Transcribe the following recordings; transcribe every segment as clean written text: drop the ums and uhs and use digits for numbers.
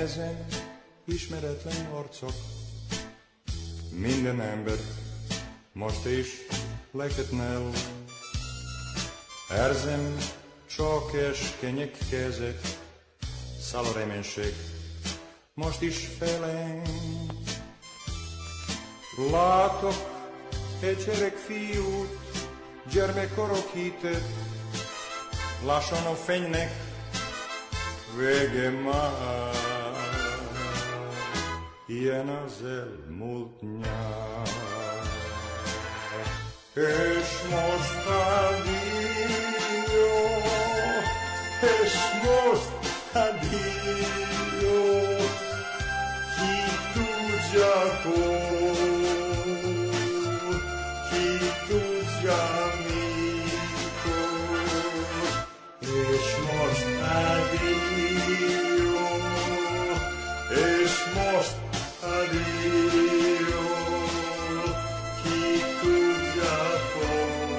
nehezen ismeretlen arcok. Minden ember most is leketnel. Érzem csak eskenyek kezek, száll a reménység most is felém. Látok egy gyerek fiút, gyermekkorok hitet, lassan a fénynek vége már. Ilyen az elmúlt nyár. És most addio, és most addio, ki tudja hol, ki tudja mikor. És most addio, és most addio, ki tudja hol,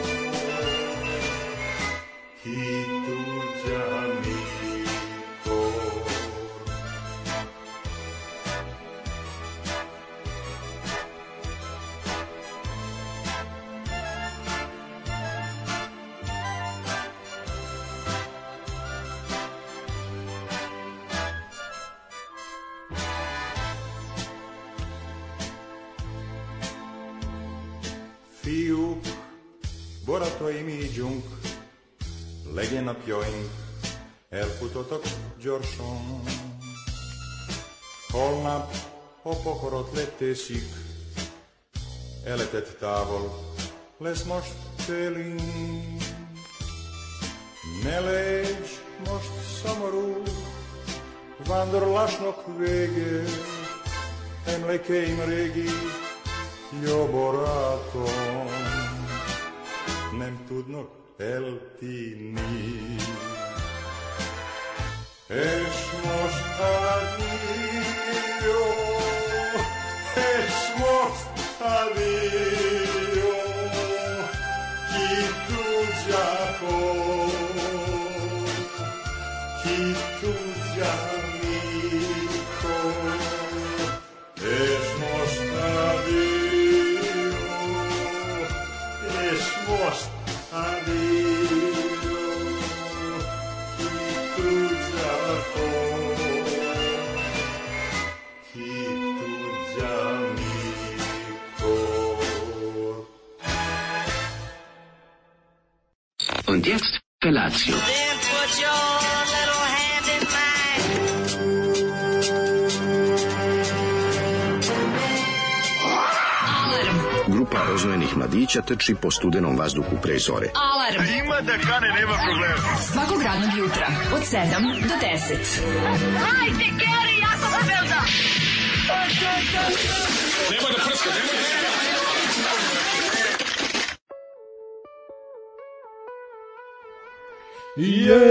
ki tudja mikor. Fiúk, barátaim, ígyunk, legyen napjaink, elfutottak gyorsan. Holnap a pokorot leteszik, eletett távol lesz most télünk. Ne légy most szomorú, vándorlásnak vége, emlékeim régi, jó barátom, nem tudnak eltűnni. És most addio, és most addio, ki tudja hol, ki tudja mikor. És most addio, és most addio, ki tudja hol, ki tudja mikor. Und jetzt Felatio. Then put your little hand in mine. Grupa rozvojenih mladića trči po studenom vazduhu pre zore. Alarm. Ima da kane, nema problema. Svakog radnog jutra od 7 do 10. Hajde, Geri, jako se velda. Nemoj da prska, nemoj da prska. Jej!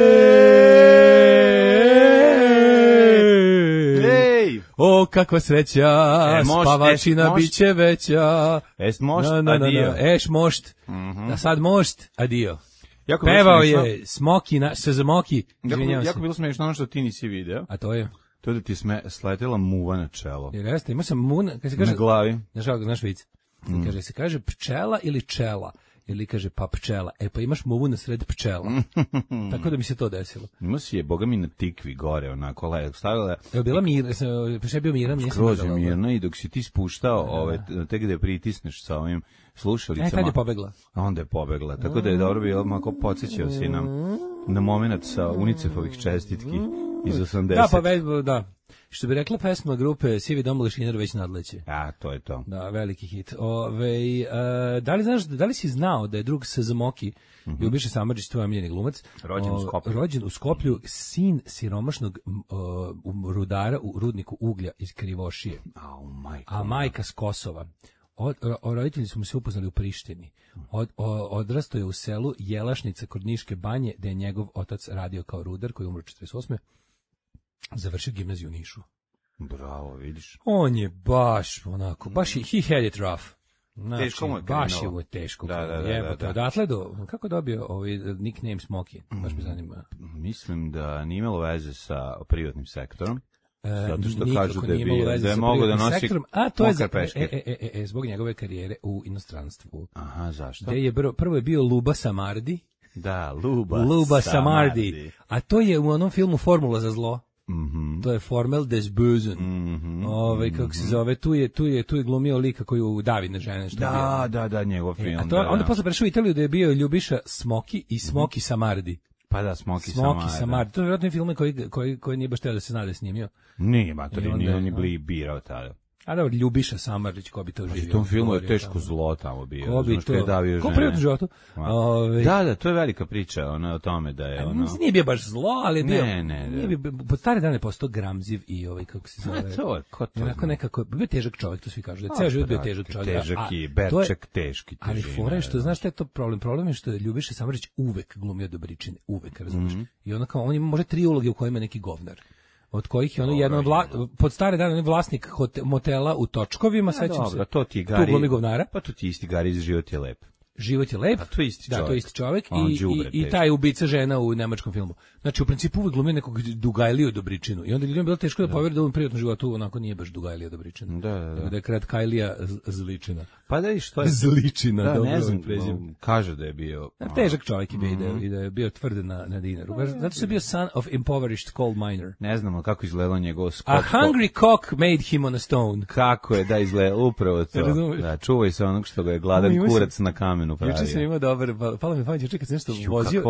O, kakva sreća, spavačina biće veća. Es mošt, adio. Eš mošt, da sad mošt, adio. Pevao je Smoki, Smoki, izvinjavam se. Jako bilo smiješno ono što ti nisi video. A to je? To da ti sletela muva na čelo. Jer jeste, imao sam mun, kad se kaže... Na glavi. Znaš vic? Kaže, se kaže pčela ili čela? Ili kaže pa pčela. E pa imaš muvu na sred pčela. Tako da mi se to desilo. Ima si je, boga mi na tikvi gore, onako, stavila... Evo, bila mirna, pa je bio miran, skroz je mirna i dok si ti spuštao, te gde pritisneš sa ovim slušalicama... Tad je pobegla. A onda je pobegla, tako da je dobro bilo, mako podsjećao si nam na moment sa UNICEF-ovih čestitki iz 80. Da, pa da. Što bi rekla pesma grupe Sivi dom Lešinar već nadleće. A, to je to. Da, veliki hit. Da li si znao da je drug Smoki, Ljubiša Samardžić, tvoj omiljeni glumac, rođen u Skoplju, sin siromašnog rudara u rudniku uglja iz Krivošije. A majka s Kosova. Roditelji su mu se upoznali u Prištini. Odrastao je u selu Jelašnica kod Niške banje, gde je njegov otac radio kao rudar, koji je umro 48. Završio gimnaziju u Nišu. Bravo, vidiš. On je baš onako, baš he had it rough. Znači, teško mu je baš je mu teško. Da. Odatle kako je dobio ovaj nickname Smoky? Baš me zanima. Mislim da nije imalo veze sa privatnim sektorom. Zato što nikako kažu da je nije imalo bio, veze da je sa mogao da privatnim nosi sektorom, a to je mokre peške. zbog njegove karijere u inostranstvu. Aha, zašto? Gde je prvo je bio Luba Samardi. Da, Luba Samardi. A to je u onom filmu Formula za zlo. Mhm. To je Formel des Bösen. Kako se zove, tu je glumio lika koji u Davine žene što je bio. Da, njegov film. A to onda posle prešao u Italiju da je bio Ljubiša Smoki i Smoki Samardi. Pa da, Smoki Samardi. To je vjerojatno film koji nije baš teo da se zna da je snimio. Nije, nije on je birao tada. A dobro, Ljubiša Samardić, ko bi to živio? U tom filmu je teško zlo tamo bio. Ko bi to? Ko privatno životu? Da, to je velika priča o tome da je ono... Nije bio baš zlo, ali je bio... Ne. Pod stare dane postao gramziv i kako se zove... Ko to? Onako nekako, bio težak čovjek, to svi kažu. Da je ceo život bio težak čovjek. Težak i Berček teški. Ali fora je što, znaš šta je to problem? Problem je što je Ljubiša Samardić uvek glumio dobričine. Uvek, razumiješ? I onda kao, on ima možda 3 uloge u kojima je neki govnar. Od kojih je ono jedno pod stare dane on je vlasnik motela u Točkovima, sećam se. To ti je Gari. Tu glumi govnara. Pa to ti isti Gari iz Život je lep. Život je lep. Pa to je isti čovjek. Da, to je isti čovjek i taj ubica žena u nemačkom filmu. Znači u principu uvek glumio nekog Dugajliju Dobričinu. I onda ljudima bilo teško da poveruju da u privatnom životu onako nije baš Dugajlija Dobričina. Da je Kratkajlija Zličina. Pa da i što je Zličina, da, dobro ne znam, prezime. Kaže da je bio težak čovjek je bio i da je bio tvrd na dinaru. Zato što je bio son of impoverished coal miner. Ne znamo kako izgledao njegov skop. A hungry cock made him on a stone. Kako je da izgleda upravo to. Da, čuvaj se onog što ga je gladan kurac na kamenu pravio. Juče sam imao dobar, palo mi pamet, kad sam nešto vozio.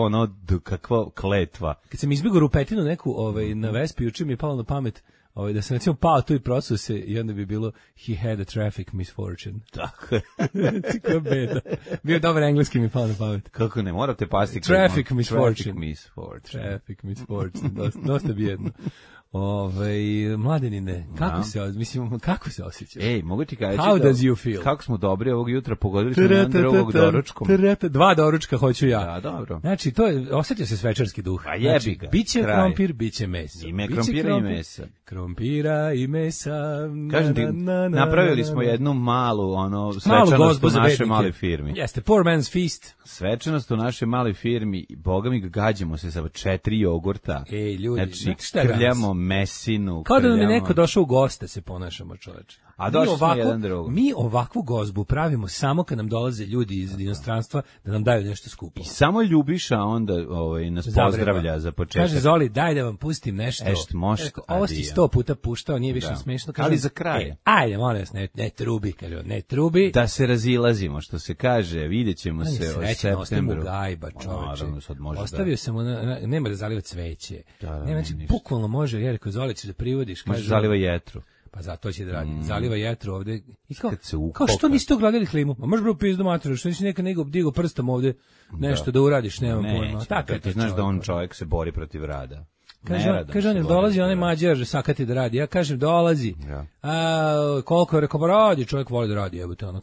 Kakva kletva. Kad sam izbjegao rupetinu neku na Vespi, juče mi je palo na pamet da sam recimo pao tu i prosuo se i onda bi bilo he had a traffic misfortune. Tako je. Kako beda. Bio dobar engleski mi palo na pamet. Kako ne, morate pasti. Traffic misfortune. Traffic misfortune. Dosta bijedno. Mladenine, kako se osjećaš? Ej, mogu ti kaži How does you feel? Kako smo dobri ovog jutra, pogodili smo jedan drugog doručkom. 2 doručka hoću ja. Da, dobro. Znači, to je, osjeća se svečarski duh. Pa jebi ga. Biće krompir, biće meso. Ime krompira i mesa. Krompira i mesa. Kažem ti, napravili smo jednu malu, svečanost u našoj maloj firmi. Jeste, poor man's feast. Svečanost u našoj maloj firmi, boga mi gađamo se sa 4 jogurta. Ej, ljudi, znači, krljamo mesinu. Kao da nam je neko došao u goste, se ponašamo, čoveče. A došli smo jedan drugom. Mi ovakvu gozbu pravimo samo kad nam dolaze ljudi iz inostranstva da nam daju nešto skupo. I samo Ljubiša onda nas pozdravlja za početak. Kaže Zoli, daj da vam pustim nešto. Ovo si 100 puta puštao, nije više smešno. Ali za kraj. Ajde, molim vas, ne trubi, kaže, ne trubi. Da se razilazimo, što se kaže, vidjet ćemo se u septembru. Gajba, čoveče. Ostavio sam mu, nema da zaliva cveće. Znači, bukvalno može, jer ako Zoli ćeš da privodiš. Može zaliva jetru. Pa zato će da radi. Zaliva jetru ovde. I kao što niste ugradili klimu? Ma može bre u pizdu materiju, što nisi nekad digo prstom ovde nešto da uradiš, nemam pojma. Tako je. Ti znaš da on čovjek se bori protiv rada. Kaže on, dolazi onaj Mađar sakati da radi. Ja kažem, dolazi. Koliko je rekao, radi, čovjek voli da radi, jebote, ono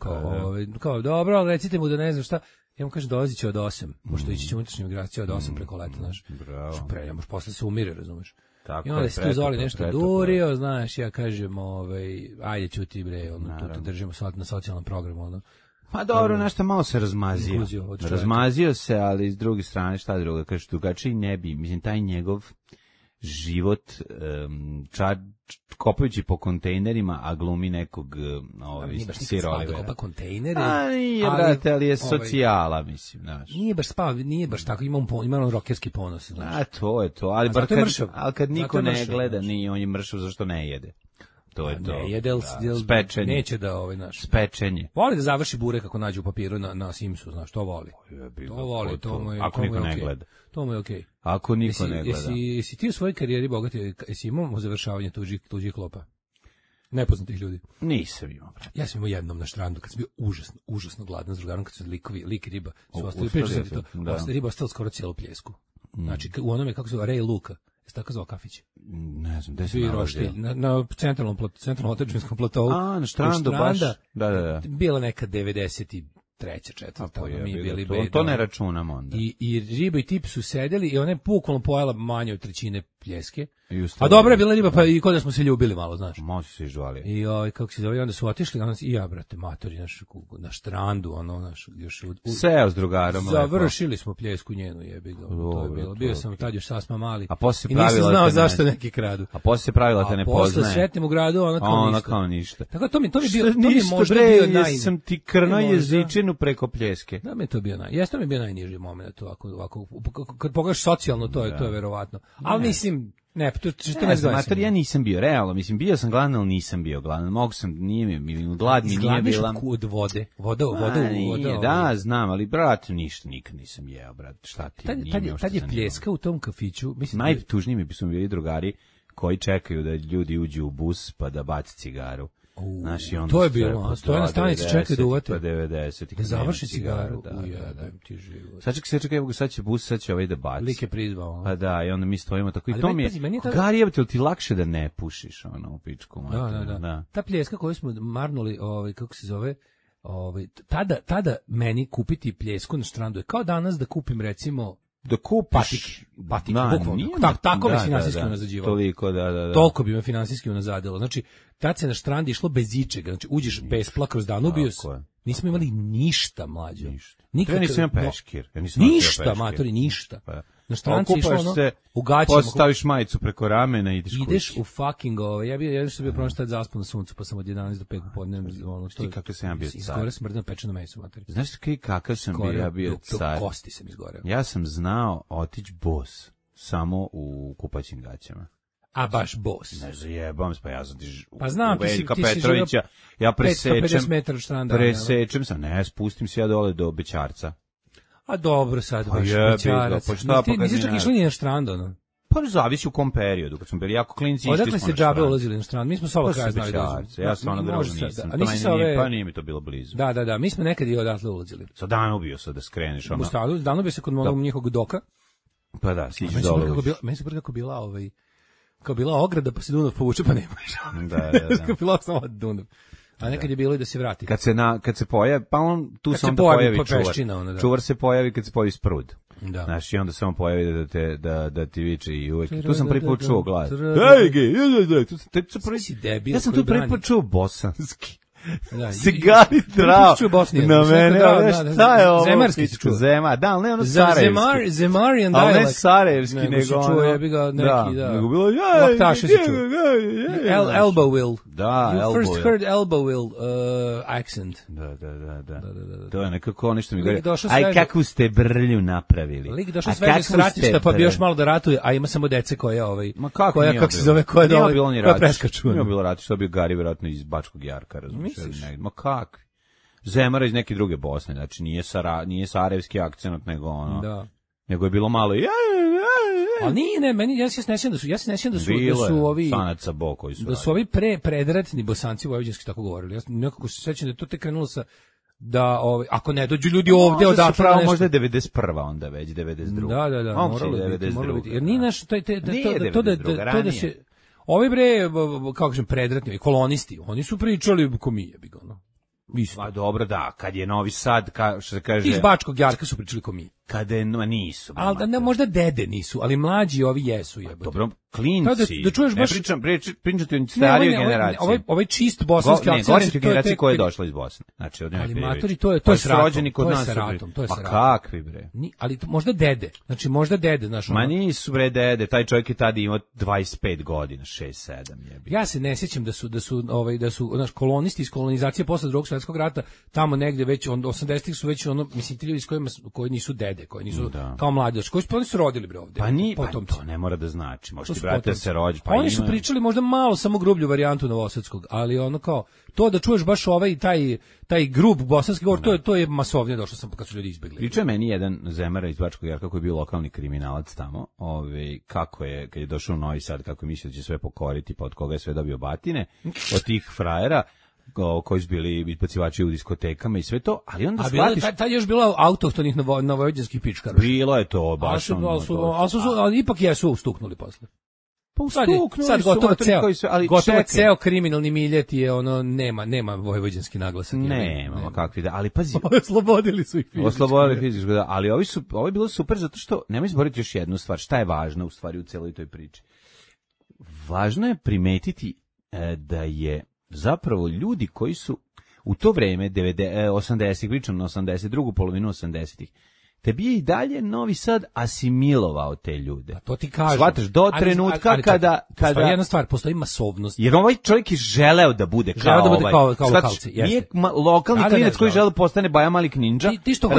kao, dobro, ali recite mu da ne znam šta. Ja mu kažem, dolazit će od 8, pošto ići će unutrašnja migracija od 8 preko leta, znaš. Što posle se umire, razumeš. I onda se tu Zoli nešto durio, znaš, ja kažem, ajde ćuti bre, tu držimo na socijalnom programu, Pa dobro, nešto malo se razmazio. Razmazio se, ali s druge strane, šta druga, kaže, drugačiji ne bi, mislim, taj njegov život, kopajući po kontejnerima, a glumi nekog sirovive. Kopa kontejnere. Nije, brate, ali je socijala, mislim, znaš. Nije baš tako, ima on rokerski ponos, znaš. To je to, ali kad niko ne gleda, nije, on je mršav zašto ne jede. To je to. Ne jede, spečenje. Neće da naš. Spečenje. Voli da završi burek kako nađe u papiru na Simsu, znaš, to voli. To voli, to mu je. Ako niko ne gleda. To mu je okej. Ako niko ne gleda. Jesi ti u svojoj karijeri bogati, jesi imao završavanje tuđih klopa? Nepoznatih ljudi. Nisam imao, brate. Ja sam imao jednom na štrandu kad sam bio užasno gladan s drugarom, kad su lik i riba su ostali, pričali to. Riba ostala skoro cijelu pljesku. Znači, u onome kako se zove Rej Luka. Jesi tako zvao kafić? Ne znam, gde se nalazio? Na centralnom otadžbinskom platovu. Na štrandu baš. Da. Bila neka 90 treća, četvrta, Pa mi bili to ne računamo onda. I riba i tip su sedeli i ona je bukvalno pojela manje od trećine pljeske. A dobra je bila riba, pa i kod da smo se ljubili malo, znaš. Može se žvalio. I kako se zove, onda su otišli, i ja, brate, matori, na štrandu, još seo s drugarom. Završili smo pljesku njenu, jebi ga. To je bilo. Bio sam tad još sasma mali. A posle i nisam znao zašto neki kradu. A posle se pravila te ne poznaje. Posle sretnim u gradu, ona kao ništa. Tako to mi bio, to mi možda bio sam ti krno jezičinu preko pljeske. Da mi to bio jeste mi bio najniži moment ovako kad pogledaš socijalno to je verovatno. Ali mislim ne, to mater, ja nisam bio, realno, mislim, bio sam gladan, ali nisam bio gladan, mogu sam, nije mi, glad mi nije bila. Od vode, voda. Da, znam, ali, brate, ništa, nikad nisam jeo, brate, šta ti, tad je pljeska u tom kafiću, mislim. Najtužniji mi su bili drugari koji čekaju da ljudi uđu u bus pa da baci cigaru. To je bilo, stoje na stanici, čekaju da uvate. Pa 90. Da završi cigaru. Ujebem ti život. Sad će bus, sad će ovaj da baci. Lik je prizvao. Pa da, i onda mi stojimo tako. I to mi je, Gari, jebate, li ti lakše da ne pušiš, u pičku? Da. Ta pljeska koju smo marnuli, kako se zove, tada meni kupiti pljesku na štrandu je kao danas da kupim, recimo, da kupiš patik, bukvalno. Tako me finansijski unazađivalo. Toliko, da. Toliko bi me finansijski unazadilo. Znači, tad se na štrandi išlo bez ičega. Znači, uđeš bespla kroz Danubijus. Nismo imali ništa, mlađo. Ja nisam imao peškir. Ništa, matori, ništa. Na štranci išlo u gaćima. Postaviš majicu preko ramena i ideš kući. Ideš u fucking ja bio prošao tad zaspao na suncu, pa sam od 11 do 5 popodne. Ti kakav sam ja bio car. Izgore sam mrdno pečeno meso, matori. Znaš kakav sam bio car? Kosti sam izgoreo. Ja sam znao otići bos samo u kupaćim gaćama. A baš bos. Ne zajebam se, pa ja sam pa znam, Veljka Petrovića, ja presečem sam, spustim se ja dole do Bećarca. A dobro, sad baš Bećarac. Nisi čak išli ni na štrand, ono? Pa zavisi u kom periodu, kad smo bili jako klinci, išli smo na štrand. Odakle ste džabe ulazili na štrand? Mi smo s ovog kraja znali da ja stvarno drugo nisam, pa nije mi to bilo blizu. Da, mi smo nekad i odatle ulazili. Sa Danubio sad da skreneš. U stanu, Danubio se kod onog njihovog doka. Pa da, siđeš dole. Meni se kako bila kao bila ograda, pa se Dunav povuče, pa nemaš. Da. Kao bila samo Dunav. A nekad je bilo i da se vrati. Kad se pojavi, pa on tu se onda pojavi čuvar. Čuvar se pojavi kad se pojavi sprud. Da. Znaš, i onda samo pojavi da ti viče i uvek. Tu sam prvi put čuo glas. Ja sam tu prvi put čuo bosanski. Cigari trao na mene, šta je ovo? Zemarski se čuo. Da, ali ne ono sarajevski. Zemarian dialekt. Ali ne sarajevski, nego ono. Čuo je bi ga neki, da. Nego bilo, Laktaše se čuo. Elbowville. Da, You first heard Elbowville accent. Da. To je nekako nešto mi govori. Aj, kakvu ste brlju napravili. Lik došao sve iz ratišta, pa bi još malo da ratuje, a ima samo dece koja kako se zove, koja dole, koja preskaču. Nije bilo ratišta, bio Gari vjerojatno iz Bačkog Jarka, razumiješ. Ma kakvi? Zemara iz neke druge Bosne, znači nije sarajevski akcent, nego ono. Da. Nego je bilo malo ali nije, meni ja se ne sjećam da su ovi Sanaca Bo koji su. Da su ovi predratni Bosanci vojvođanski tako govorili. Ja nekako se sećam da to tek krenulo sa da ako ne dođu ljudi ovde odatle pravo možda je 91. onda već 92. Da, moralo biti. Jer nije naš to da se ovi kako kažem predratni kolonisti, oni su pričali ko mi je ono. Pa dobro, da, kad je Novi Sad, što se kaže... Iz Bačkog Jarka su pričali ko mi. Kada je, nisu. Ali da, možda dede nisu, ali mlađi ovi jesu jebote. Dobro, klinci. Da čuješ baš... Pričati o starijoj generaciji. Ovaj čist bosanski akcent. Ne, govorim ti o generaciji koja je došla iz Bosne. Znači, ali matori, to je sa ratom. To je sa ratom. Pa kakvi bre? Ali možda dede. Znači, možda dede, znaš. Ma nisu bre dede, taj čovjek je tada imao 25 godina, 6-7 jebi. Ja se ne sjećam da su naš kolonisti iz kolonizacije posle Drugog svjetskog rata tamo negde već 80-ih su već mislim ti ljudi koji nisu dede, koji nisu kao mlađi, koji su se rodili bre ovde. Pa to ne mora da znači. Možda ti brate se rođi, pa oni su pričali možda malo samo grublju varijantu novosadskog, ali ono kao to da čuješ baš taj grub bosanski govor, to je masovnije došlo sam kad su ljudi izbegli. Priča meni jedan Zemara iz Bačkog Jarka koji je bio lokalni kriminalac tamo, kako je kad je došao u Novi Sad, kako je mislio da će sve pokoriti, pa od koga je sve dobio batine, od tih frajera koji su bili izbacivači u diskotekama i sve to, ali onda shvatiš... A tad još bilo autohtonih novojvođanskih pičkara. Bilo je to baš. Ali ipak jesu ustuknuli posle. Pa ustuknuli sad su gotovo motori ceo, koji su, ali gotovo čekaj. ceo kriminalni miljet je ono, nema vojvođanski naglasak. Nema, kakvi da, ali pazi. Oslobodili su ih fizički. Oslobodili fizički, da, ali ovo je bilo super zato što, nemoj zaboraviti još jednu stvar, šta je važno u stvari u celoj toj priči. Važno je primetiti da je zapravo ljudi koji su u to vreme 80-ih, pričam na 82. polovinu 80-ih, tebi je i dalje Novi Sad asimilovao te ljude. A to ti kažem. Shvataš, do trenutka kada... Postoji jedna stvar, postoji masovnost. Jer ovaj čovjek je želeo da bude kao ovaj. Kao lokalci, jeste. Nije lokalni klinac koji žele postane Baja Malik Ninja. Ti što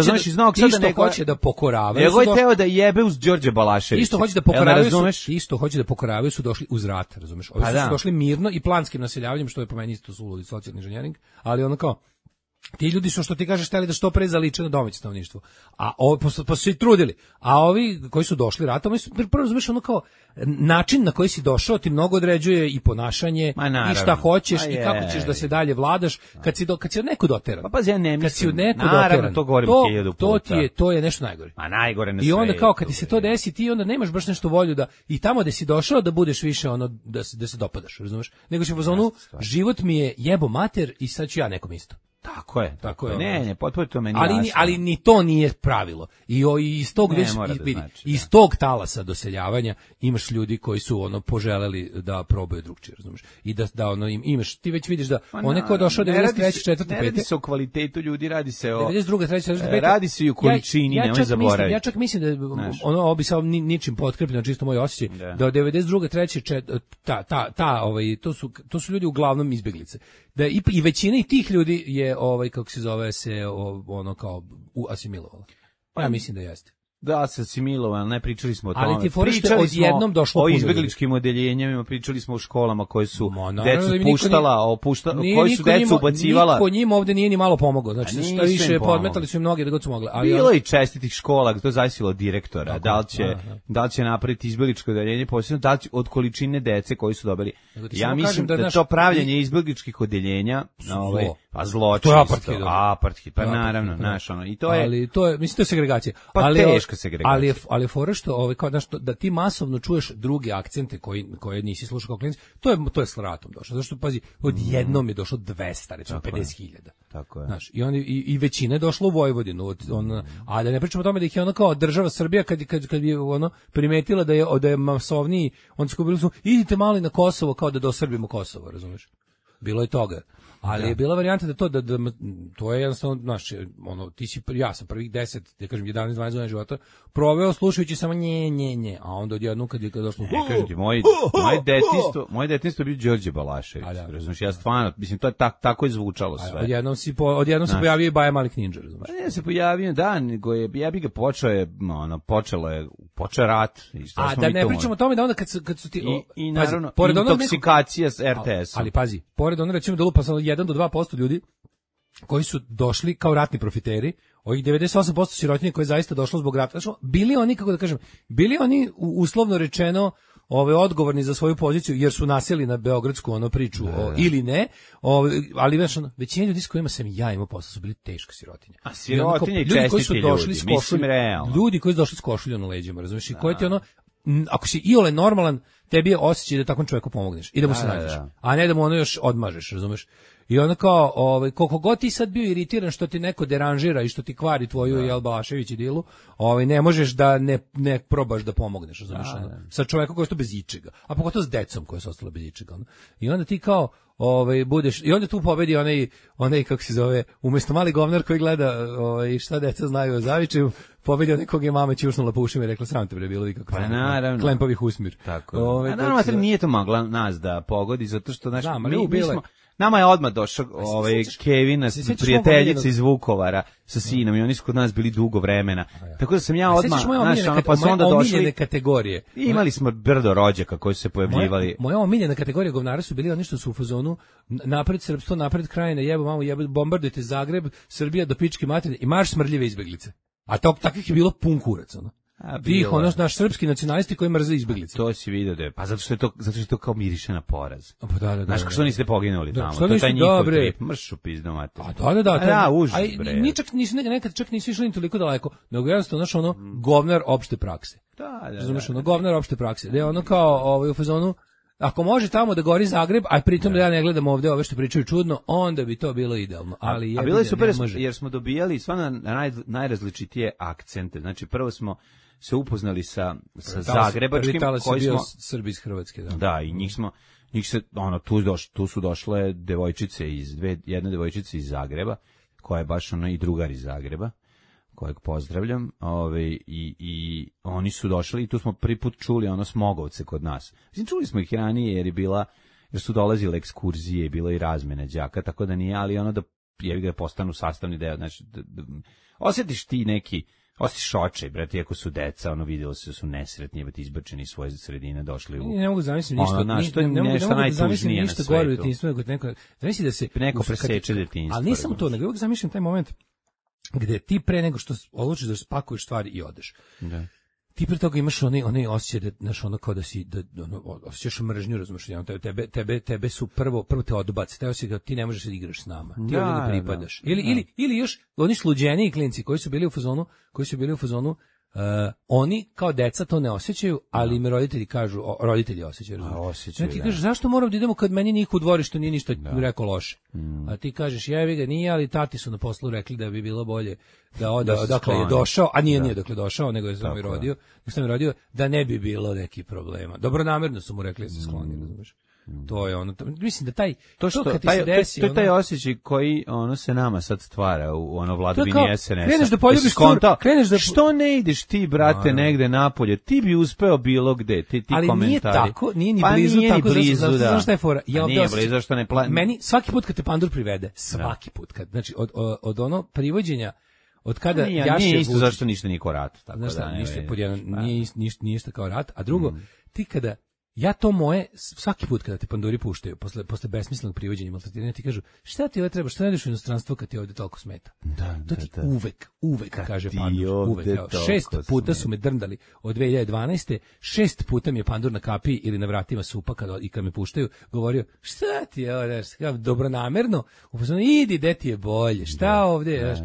hoće da pokoravaju. Nego je teo da jebe uz Đorđe Balaševića. Isto hoće da pokoravaju. Isto hoće da pokoravaju su došli uz rat, razumeš? Ovi su došli mirno i planskim naseljavanjem, što je po meni isto suludi socijalni inženjering, ali ono kao ti ljudi su, što ti kažeš, hteli da što pre zaliče na domaće stanovništvo. A pa su i trudili. A ovi koji su došli ratom, prvo razumeš ono kao način na koji si došao ti mnogo određuje i ponašanje i šta hoćeš i kako ćeš da se dalje vladaš kad si od neko doteran. Pa pazi, ja ne mislim. Kad si od neko doteran, to govorim 1000 puta. To je nešto najgore. A najgore na I onda kao kad ti se to desi, ti onda nemaš baš nešto volju da i tamo gde si došao da budeš više ono da se dopadaš, razumeš? Nego si u fazonu život mi je jebo mater i sad ću ja nekom isto. Tako je. Ne, potpuno to meni ali ni to nije pravilo. I iz tog talasa doseljavanja imaš ljudi koji su ono poželeli da probaju drugčije, razumeš? I da ono imaš, ti već vidiš da onaj ko je došao 93. 4. 5. Ne radi se o kvalitetu ljudi, radi se o 92. 3. 4. 5. Radi se i o količini, nemoj zaboraviti. Ja čak mislim da ono bi samo ničim potkrepljeno, čisto moj osjećaj, da od 92. 3. to su ljudi uglavnom izbeglice. Da i većina i tih ljudi je kako se zove se ono kao asimilovala. Ja mislim da jeste. Da, se asimilovalo, ne pričali smo o tome. Ali ti foršte odjednom došlo o izbegličkim odeljenjima, pričali smo o školama koje su decu puštala, koji su decu ubacivala. Niko njima ovde nije ni malo pomogao. Znači šta više podmetali su im mnogi da god su mogli. Ali bilo i čestitih škola, to je zavisilo od direktora, da li će napraviti izbegličko odeljenje, posebno da li će, od količine dece koji su dobili. Ja mislim da to pravljenje izbegličkih odeljenja, pa zločin, apartheid, pa naravno, znaš, ono, i to je. Ali to je, mislim, to je segregacija. Ali je fora što kao da ti masovno čuješ druge akcente koje nisi slušao kao klinac, to je s ratom došlo. Zato što pazi, odjednom je došlo 200, recimo 50.000. Tako je. Znaš, i većina je došla u Vojvodinu, a da ne pričamo o tome da ih je ono kao država Srbija kad je ono primetila da je masovniji, onda su bili idite malo na Kosovo kao da dosrbimo Kosovo, razumeš? Bilo je toga. Ali je bila varijanta da to je jednostavno, znaš, ono, ja sam prvih 10, da kažem 11-12 godina života proveo slušajući samo nje, a onda odjednom kad je došlo... Ne, kažem ti, moje detinjstvo je bio Đorđe Balašević, razumiješ, ja stvarno, mislim, to je tako je zvučalo sve. Odjednom se pojavio i Baja Malik Ninja, razumiješ. Ne, se pojavio, da, nego ja bi ga počelo je rat. A da ne pričamo o tome da onda kad su ti... I naravno, intoksikacija s RTS-om. Ali pazi, pored ono recimo da lupa samo 1 do 2% ljudi koji su došli kao ratni profiteri, ovih 98% sirotinje koje je zaista došlo zbog rata. Znači, bili oni, kako da kažem, bili oni uslovno rečeno odgovorni za svoju poziciju jer su nasjeli na beogradsku priču ili ne, ali većina ljudi s kojima sam ja imao posla su bili teška sirotinja. A sirotinje i čestiti ljudi, mislim realno. Ljudi koji su došli s košuljom na leđima, razumiješ, i koji ti ako si iole normalan, tebi je osjećaj da takvom čovjeku pomogneš i da mu se nađeš, a ne da mu ono još odmažeš, razumeš. I onda kao, koliko god ti sad bio iritiran što ti neko deranžira i što ti kvari tvoju Jel Balašević idilu, ne možeš da ne probaš da pomogneš, razumeš, sa čovjekom koji je to bez ičega, a pogotovo s decom koja su ostala bez ičega. I onda ti kao, budeš, i onda tu pobedi onaj kako se zove, umjesto mali govnar koji gleda šta deca znaju o Zavičevu, pobedi onaj kog je mama ćušnula po ušima i rekla sram te bre bilo kako klempovih usmir. Tako. Naravno, nije to mogla nas da pogodi, zato što mi smo... Nama je odmah došao Kevina, prijateljica iz Vukovara sa sinom i oni su kod nas bili dugo vremena. Tako da sam ja odmah, pa su onda došli kategorije. Imali smo brdo rođaka koji su se pojavljivali. Moja omiljena kategorija govnara su bili oni što su u fazonu napred srpstvo, napred Krajina, jebo mamu, bombardujte Zagreb, Srbija do pičke materine i marš smrdljive izbeglice. A takvih je bilo pun kurac, ono. Tih, ono, naš srpski nacionalisti koji mrze izbeglice. To si vidio da je, pa zato što je to kao miriše na poraz. Pa da. Znaš, što niste poginuli tamo? Što to je taj njihov dobre. trip. Mršu pizdu, mate. Da. Užas, bre. Nekad čak nisu išli ni toliko daleko, nego jednostavno, znaš, ono, govnar opšte prakse. Da. Razumeš, ono, govnar opšte prakse. Da je ono kao, u fazonu, ako može tamo da gori Zagreb, a pritom da ja ne gledam ovde ove što pričaju čudno, onda bi to bilo idealno. Ali a bilo je super jer smo dobijali stvarno najrazličitije akcente. Znači, prvo smo se upoznali sa zagrebačkim koji smo Srbi iz Hrvatske, da. Da, i njih se tu su došle devojčice jedna devojčica iz Zagreba, koja je baš ona i drugar iz Zagreba, kojeg pozdravljam, i oni su došli i tu smo prvi put čuli ono Smogovce kod nas. Mislim, čuli smo ih ranije jer su dolazile ekskurzije i bilo i razmene đaka, tako da nije, ali ono da postanu sastavni deo, znači osjetiš ti neki, osjetiš očaj, brate, ako su deca, ono vidjelo se da su nesretni, izbačeni iz svoje sredine, došli u... Ne mogu zamisliti ništa, ne mogu zamisliti ništa gore u detinjstvu, nego zamisli da se... Neko preseče detinjstvo. Ali nisam to, nego uvijek zamišljam taj moment gde ti pre nego što odlučiš da spakuješ stvari i odeš. Da. Ti pre toga imaš onaj osjećaj da, znaš, ono kao da si, osjećaš mržnju, razumiješ, tebe su prvo te odbaci, taj osjećaj da ti ne možeš da igraš s nama, ti ovdje ne pripadaš. Ili još oni sluđeniji klinci koji su bili u fazonu, oni kao deca to ne osjećaju, ali im roditelji kažu, roditelji osjećaju. Osjećaju, ti kažeš, zašto moram da idemo kad meni niko u dvorištu nije ništa rekao loše? A ti kažeš, jevi ga, nije, ali tati su na poslu rekli da bi bilo bolje da odakle je došao, a nije dakle došao, nego je samo i rodio, da ne bi bilo nekih problema. Dobronamerno su mu rekli da se skloni, razumiješ? To je ono, mislim da kad ti se desi, to je taj osjećaj koji ono se nama sad stvara u ono vladavini SNS-a. Kreneš da poljubiš što ne ideš ti, brate, negde napolje, ti bi uspeo bilo gde, ti komentari. Ali nije tako, nije ni blizu tako, zašto šta je fora? Nije blizu, što ne plan... Meni, svaki put kad te pandur privede, svaki put, znači od ono privođenja, od kada nije isto zašto ništa nije kao rat. Znaš šta, nije isto kao rat, a drugo, ti kada ja to moje, svaki put kada te panduri puštaju, posle besmislenog privođenja i maltretiranja, ti kažu, šta ti ovo treba, što ne ideš u inostranstvo kad ti ovdje toliko smeta? To ti uvek kaže pandur, uvek. 6 puta su me drndali od 2012. 6 puta mi je pandur na kapiji ili na vratima supa kad me puštaju, govorio, šta ti je ovo, dobronamerno, idi, de ti je bolje, šta ovdje,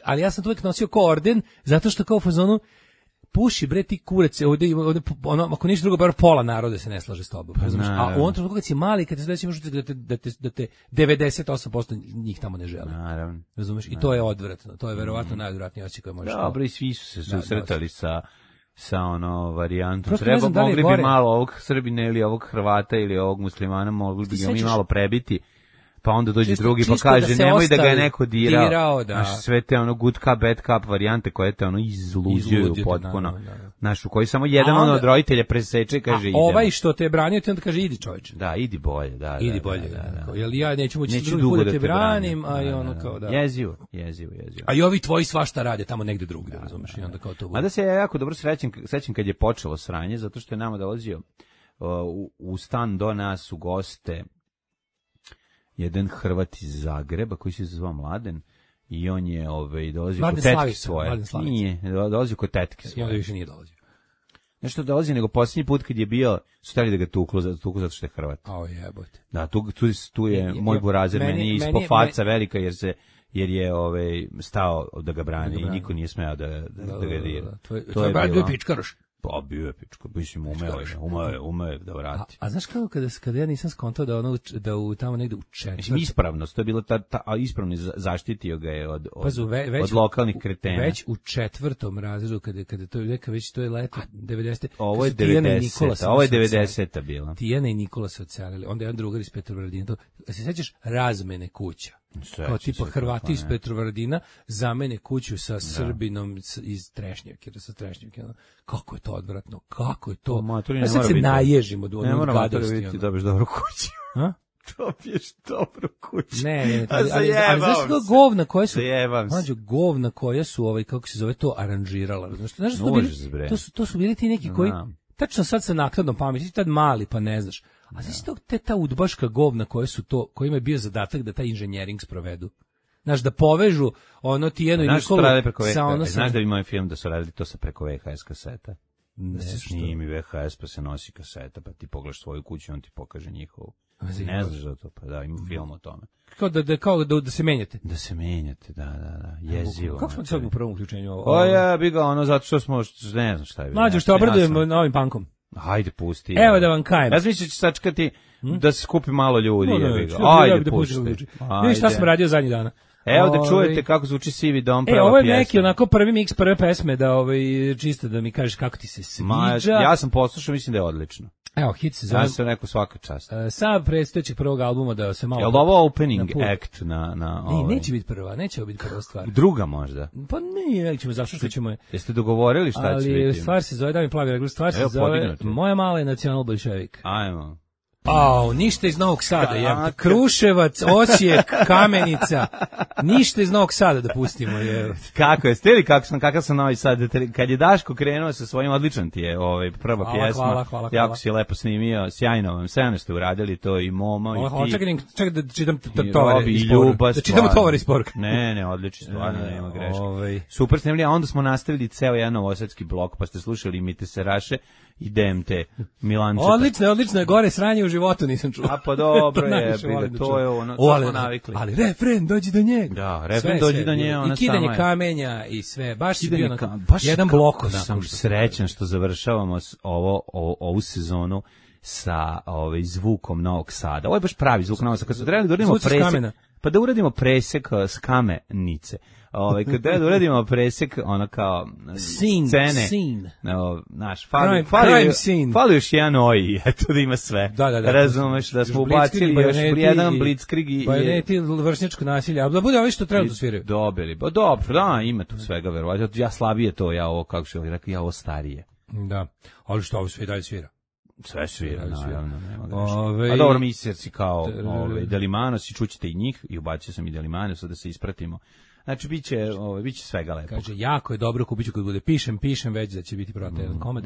ali ja sam to uvek nosio kao orden, zato što kao u fazonu, puši bre ti kurece, ovde ono, ako ništa drugo, bar pola naroda se ne slaže s tobom. A u ovom trenutku kad si mali, kad te sledeći možeš da te 98% njih tamo ne žele. Naravno. Razumeš? I to je odvratno. To je verovatno najodvratnije osjećaj koje možeš. Dobro, i svi su se susretali sa ono varijantom. Mogli bi malo ovog Srbina ili ovog Hrvata ili ovog muslimana, mogli bi ga mi malo prebiti. Pa onda dođe drugi pa kaže nemoj da ga je neko dirao, sve te ono good cup, bad cup varijante koje te ono izluđuju potpuno. Znaš, u koji samo jedan od roditelja preseče i kaže idemo. Ovaj što te je branio ti onda kaže idi čovječe. Da, idi bolje, da. Idi bolje, jer ja neću moći drugi put da te branim, a i ono kao da. Jezivo. A i ovi tvoji svašta rade tamo negde drugdje, razumeš, i onda kao to bude. Mada se ja jako dobro srećem kad je počelo sranje, zato što je nama dolazio u stan do nas u goste jedan Hrvat iz Zagreba koji se zvao Mladen i on je dolazio kod tetke svoje. Nije, dolazio kod tetke svoje. I onda više nije dolazio. Nešto dolazi, nego posljednji put kad je bio, su htjeli da ga tuklu zato što je Hrvat. O jebote. Da, tu je moj burazer, meni ispod faca velika jer je stao da ga brani i niko nije smeo da ga dira. To je bio pičkaroš. Pa bio je pičko, mislim umeo da vrati. A znaš kako kada ja nisam skontao da u tamo negde u četvrtom... Mislim, ispravnost, to je bilo ispravno zaštitio ga je od lokalnih kretena. Već u 4. razredu, kada to je neka već, to je leto 90. Ovo je 90. bila. Tijana i Nikola se odselili, onda jedan drugar iz Petrovaradina. Se sećaš razmene kuća? Kao tipa Hrvati iz Petrovaradina zamene kuću sa Srbinom iz Trešnjevke, kako je to odvratno, kako je to. Ja sad se naježimo od onog gadosti. Ne mora dobiješ dobru kuću. Dobiješ dobru kuću. Ne, ali znaš kako govna koja su kako se zove to aranžirala. Znaš to su bili ti neki koji tačno sad sa naknadnom pameti, ti tad mali pa ne znaš. A znaš ta udbaška govna koja je bio zadatak da taj inženjering sprovedu. Znaš, da povežu ono Tijenu i Nikolu sa ono... Znaš da bi moj film da su radili to sa preko VHS kaseta? Da se snimi VHS pa se nosi kaseta, pa ti pogledaš svoju kuću i on ti pokaže njihovu. Ne znaš da to, pa da, ima film o tome. Kao da se menjate. Da se menjate, da, jezivo. Kako smo sad u prvom uključenju ovo? O ja bi ga ono, zato što smo, ne znam šta je bilo. Mlađo, što obradujemo novim pankom. Hajde, pusti. Evo da vam kajem. Ja mislim da će sačekati da se skupi malo ljudi. Ajde, pusti. Vidiš šta sam radio zadnjih dana. Evo da čujete kako zvuči Sivi dom, prva pjesma. Ovo je neki onako prvi miks prve pesme, da čisto da mi kažeš kako ti se sviđa. Ja sam poslušao, mislim da je odlično. Evo, hit se zove. Ja sam rekao svaka čast. Sa predstojećeg prvog albuma da se malo... Je li ovo opening act na Ne, neće biti prva, neće biti prva stvar. Druga možda? Pa ne, nećemo, zašto što ćemo je... Jeste dogovorili šta će biti? Ali stvar se zove, da mi plavi regler, stvar se zove Moja mala je nacional bolševik. Ajmo. Ništa iz Novog Sada, je. Kruševac, Osijek, Kamenica, ništa iz Novog Sada da pustimo, je. Kako je, stili kakav sam Novi Sad, kad je Daško krenuo sa svojim, odličan ti je prva pjesma, hvala. Jako si lepo snimio, sjajno vam, sve ste uradili to i Momo i ti. Čekaj da čitam tovare iz poruka. Da čitamo tovare iz poruka. Ne, odlično, stvarno, nema greške. Super snimili, a onda smo nastavili ceo jedan novosadski blok, pa ste slušali Mite Seraše i DMT Milančeta. Odlično je, gore sranje u životu nisam čuo. A pa dobro je, to je ono, to smo navikli. Ali refren, dođi do njega. Da, refren dođi do njega, ona sama je. I kidanje kamenja i sve, baš si bio jedan blok. Sam srećan što završavamo ovu sezonu sa zvukom Novog Sada. Ovo je baš pravi zvuk Novog Sada. Kad su trebali da uradimo presek, pa da uradimo presek s Kamenice. Kad da uradimo presek, ono kao scene. Naš, fali još jedan OI, eto da ima sve. Da. Razumeš da smo ubacili još jedan blitzkrieg i... Bajoneti, vršnjačko nasilje, a da bude ovi što treba da sviraju. Dobili, pa dobro, da, ima tu svega, verovatno. Ja slabije to, ja ovo, kako što rekao, ja ovo starije. Da, ali što ovo sve dalje svira? Sve svira, naravno, nema greške. A dobro, miserci kao Delimanos i čućete i njih, i ubacio sam i Delimanos da se ispratimo. Znači, biće svega lepo. Kaže, jako je dobro, kupit ću kad bude pišem već da će biti prota jedan komad.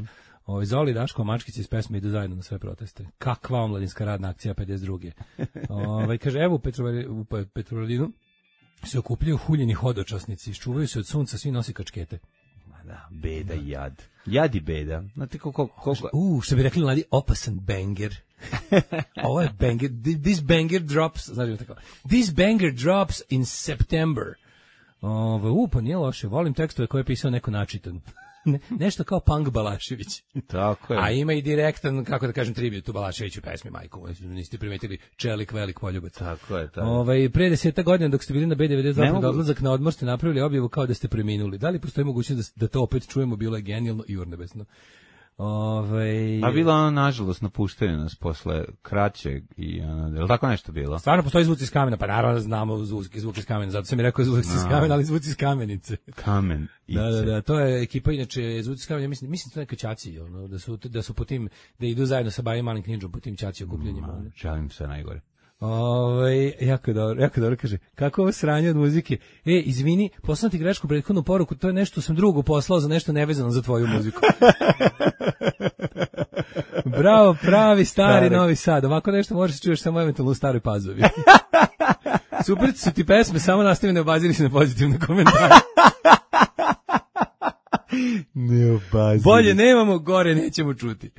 Zoli, Daško, Mačkić iz pesme idu zajedno na sve proteste. Kakva omladinska radna akcija 52. Kaže, evo u Petrovaradinu se okupljaju huljeni hodočasnici, iščuvaju se od sunca, svi nosi kačkete. Da, beda i jad. Jad i beda. Znate koliko... Što bi rekli mladi, opasan banger. Ovo je banger. This banger drops, znači tako. This banger drops in September. Pa nije loše. Volim tekstove koje je pisao neko načitan. Nešto kao Punk Balašević. Tako je. A ima i direktan, kako da kažem, tribut u Balaševiću pesmi, majku. Niste primetili, Čelik, velik poljubac. Tako je. Pre 10 godina dok ste bili na B92 pred odlazak na odmor ste napravili objavu kao da ste preminuli. Da li postoji mogućnost da to opet čujemo? Bilo je genijalno i urnebesno. A bila ona nažalost napuštena nas posle kraćeg i je li tako nešto bilo? Stvarno postoji zvuci iz kamena, pa naravno znamo zvuk iz kamena, zato sam mi rekao zvuci iz kamena, ali zvuci iz kamenice. Kamen. Da, to je ekipa, inače zvuci iz kamena, mislim to neka ćaci, da su po tim, da idu zajedno sa Bajim Malim Knidžom po tim ćaci okupljenjima. Želim sve najgore. Jako dobro, kaže, kako ovo sranje od muzike? Izvini, poslao ti grešku prethodnu poruku, to je nešto sam drugo poslao za nešto nevezano za tvoju muziku. Bravo, pravi stari Novi Sad, ovako nešto možeš čuješ samo eventualno u Staroj Pazovi. Super su ti pesme, samo nastavi ne obaziri se na pozitivne komentare. Bolje nemamo, gore nećemo čuti.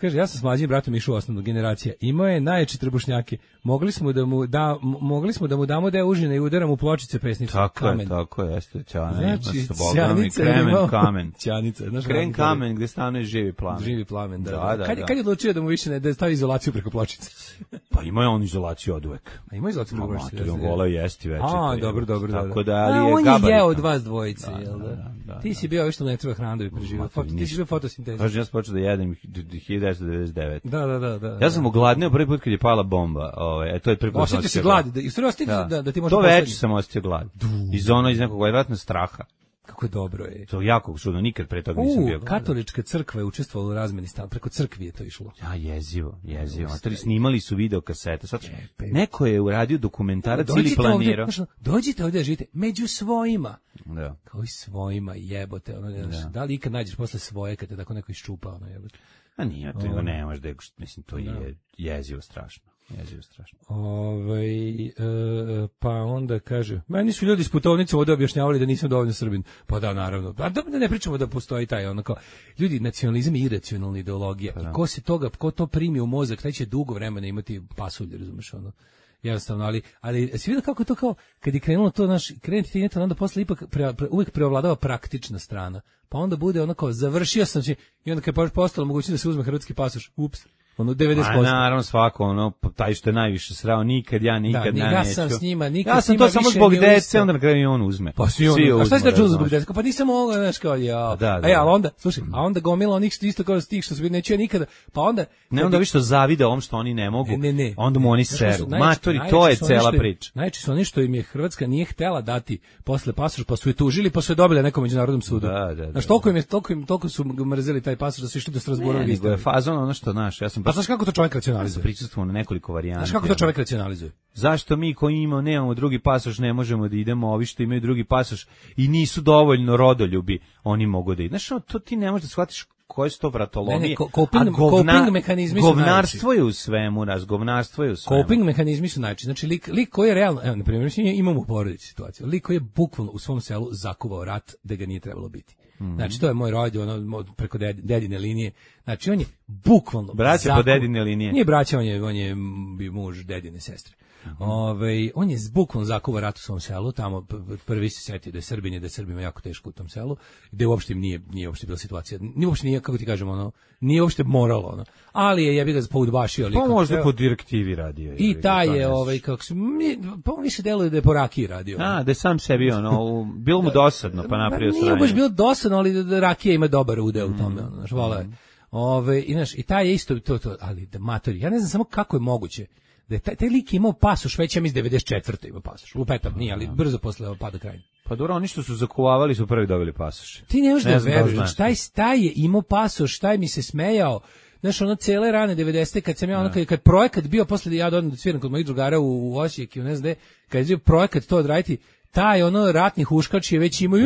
Kaže, ja sam s mlađim bratom išao u osnovnu generacija. Imao je najjače trbušnjake. Mogli smo da mu damo da je užina i udaram u pločice pesnicu. Tako je, jeste Ćana. Znači, kamen. Ćanica. Kren kamen gde stanuje živi plamen. Živi plamen, da. Kad je odlučio da mu više da stavi izolaciju preko pločice? Pa ima je on izolaciju od uvek. A ima izolaciju preko pločice? On gola jesti večer. Dobro. Tako da, ali je gabarit. On je jeo od vas dvojice, jel da? Ti si bio ovo što ne treba hrana da bi preživao. Ti si bio fotosinteza. Kažem, ja sam počeo da jedem 1999. Da. Ja sam ogladneo prvi put kad je pala bomba. To je prvi put. Osjetio si glad, da ti može to već sam osjetio glad. Iz nekog vjerojatno straha. Kako je dobro je. To je jako čudno, nikad pre toga nisam bio. Katolička crkva je učestvovala u razmeni stan, preko crkvi je to išlo. Ja, jezivo. Snimali su video kasete. Sad, neko je uradio dokumentarac ili planirao. Dođite ovdje da živite među svojima. Da. Kao i svojima, jebote. Da li ikad nađeš posle svoje kad te tako neko iščupa, jebote? A nije, to nemaš da je, mislim, to je jezivo strašno. Jezivo strašno. Pa onda kaže, meni su ljudi s putovnicom ovdje objašnjavali da nisam dovoljno Srbin. Pa da, naravno. A da ne pričamo da postoji taj onako, ljudi, nacionalizam je iracionalna ideologija. I ko to primi u mozak, taj će dugo vremena imati pasulje, razumeš, ono. Jednostavno, ali si vidio kako je to kao, kad je krenulo to, krenuti ti neto, onda posle ipak uvijek preovladava praktična strana. Pa onda bude ono kao, završio sam se, i onda kad je postalo mogućnost da se uzme hrvatski pasoš, ups, ono 90%. A naravno svako, ono, taj što je najviše srao, nikad neću. Ja sam s njima, nikad ja sam to samo zbog dece, onda na kraju i on uzme. Pa svi on, a šta si da čuo zbog dece? Pa nisam mogao, znaš kao, ali onda, slušaj, a onda gomila onih što isto kao stih što se neću ja nikada, pa onda... Ne, onda više zavide ovom što oni ne mogu, onda mu oni seru. Matori, to je cela priča. Najčešće su oni što im je Hrvatska nije htela dati posle pasoš, pa su je tužili, pa su je dobili na nekom međunarodnom sudu. Znaš, toliko su mrzeli taj pasoš da su išli do Strasbura. Nego je fazon ono što, znaš, ja sam... Pa znaš kako to čovjek racionalizuje? Prisustvujemo na nekoliko varijanti. Znaš kako to čovjek racionalizuje? Zašto mi koji nemamo drugi pasoš ne možemo da idemo, ovi što imaju drugi pasoš i nisu dovoljno rodoljubi, oni mogu da idu. Znaš, to ti ne možeš da shvatiš koje su to vratolomije. Coping mehanizmi su govnarstvo je u svemu, govnarstvo je u svemu. Coping mehanizmi su najčešće. Znači, lik koji je realno, evo, na primjer, imamo u porodici situaciju, lik koji je bukvalno u svom selu zakuvao rat da ga nije trebalo biti. Znači, to je moj rođe, ono, preko dedine linije. Znači, on je bukvalno... Braća po dedine linije. Nije braća, on je muž dedine sestre. On je bukvalno zakuvao rat u svom selu, tamo prvi se setio da je Srbin i da je Srbima jako teško u tom selu, gde uopšte nije uopšte bila situacija, nije, kako ti kažem, ono, nije uopšte moralo, ono, ali je jebi ga poudbašio. Pa možda po direktivi radio. I taj je, kako se, pa on više deluje da je po rakiji radio. Da je sam sebi, ono, bilo mu dosadno, pa napravio sranje. Nije baš bilo dosadno, ali da rakija ima dobar udeo u tome, ono, znaš, volao je. I taj je isto to, ali da matori, ja ne znam samo kako je moguće da je taj lik imao pasoš, već ja mislim 94. ima pasoš. Lupetam, nije, ali brzo posle pada Krajine. Pa dobro, oni što su zakuvavali su prvi dobili pasoš. Ti ne možeš da veruješ, taj je imao pasoš, taj mi se smejao. Znaš, ono cele rane 90. kad sam ja, ono, kad projekat bio, posle ja dođem da sviram kod mojih drugara u Osijek i ne znam gde, kad je bio projekat to odraditi, taj ono ratni huškač je već imao,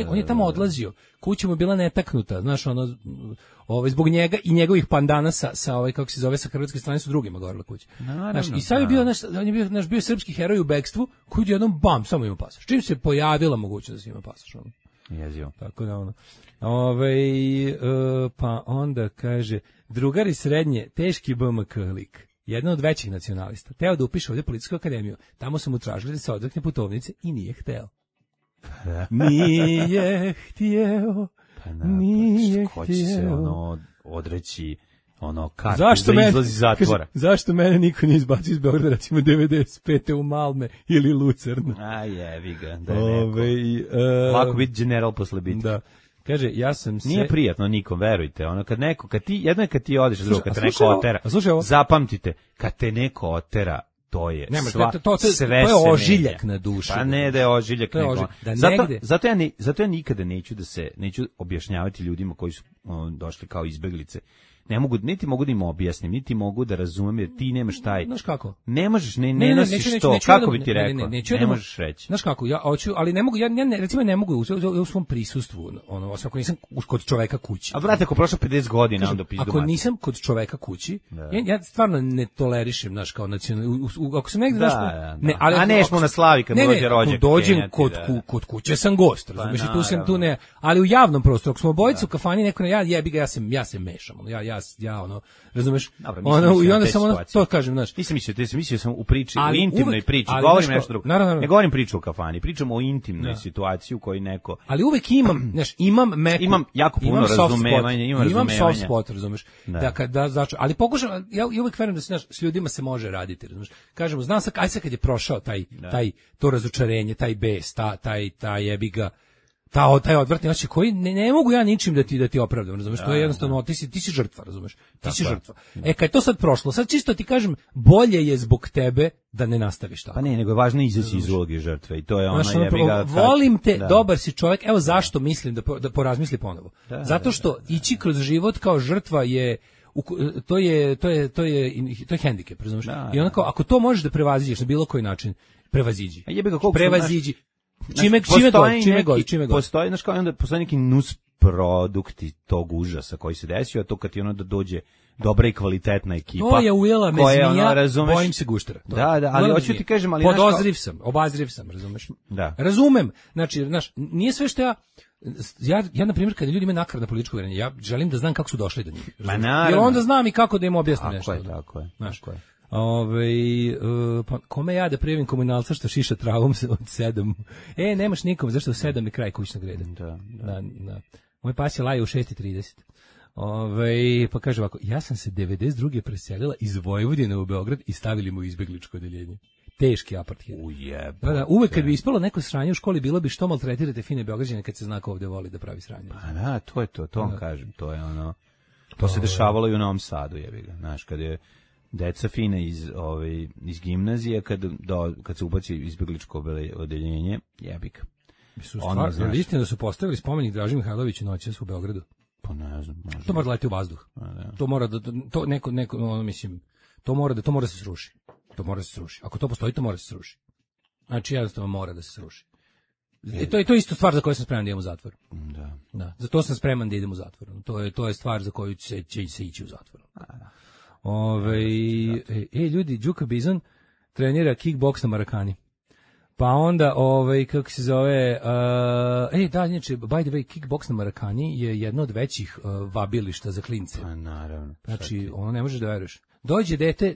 on je tamo odlazio, kuća mu je bila netaknuta, znaš, ono, zbog njega i njegovih pandana sa kako se zove, sa hrvatske strane su drugima gorila kuća. Znaš, i sad je bio, on je bio srpski heroj u bekstvu, koji je jednom bam, samo ima pasoš. Čim se pojavila mogućnost da ima pasoš, ono. Jezivo. Tako da ono. Pa onda kaže, drugari srednje, teški BMK lik. Jedan od većih nacionalista. Teo da upiše ovdje Policijsku akademiju. Tamo su mu tražili da se odrekne putovnice i nije hteo. Nije htio. Nije htio. Ko će se odreći kartu da izlazi iz zatvora? Zašto mene niko nije izbacio iz Beograda, recimo 95. u Malme ili Lucernu? A jevi ga, da je neko. Lako biti general posle bitke. Da. Kaže, ja sam se... Nije prijatno nikom, verujte. Ono, jedno je kad ti odeš, drugo, kad te neko otera. Zapamtite, kad te neko otera, to je sve to je ožiljak na duši. Pa ne da je ožiljak, zato ja nikada neću objašnjavati ljudima koji su došli kao izbeglice. Niti mogu da im objasnim, niti mogu da razumem, jer ti nemaš taj... Znaš kako? Ne možeš, ne nosiš to, kako bi ti rekao? Ne možeš reći. Znaš kako, ja hoću, ali ne mogu, recimo ne mogu u svom prisustvu, ako nisam kod čoveka kući. A brate, ako prošlo 50 godina, onda pizdu ako nisam kod čoveka kući, ja stvarno ne tolerišem, znaš, kao nacionalno, ako sam negde, a nešmo na slavi kad dođe rođak. Dođem kod kuće sam gost, razumiješ, i tu sam, tu ne, ali u javnom prostoru, ako smo obojicu u kafani, neko ja se mešam, razumeš? I onda samo to kažem, znaš. Nisam mislio sam u priči, u intimnoj priči, govorim nešto drugo. Ne govorim priču o kafani, pričam o intimnoj situaciji u kojoj neko... Ali uvek imam, znaš, imam jako puno razumevanja, imam soft spot, razumeš? Ali pokušam, ja uvek verujem da se, znaš, s ljudima se može raditi, razumeš? Kažemo, znam sad, aj sad kad je prošao to razočarenje, taj bes, taj jebiga, taj odvratni osjećaj koji ne mogu ja ničim da ti opravdam, razumeš? To je jednostavno, ti si žrtva, razumeš? Ti si žrtva. Kad je to sad prošlo, sad čisto ti kažem, bolje je zbog tebe da ne nastaviš tako. Pa ne, nego je važno izaći iz uloge žrtve i to je ona jebiga. Volim te, dobar si čovjek, evo zašto mislim da porazmisli ponovo. Zato što ići kroz život kao žrtva je to je hendikep, razumeš? I onako, ako to možeš da prevaziđeš na bilo koji način, prevaziđi. Prevaziđi. Čime god. Postoji, znaš kao, onda postoji neki nus produkti tog užasa koji se desio, a to kad ti ono da dođe dobra i kvalitetna ekipa. To je ujela me koja, zmija, razumeš, bojim se guštera. Da, ali hoću ti kažem, ali obazriv sam, razumeš? Da. Razumem, znači, nije sve što ja na primjer, kada ljudi imaju nakaradno političko uvjerenje, ja želim da znam kako su došli do njih. Jer onda znam i kako da im objasnim nešto. Tako je. Pa kome ja da prijavim komunalca što šiša travom od 7? Nemaš nikom, zašto u 7 je kraj kućnog reda. Da. Moj pas je laje u 6:30. Pa kaže ovako, ja sam se 92. preselila iz Vojvodine u Beograd i stavili mu izbegličko odeljenje. Teški apartheid. Da, uvek kad bi ispalo neko sranje u školi, bilo bi što maltretirate fine Beograđane kad se zna ko ovde voli da pravi sranje. Pa da, to je to vam kažem, to je ono, to se dešavalo i u Novom Sadu, jebi ga, znaš, kad je deca fine iz gimnazije, kad se ubaci izbegličko odeljenje, jebi ga. Je istina da su postavili spomenik Draži Mihajloviću noćas u Beogradu? Pa ne znam. To mora da leti u vazduh. To mora da, to mora da se sruši. To mora da se sruši. Ako to postoji, to mora da se sruši. Znači, jednostavno mora da se sruši. To je isto stvar za koju sam spreman da idem u zatvor. Da. Za to sam spreman da idem u zatvor. To je stvar za koju će se ići u zatvor. Ljudi, Đuka Bizon trenira kickboks na Marakani. Pa onda, kako se zove, znači, by the way, kickboks na Marakani je jedno od većih vabilišta za klince. Pa naravno. Znači, ono ne možeš da veruješ.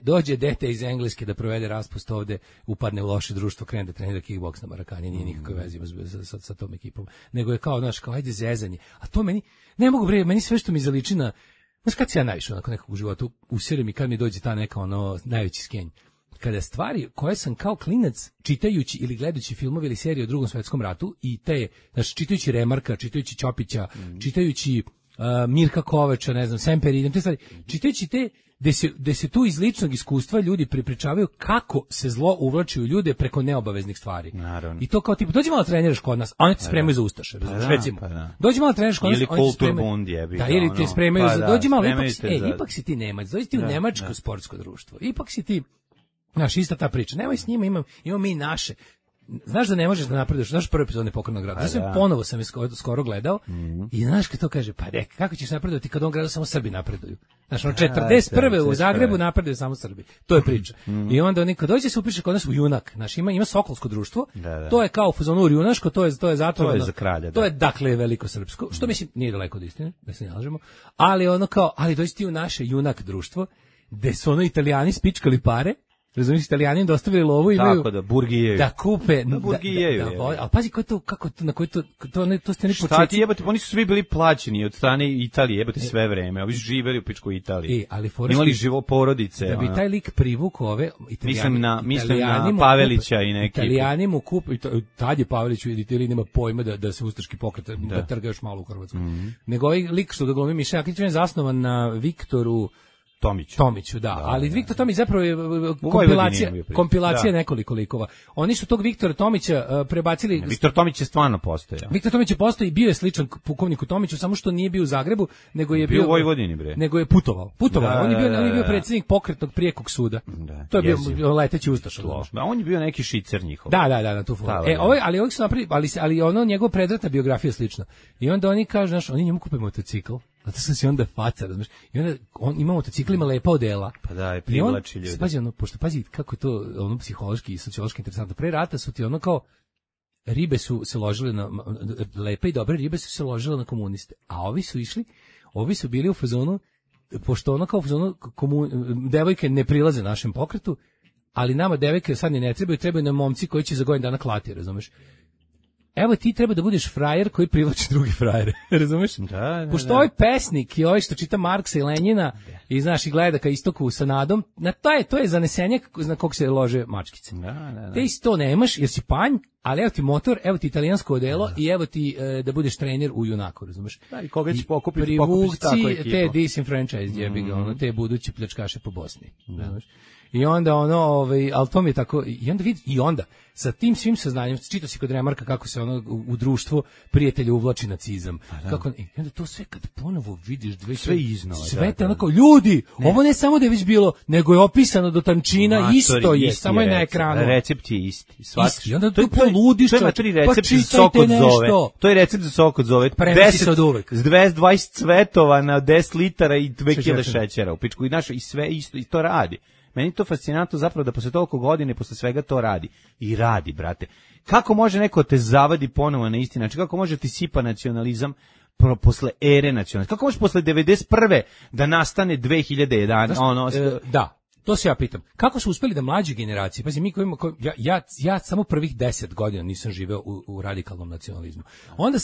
Dođe dete iz Engleske da provede raspust ovde, upadne u loše društvo, krene da trenira kickboks na Marakani, nije nikakve veze sa tom ekipom. Nego je kao, ajde zezanje. A to ne mogu meni sve što mi zaliči na, znaš kad se ja najviše onako nekog u životu usirim i kad mi dođe ta neka najveći skenj. Kada stvari koje sam kao klinac čitajući ili gledajući filmove ili serije o Drugom svetskom ratu i čitajući Remarka, čitajući Ćopića, čitajući Mirka Kovača, ne znam, Semper, te stvari, čitajući te gde se tu iz ličnog iskustva ljudi pripričavaju kako se zlo uvlači u ljude preko neobaveznih stvari. Naravno. I to kao tipa, dođi malo treniraš kod nas, a oni te spremaju za ustaše, recimo. Dođi malo treniraš kod nas, ili kulturbund jebi. Da, ili te spremaju za, dođi malo, ipak si ti Nemac, dođi ti u nemačko sportsko društvo, ipak si ti, znaš, ista ta priča, nemoj s njima, imamo mi naše. Znaš da ne možeš da napreduješ, znaš prvi epizod Nepokretnog grada. Ponovo sam je skoro gledao i znaš kad to kaže, pa kako ćeš napredovati kad on gradu samo Srbi napreduju. Znaš, 41. u Zagrebu napreduju samo Srbi. To je priča. I onda oni kad dođe se upiše kod nas u Junak, znaš, ima Sokolsko društvo, to je kao u fazonu junaško, to je zatvoreno. To je za kralja. To je dakle veliko srpsko, što mislim nije daleko od istine, da se ne lažemo, ali dođi ti u naše Junak društvo, gde su Italijani spičkali pare. Razumiješ, Italijani dostavili lovu i imaju da kupe, ali pazi na koji to ste ne početci. Šta ti jebate, oni su svi bili plaćeni od strane Italije, jebate sve vreme, ovi su živeli u pičkoj Italiji, imali živo porodice. Da bi taj lik privuk ove Italijani, mislim na Pavelića i neki. Italijani mu kupe, tad je Pavelić u Italiji nema pojma da se ustaški pokret, da trga još malo u Hrvatskoj. Nego ovaj lik što da glumi Miša Jakić je zasnovan na Viktoru Tomiću, da. Ali Viktor Tomić zapravo je kompilacija nekoliko likova. Oni su tog Viktora Tomića prebacili. Viktor Tomić je stvarno postojao. Viktor Tomić je postojao i bio je sličan pukovniku Tomiću, samo što nije bio u Zagrebu, nego je bio u Vojvodini, bre. Nego je putovao. On je bio predsjednik pokretnog prijekog suda. To je bio leteći ustaša. A on je bio neki šicer njihov. Da, tu foru. Ali ovih su napravili, ali ono njegova predratna biografija slična. I onda oni kažu, znaš, oni njemu kupe motocikl. Zato sam si onda faca, razumiješ. I onda on ima motocikl, ima lepa odela. Pa da, je privlači ljudi. Pazi kako je to psihološki i sociološki interesantno. Pre rata su ti kao ribe su se ložile na lepe i dobre ribe su se ložile na komuniste. A ovi su bili u fazonu, pošto kao u fazonu devojke ne prilaze našem pokretu, ali nama devojke sad ne trebaju nam momci koji će za godinu dana klati, razumiješ. Evo ti treba da budeš frajer koji privlači drugi frajere, razumeš? Pošto ovaj pesnik i ovaj što čita Marksa i Lenjina i znaš i gleda ka istoku sa nadom, to je zanesenje na kog se lože mačkice. Te isto nemaš jer si panj, ali evo ti motor, evo ti italijansko odelo i evo ti da budeš trener u Junaku, razumeš? Da, i koga će pokupiti privuci te disenfranchised jebi ga, te buduće pljačkaše po Bosni, razumeš? I onda ali to mi je tako, i onda sa tim svim saznanjem, čitao si kod Remarka kako se u društvu prijatelja uvlači nacizam. Kako, i onda to sve kad ponovo vidiš sve iznova. Sve te onako, ljudi, ovo ne samo da je već bilo, nego je opisano do tančina, isto je, samo je na ekranu. Recept je isti. I onda to poludiš, to je matri recept za sok od zove. To je recept za sok od zove. 20 cvetova na 10 litara i 2 kg šećera u pičku. I sve isto, i to radi. Meni to fascinantno zapravo da posle toliko godine, posle svega to radi. I radi, brate. Kako može neko te zavadi ponovo na isti način? Kako može ti sipa nacionalizam posle ere nacionalizma? Kako može posle 91. da nastane 2011? Da, to se ja pitam. Kako su uspeli da mlađe generacije, pazi, mi ja samo prvih 10 godina nisam živeo u radikalnom nacionalizmu. Onda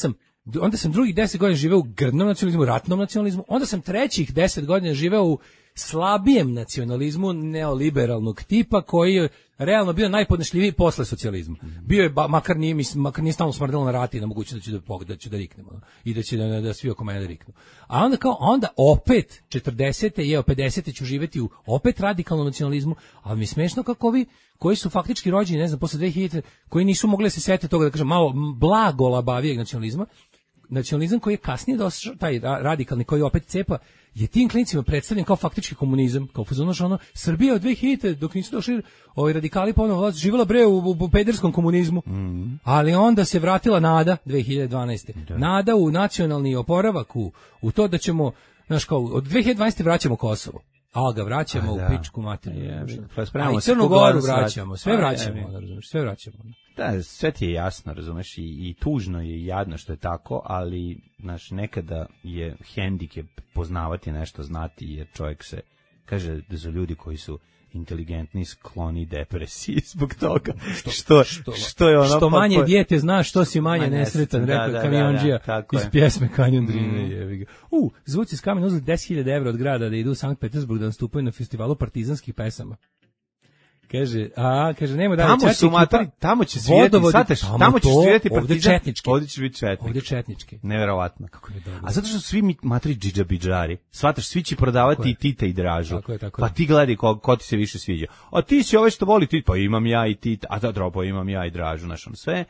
sam drugih 10 godina živeo u grdnom nacionalizmu, ratnom nacionalizmu, onda sam trećih 10 godina živeo u slabijem nacionalizmu neoliberalnog tipa koji je realno bio najpodnošljiviji posle socijalizma. Bio je, makar nije stalno smrdelo na rati na mogućnost da ću da riknemo i da će da svi oko mene riknu. A onda opet 40. i 50. ću živjeti u opet radikalnom nacionalizmu, ali mi je smešno kako ovi koji su faktički rođeni, ne znam, posle 2000, koji nisu mogli da se sete toga, da kažem, malo blago labavijeg nacionalizam koji je kasnije došao, taj radikalni koji opet cepa, je tim klincima predstavljen kao faktički komunizam, kao fuzon, Srbija od 2000 dok nisu došli radikali ponovo vlast, živjela bre u pederskom komunizmu, ali onda se vratila nada 2012. Da. Nada u nacionalni oporavak, u to da ćemo, znaš, kao, od 2012. vraćamo Kosovo. A ga vraćamo u pičku materiju. I Crnu Goru vraćamo, sve vraćamo, razumiješ, sve vraćamo. Da, sve ti je jasno, razumeš, i tužno je i jadno što je tako, ali, znaš, nekada je hendikep poznavati nešto, znati, jer čovjek se, kaže da su ljudi koji su inteligentni, skloni depresiji zbog toga. Što je ono... Što manje dijete zna, što si manje nesretan, rekao Kamiondžija iz pjesme Kanjon Drine. Zvuci s Kamena uzeli 10.000 evra od grada da idu u Sankt Petersburg da nastupaju na festivalu partizanskih pesama. Kaže, nema da tamo će svirati, tamo će svirati partizan, ovdje će biti četnik. Ovdje četnički. Neverovatno. A zato što su svi matri džidžabidžari, shvataš, svi će prodavati i Tita i Dražu. Pa ti gledaj ko ti se više sviđa. A ti si ove što voli Tita, pa imam ja i Tita, a da pa imam ja i Dražu, znaš, sve.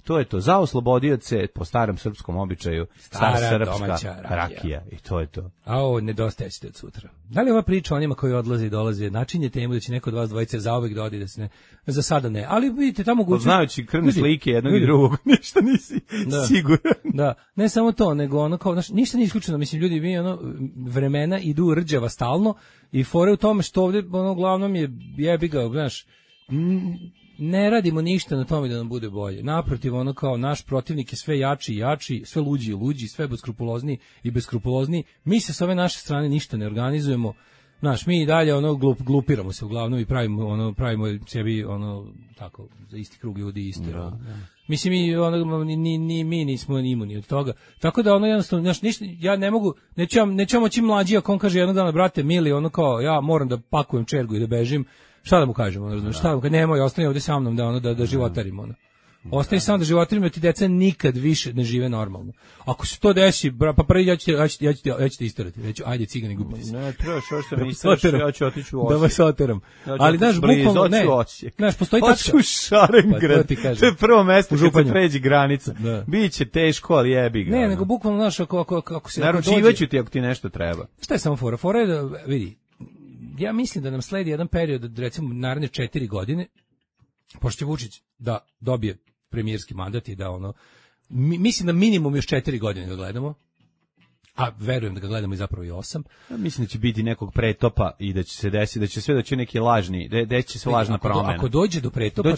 To je to, za oslobodioce po starom srpskom običaju, stara srpska rakija i to je to. A ovo nedostaje ćete od sutra. Da li ova priča o njima koji odlaze i dolaze načinje temu da će neko od vas dvojice zauvek da odi, da se ne, za sada ne, ali vidite tamo mogućnost. Znajući krvne slike jednog i drugog, ništa nisi siguran. Da, ne samo to, nego ono kao, ništa nije isključeno, mislim, ljudi, mi vremena idu rđava stalno i fore u tome što ovdje, uglavnom je jebi ga, znaš, ne radimo ništa na tome da nam bude bolje. Naprotiv, kao naš protivnik je sve jači i jači, sve luđi i luđi, sve beskrupulozniji i beskrupulozniji. Mi se s ove naše strane ništa ne organizujemo. Znaš, mi i dalje glupiramo se uglavnom i pravimo sebi tako za isti krug ljudi isto. Mislim, mi nismo imuni od toga. Tako da jednostavno, znaš, ništa, ja ne mogu, neću moći mlađi ako on kaže jednog dana, brate mili, kao ja moram da pakujem čergu i da bežim. Šta da mu kažemo, razumiješ? Šta da mu kažemo? Nemoj, ostani ovdje sa mnom da životarimo. Ostani samo da životarimo, ti deca nikad više ne žive normalno. Ako se to desi, pa prvi ja ću te istorati. Reću, ajde cigani, gubite se. Ne, trebaš, još se mi istaraš, ja ću otići u Osijek. Da vas oteram. Ali, znaš, bukvalno, ne. Znaš, postoji tačka. Hoću u Šarengrad. To je prvo mesto kad se pređi granica. Biće teško, ali jebi ga. Ne, nego bukvalno, znaš, ako se... Naručivaću ti ako ti nešto treba. Šta je samo fora? Fora je da, vidi, ja mislim da nam sledi jedan period, recimo naredne 4 godine, pošto će Vučić da dobije premijerski mandat i da mislim da minimum još 4 godine ga gledamo, a verujem da ga gledamo i zapravo i 8. Ja mislim da će biti nekog pretopa i da će se desiti, da će sve doći neki lažni, da će se lažna promena. Ako dođe do pretopa,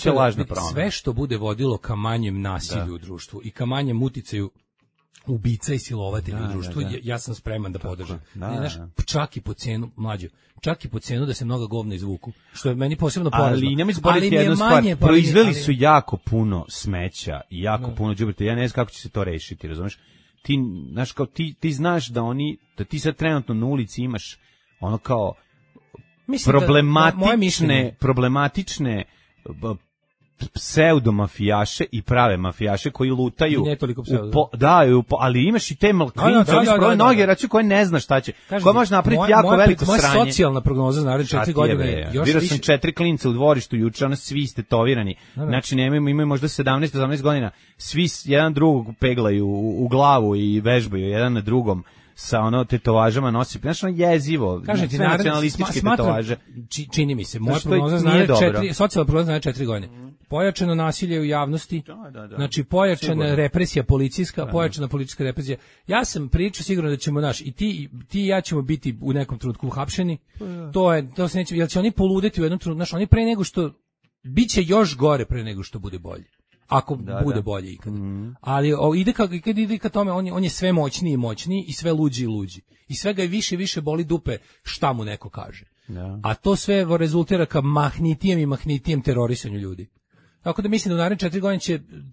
sve što bude vodilo ka manjem nasilju u društvu i ka manjem uticaju ubica i silovatelja u društvu, ja sam spreman da podržam. Čak i po cenu, mlađo, čak i po cenu da se mnoga govna izvuku, što je meni posebno porazno. Ali nemoj zaboraviti jednu stvar, proizveli su jako puno smeća i jako puno đubreta, ja ne znam kako će se to rešiti, razumeš? Ti, znaš, kao ti znaš da ti sad trenutno na ulici imaš problematične pseudomafijaše i prave mafijaše koji lutaju. I ne toliko ali imaš i te klince, oni sproj noge, reći koje ne zna šta će. Koja može napraviti jako veliko sranje. Moja socijalna prognoza za naredne 4 godine. Vidio sam 4 klinca u dvorištu juče, ono svi stetovirani. Znači imaju možda 17-18 godina. Svi jedan drugog peglaju u glavu i vežbaju jedan na drugom sa ono tetovažama nosi. Znači ono jezivo. Kažem ti, nacionalističke tetovaže. Čini mi se, moja prognoza za naredne 4, socijalna prognoza za naredne 4 godine. Pojačano nasilje u javnosti, znači pojačana represija policijska, pojačana politička represija. Ja sam pričao sigurno da ćemo i ti i ja ćemo biti u nekom trenutku uhapšeni. To se neće, jer će oni poludeti u jednom trenutku, oni pre nego što biće još gore pre nego što bude bolje. Ako bude bolje ikad. Ali ide ka tome, on je sve moćniji i moćniji i sve luđi i luđi. I sve ga više i više boli dupe šta mu neko kaže. A to sve rezultira ka mahnitijem terorisanju ljudi. Tako da mislim da u naredne 4 godine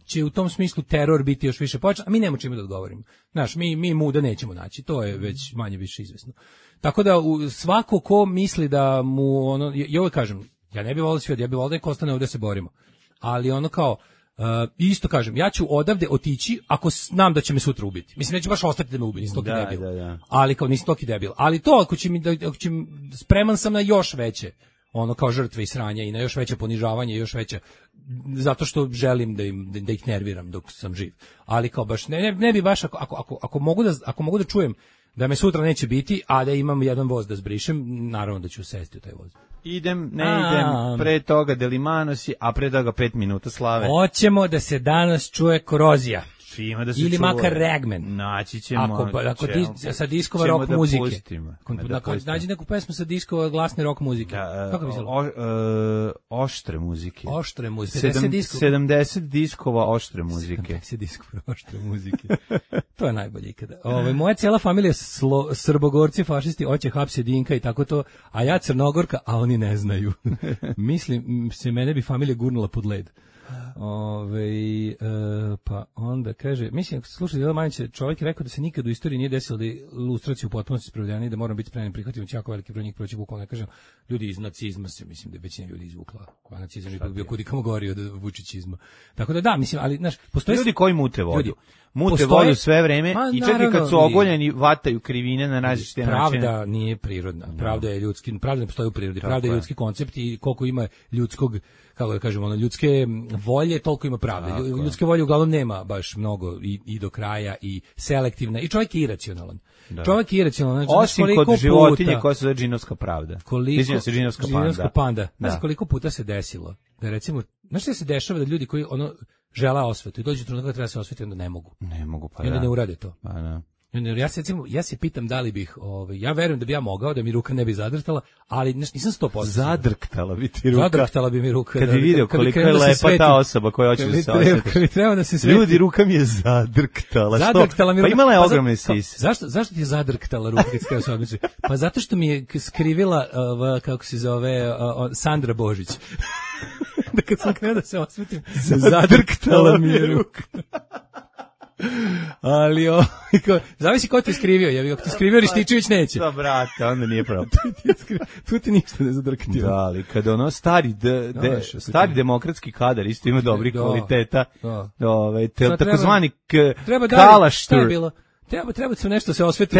će u tom smislu teror biti još više pojačan, a mi nemamo čime da odgovorimo. Znaš, mi muda nećemo naći, to je već manje više izvesno. Tako da svako ko misli da mu i ovo kažem, ja ne bih volio svijet, ja bih volio da ostane ovdje da se borimo. Ali isto kažem, ja ću odavde otići ako znam da će me sutra ubiti. Mislim, neću baš ostati da me ubiti, nisam toki debil. Ali nisam toki debil. Ali to ako će spreman sam na još veće kao žrtve i sranja i na još veće ponižavanje i još veće, zato što želim da ih nerviram dok sam živ. Ali kao baš ne bi baš ako mogu da čujem da me sutra neće biti, a da imam jedan voz da zbrišem, naravno da ću sesti u taj voz. Idem, pre toga Delimanosi, a pre toga 5 minuta slave. Hoćemo da se danas čuje korozija. Da se ili makar Ragman. Naći ćemo. Ako sa diskova rock muzike. Nađi neku pesmu sa diskova glasne rock muzike. Kako bi se oštre muzike. Oštre muzike. 70 diskova oštre muzike. 70 diskova oštre muzike. To je najbolje ikada. Moja cijela familija Srbogorci, fašisti, hoće hapse Dinka i tako to, a ja Crnogorka, a oni ne znaju. Mislim, mene bi familija gurnula pod led. Pa onda kaže, mislim, ako se slušali Dela Manjića, čovjek je rekao da se nikad u istoriji nije desilo da je ilustracija u potpunosti sprovedena i da moramo biti spremni prihvatiti jako veliki broj njih proći bukvalno. Ne kažem, ljudi iz nacizma se, mislim da je većina ljudi izvukla, a nacizam je bio kudikamo gori od vučićizma. Tako da mislim, ali znaš, postoje ljudi koji mute vodu. Mute vodu sve vreme i čak i kad su ogoljeni vataju krivine na različite načine. Pravda nije prirodna, pravda je ljudski, pravda ne postoji u prirodi, pravda je ljudski koncept i koliko ima ljudskog, kako da kažemo, ljudske volje, toliko ima pravde. Ljudske volje uglavnom nema baš mnogo i do kraja i selektivna i čovjek je iracionalan. Čovjek je iracionalan. Znači, osim kod životinje koja se zove džinovska pravda. Džinovska panda. Znaš koliko puta se desilo da recimo, znaš što se dešava da ljudi koji žele osvetu i dođu trenutak da treba se osvetiti, onda ne mogu. Pa i onda ne urade to. Pa da. Ja se pitam da li bih, ja verujem da bi ja mogao, da mi ruka ne bi zadrhtala, ali nisam 100%. Zadrhtala bi ti ruka. Zadrhtala bi mi ruka. Kad bi vidio koliko je lepa ta osoba koja hoće da se osveti. Ljudi, ruka mi je zadrhtala. Zadrhtala mi ruka. Pa imala je ogromne sise. Zašto ti je zadrhtala ruka kad ste se odmiče? Pa zato što mi je skrivila, kako se zove, Sandra Božić. Da kad sam krenuo da se osvetim, zadrhtala mi je ruka. Ali zavisi ko te skrivio, ako ti skrivio Rističević neće. Da, brate, onda nije pravo. Tu ti ništa ne zadrktio. Da, ali kada stari demokratski kadar isto ima dobrih kvaliteta, takozvani kalaštur. Treba se nešto se osveti.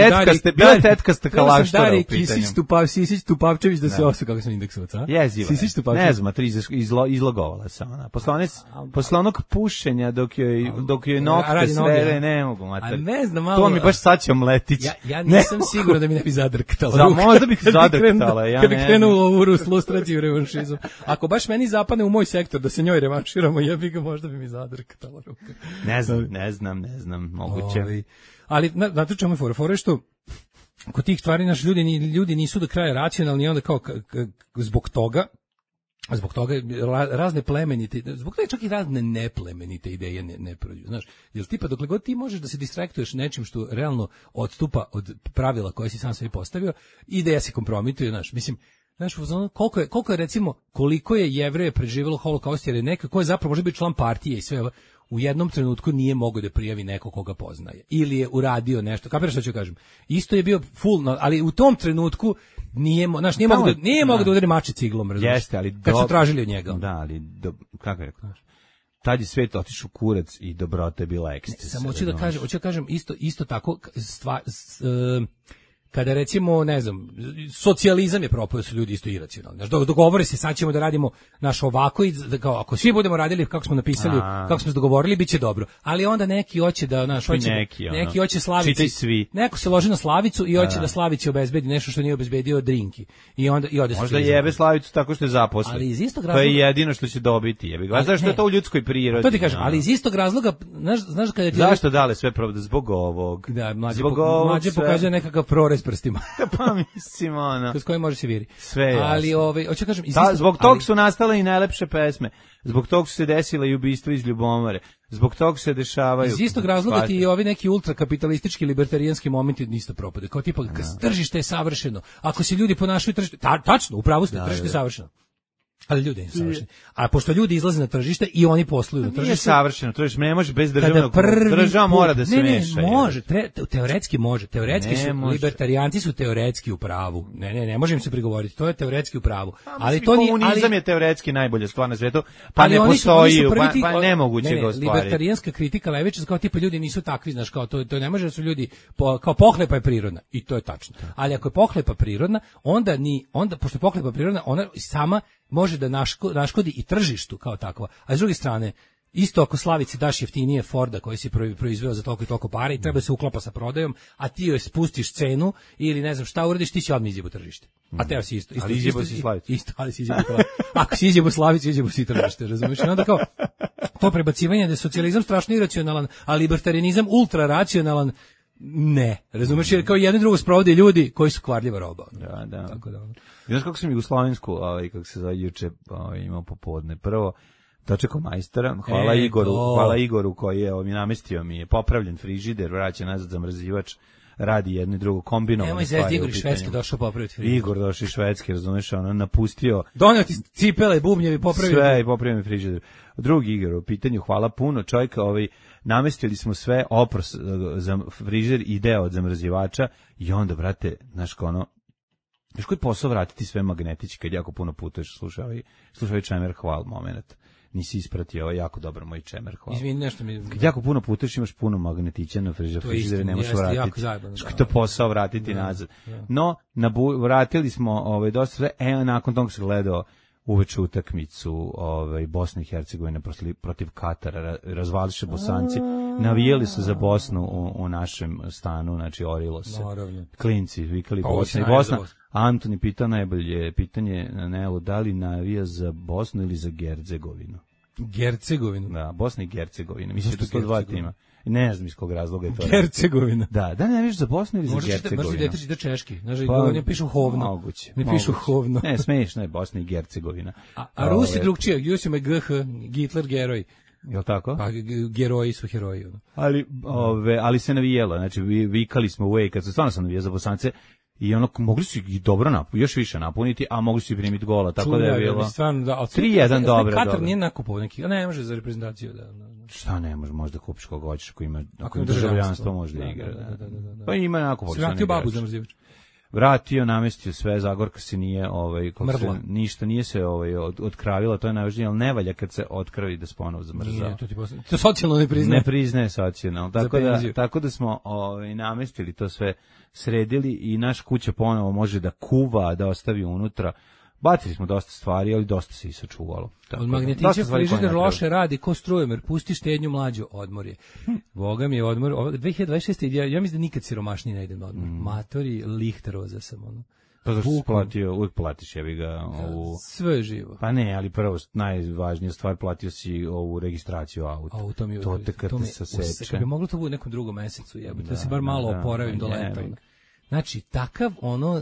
Bila tetkasta kalaštora u pitanju. Sisić Tupavčević da se osveti, kako sam indeksovac, a? Jeziva. Ne znam, izlogovala se ona. Posle onog pušenja dok joj nokte svere, ne mogu, mater. Ne znam, malo. To mi baš saćao mletić. Ja nisam siguran da mi ne bi zadrktala. Možda bih zadrktala. Kad bi krenuo u lustraciju i revanšizam. Ako baš meni zapadne u moj sektor da se njoj revanširamo, možda bi mi zadrktala ruka. Ne znam, moguće. Ali, znate čemu je fora što kod tih stvari naši ljudi nisu do kraja racionalni i onda kao zbog toga razne plemenite, zbog toga čak i razne neplemenite ideje ne prođu, znaš, jer tipa dokle god ti možeš da se distraktuješ nečim što realno odstupa od pravila koje si sam sebi postavio, ideja se kompromituje, znaš, mislim, znaš, koliko je recimo, koliko je Jevreje preživjelo holokaust, jer je neka ko je zapravo može biti član partije i sve, u jednom trenutku nije mogao da prijavi neko koga poznaje ili je uradio nešto. Kapiraš što ću kažem? Isto je bio full, ali u tom trenutku nije mogao da udari mače ciglom, razumiješ? Jeste, ali kad su tražili od njega. Da, ali kako je rekao? Tad je svet otišao kurac i dobrota je bila ekstaz. Samo hoću da kažem isto tako kada recimo, ne znam, socijalizam je propao, su ljudi isto iracionalni. Znaš, dogovore se, sad ćemo da radimo naš ovako i kao, ako svi budemo radili kako smo napisali, kako smo se dogovorili, bit će dobro. Ali onda neki hoće da, neki hoće Slavici, neko se loži na Slavicu i hoće da Slavici obezbedi nešto što nije obezbedio drinki. I onda ode možda jebe Slavicu tako što je zaposlen. Ali iz istog razloga, to je jedino što će dobiti. Jebi ga. Zašto je to u ljudskoj prirodi? To ti kažem, ali iz istog razloga, znaš kada ti zašto dale sve pravda zbog ovog? Da, mlađe pokazuje nekakav prorez prstima. Pa mislim ono. Kroz koji može se viri. Sve jasno. Ali hoću kažem, zbog tog su nastale i najlepše pesme. Zbog tog su se desile i ubistva iz ljubomore. Zbog tog se dešavaju. Iz istog razloga ti i ovi neki ultrakapitalistički libertarijanski momenti nisu propade. Kao tipa tržište je savršeno. Ako se ljudi ponašaju tržište, tačno, upravo ste, tržište je savršeno. Ali ljudi nisu savršeni. A pošto ljudi izlaze na tržište i oni posluju na tržištu. Nije savršeno, to je ne može bez državnog. Država mora da se meša. Ne, može, teoretski može. Teoretski su libertarijanci su teoretski u pravu. Ne može im se prigovoriti. To je teoretski u pravu. Ali to nije, komunizam je teoretski najbolja stvar na svetu, pa ne postoji, pa nemoguće ga ostvariti. Libertarijanska kritika levičarska kao tipa ljudi nisu takvi, znaš, kao to ne može da su ljudi kao pohlepa je prirodna i to je tačno. Ali ako je pohlepa prirodna, onda pošto je pohlepa prirodna, ona sama može da naškodi i tržištu kao takva. A s druge strane, isto ako Slavici daš jeftinije Forda koji si proizveo za toliko i toliko para i treba se uklapa sa prodajom, a ti joj spustiš cenu ili ne znam šta uradiš, ti će odmah izjebu tržište. A teo si isto. Ali izjebu si Slavicu. Isto, ali si izjebu Slavicu. Ako si izjebu Slavicu, izjebu si tržište, razumiješ? I onda kao, to prebacivanje da je socijalizam strašno iracionalan, a libertarianizam ultra racionalan, ne, razumiješ, jer kao jedno i drugo sprovode ljudi koji su kvarljiva roba. Da. Tako da. Znaš kako sam jugoslovensku, kako se zove juče, imao popodne. Prvo, dočekao majstora, hvala Igoru koji je mi namestio, mi je popravljen frižider, vraća nazad zamrzivač, radi jedno i drugo kombinovano. Nemoj zezdi, Igor iz Švedske došao popraviti frižider. Igor došao iz Švedske, razumiješ, ono napustio. Donio ti cipele, bubnjevi, popravio. Sve i popravio mi frižider. Drugi Igor, u pitanju, hvala puno, čovjeka, namestili smo sve, opros za frižider i deo od zamrzivača i onda, brate, znaš kao ono, još koji posao vratiti sve magnetići kad jako puno putuješ, slušaj čemer hval moment. Nisi ispratio, ovo je jako dobro moj čemer hvala. Izvini, nešto mi... Kad jako puno putuješ, imaš puno magnetića na frižider, ne možeš vratiti. Što je to posao vratiti nazad. No, vratili smo dosta sve, nakon toga se gledao uveče utakmicu Bosne i Hercegovine protiv Katara, razvališe Bosanci, navijeli su za Bosnu u našem stanu, znači orilo se. Naravno. Klinci vikali Bosna i Bosna. Antoni pitao najbolje pitanje na Nelu, da li navija za Bosnu ili za Hercegovinu? Hercegovinu? Da, Bosna i Hercegovina. Mislim da su to dva tima. Ne znam iz kog razloga je to. Hercegovina. Da ne vidiš za Bosnu ili za Hercegovinu? Možda dete čita češki. Znači, ne pišu hovno. Moguće. Ne pišu hovno. Ne, smiješno je Bosna i Hercegovina. A Rusi drugčije, Jusima GH, Hitler geroj. Jel' tako? Pa geroji su heroji. Ali se navijelo, znači vikali smo uvijek, kad se stvarno sam navijao za Bosance, i mogli su ih dobro još više napuniti, a mogli su i primiti gola, tako da je bilo 3-1 dobro. Katar nije nakupao neki, ne može za reprezentaciju da. Šta ne može, možda kupiš koga hoćeš, ako ima državljanstvo može da igra. Pa ima nakupao. Vratio babu zamrzivač. Vratio, namestio sve, Zagorka se nije, ništa nije se otkravila, to je najvažnije, ali ne valja kad se otkravi da se ponovo zamrzava. To socijalno ne priznaje. Ne priznaje socijalno, tako da smo namestili to sve, sredili i naš kuća ponovo može da kuva, da ostavi unutra. Bacili smo dosta stvari, ali dosta se i sačuvalo. Od magnetića frižider loše radi ko strujemer, pusti štednju mlađu, odmor je. Boga mi je odmor. 2026. Ja mislim da nikad siromašniji ne idem na odmor. Matori, Lihteroza sam ono. Pa zašto si platio, uvijek platiš, jebi ga, ovu... Sve živo. Pa ne, ali prvo, najvažnija stvar, platio si ovu registraciju auta. To te kad te saseče. Kad bi moglo to bude u nekom drugom mesecu, jebate, da se bar malo oporavim do leta. Znači, takav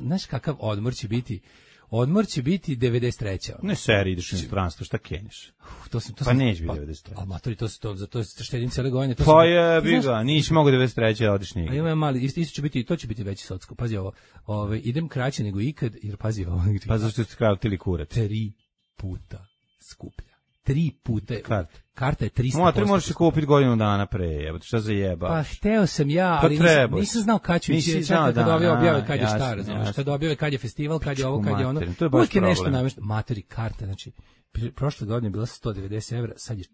znaš kakav odmor će biti? Odmor će biti 93. Ne seri, ideš u inostranstvo, šta kenješ? Pa neće biti 93. A matori, za to štedim cijele godine. Pa jebi ga, nisi mogo 93. da odiš nigdje. A ima mali, isto će biti, to će biti veći socko. Pazi ovo, idem kraće nego ikad, jer pazi ovo. Pa zašto ste kratili kurac? 3 puta skuplja. 3 puta. Karta je 300%. Motor možeš se kupiti godinu dana pre, jebote, šta za jeba? Pa hteo sam ja, ali nisam znao kad ću ići, čekam kad objave kad je šta, razumiješ, kad objave kad je festival, kad je ovo, kad je ono. Uvijek je nešto namješteno. Materi, karta, znači, prošle godine je bila 190 evra, sad je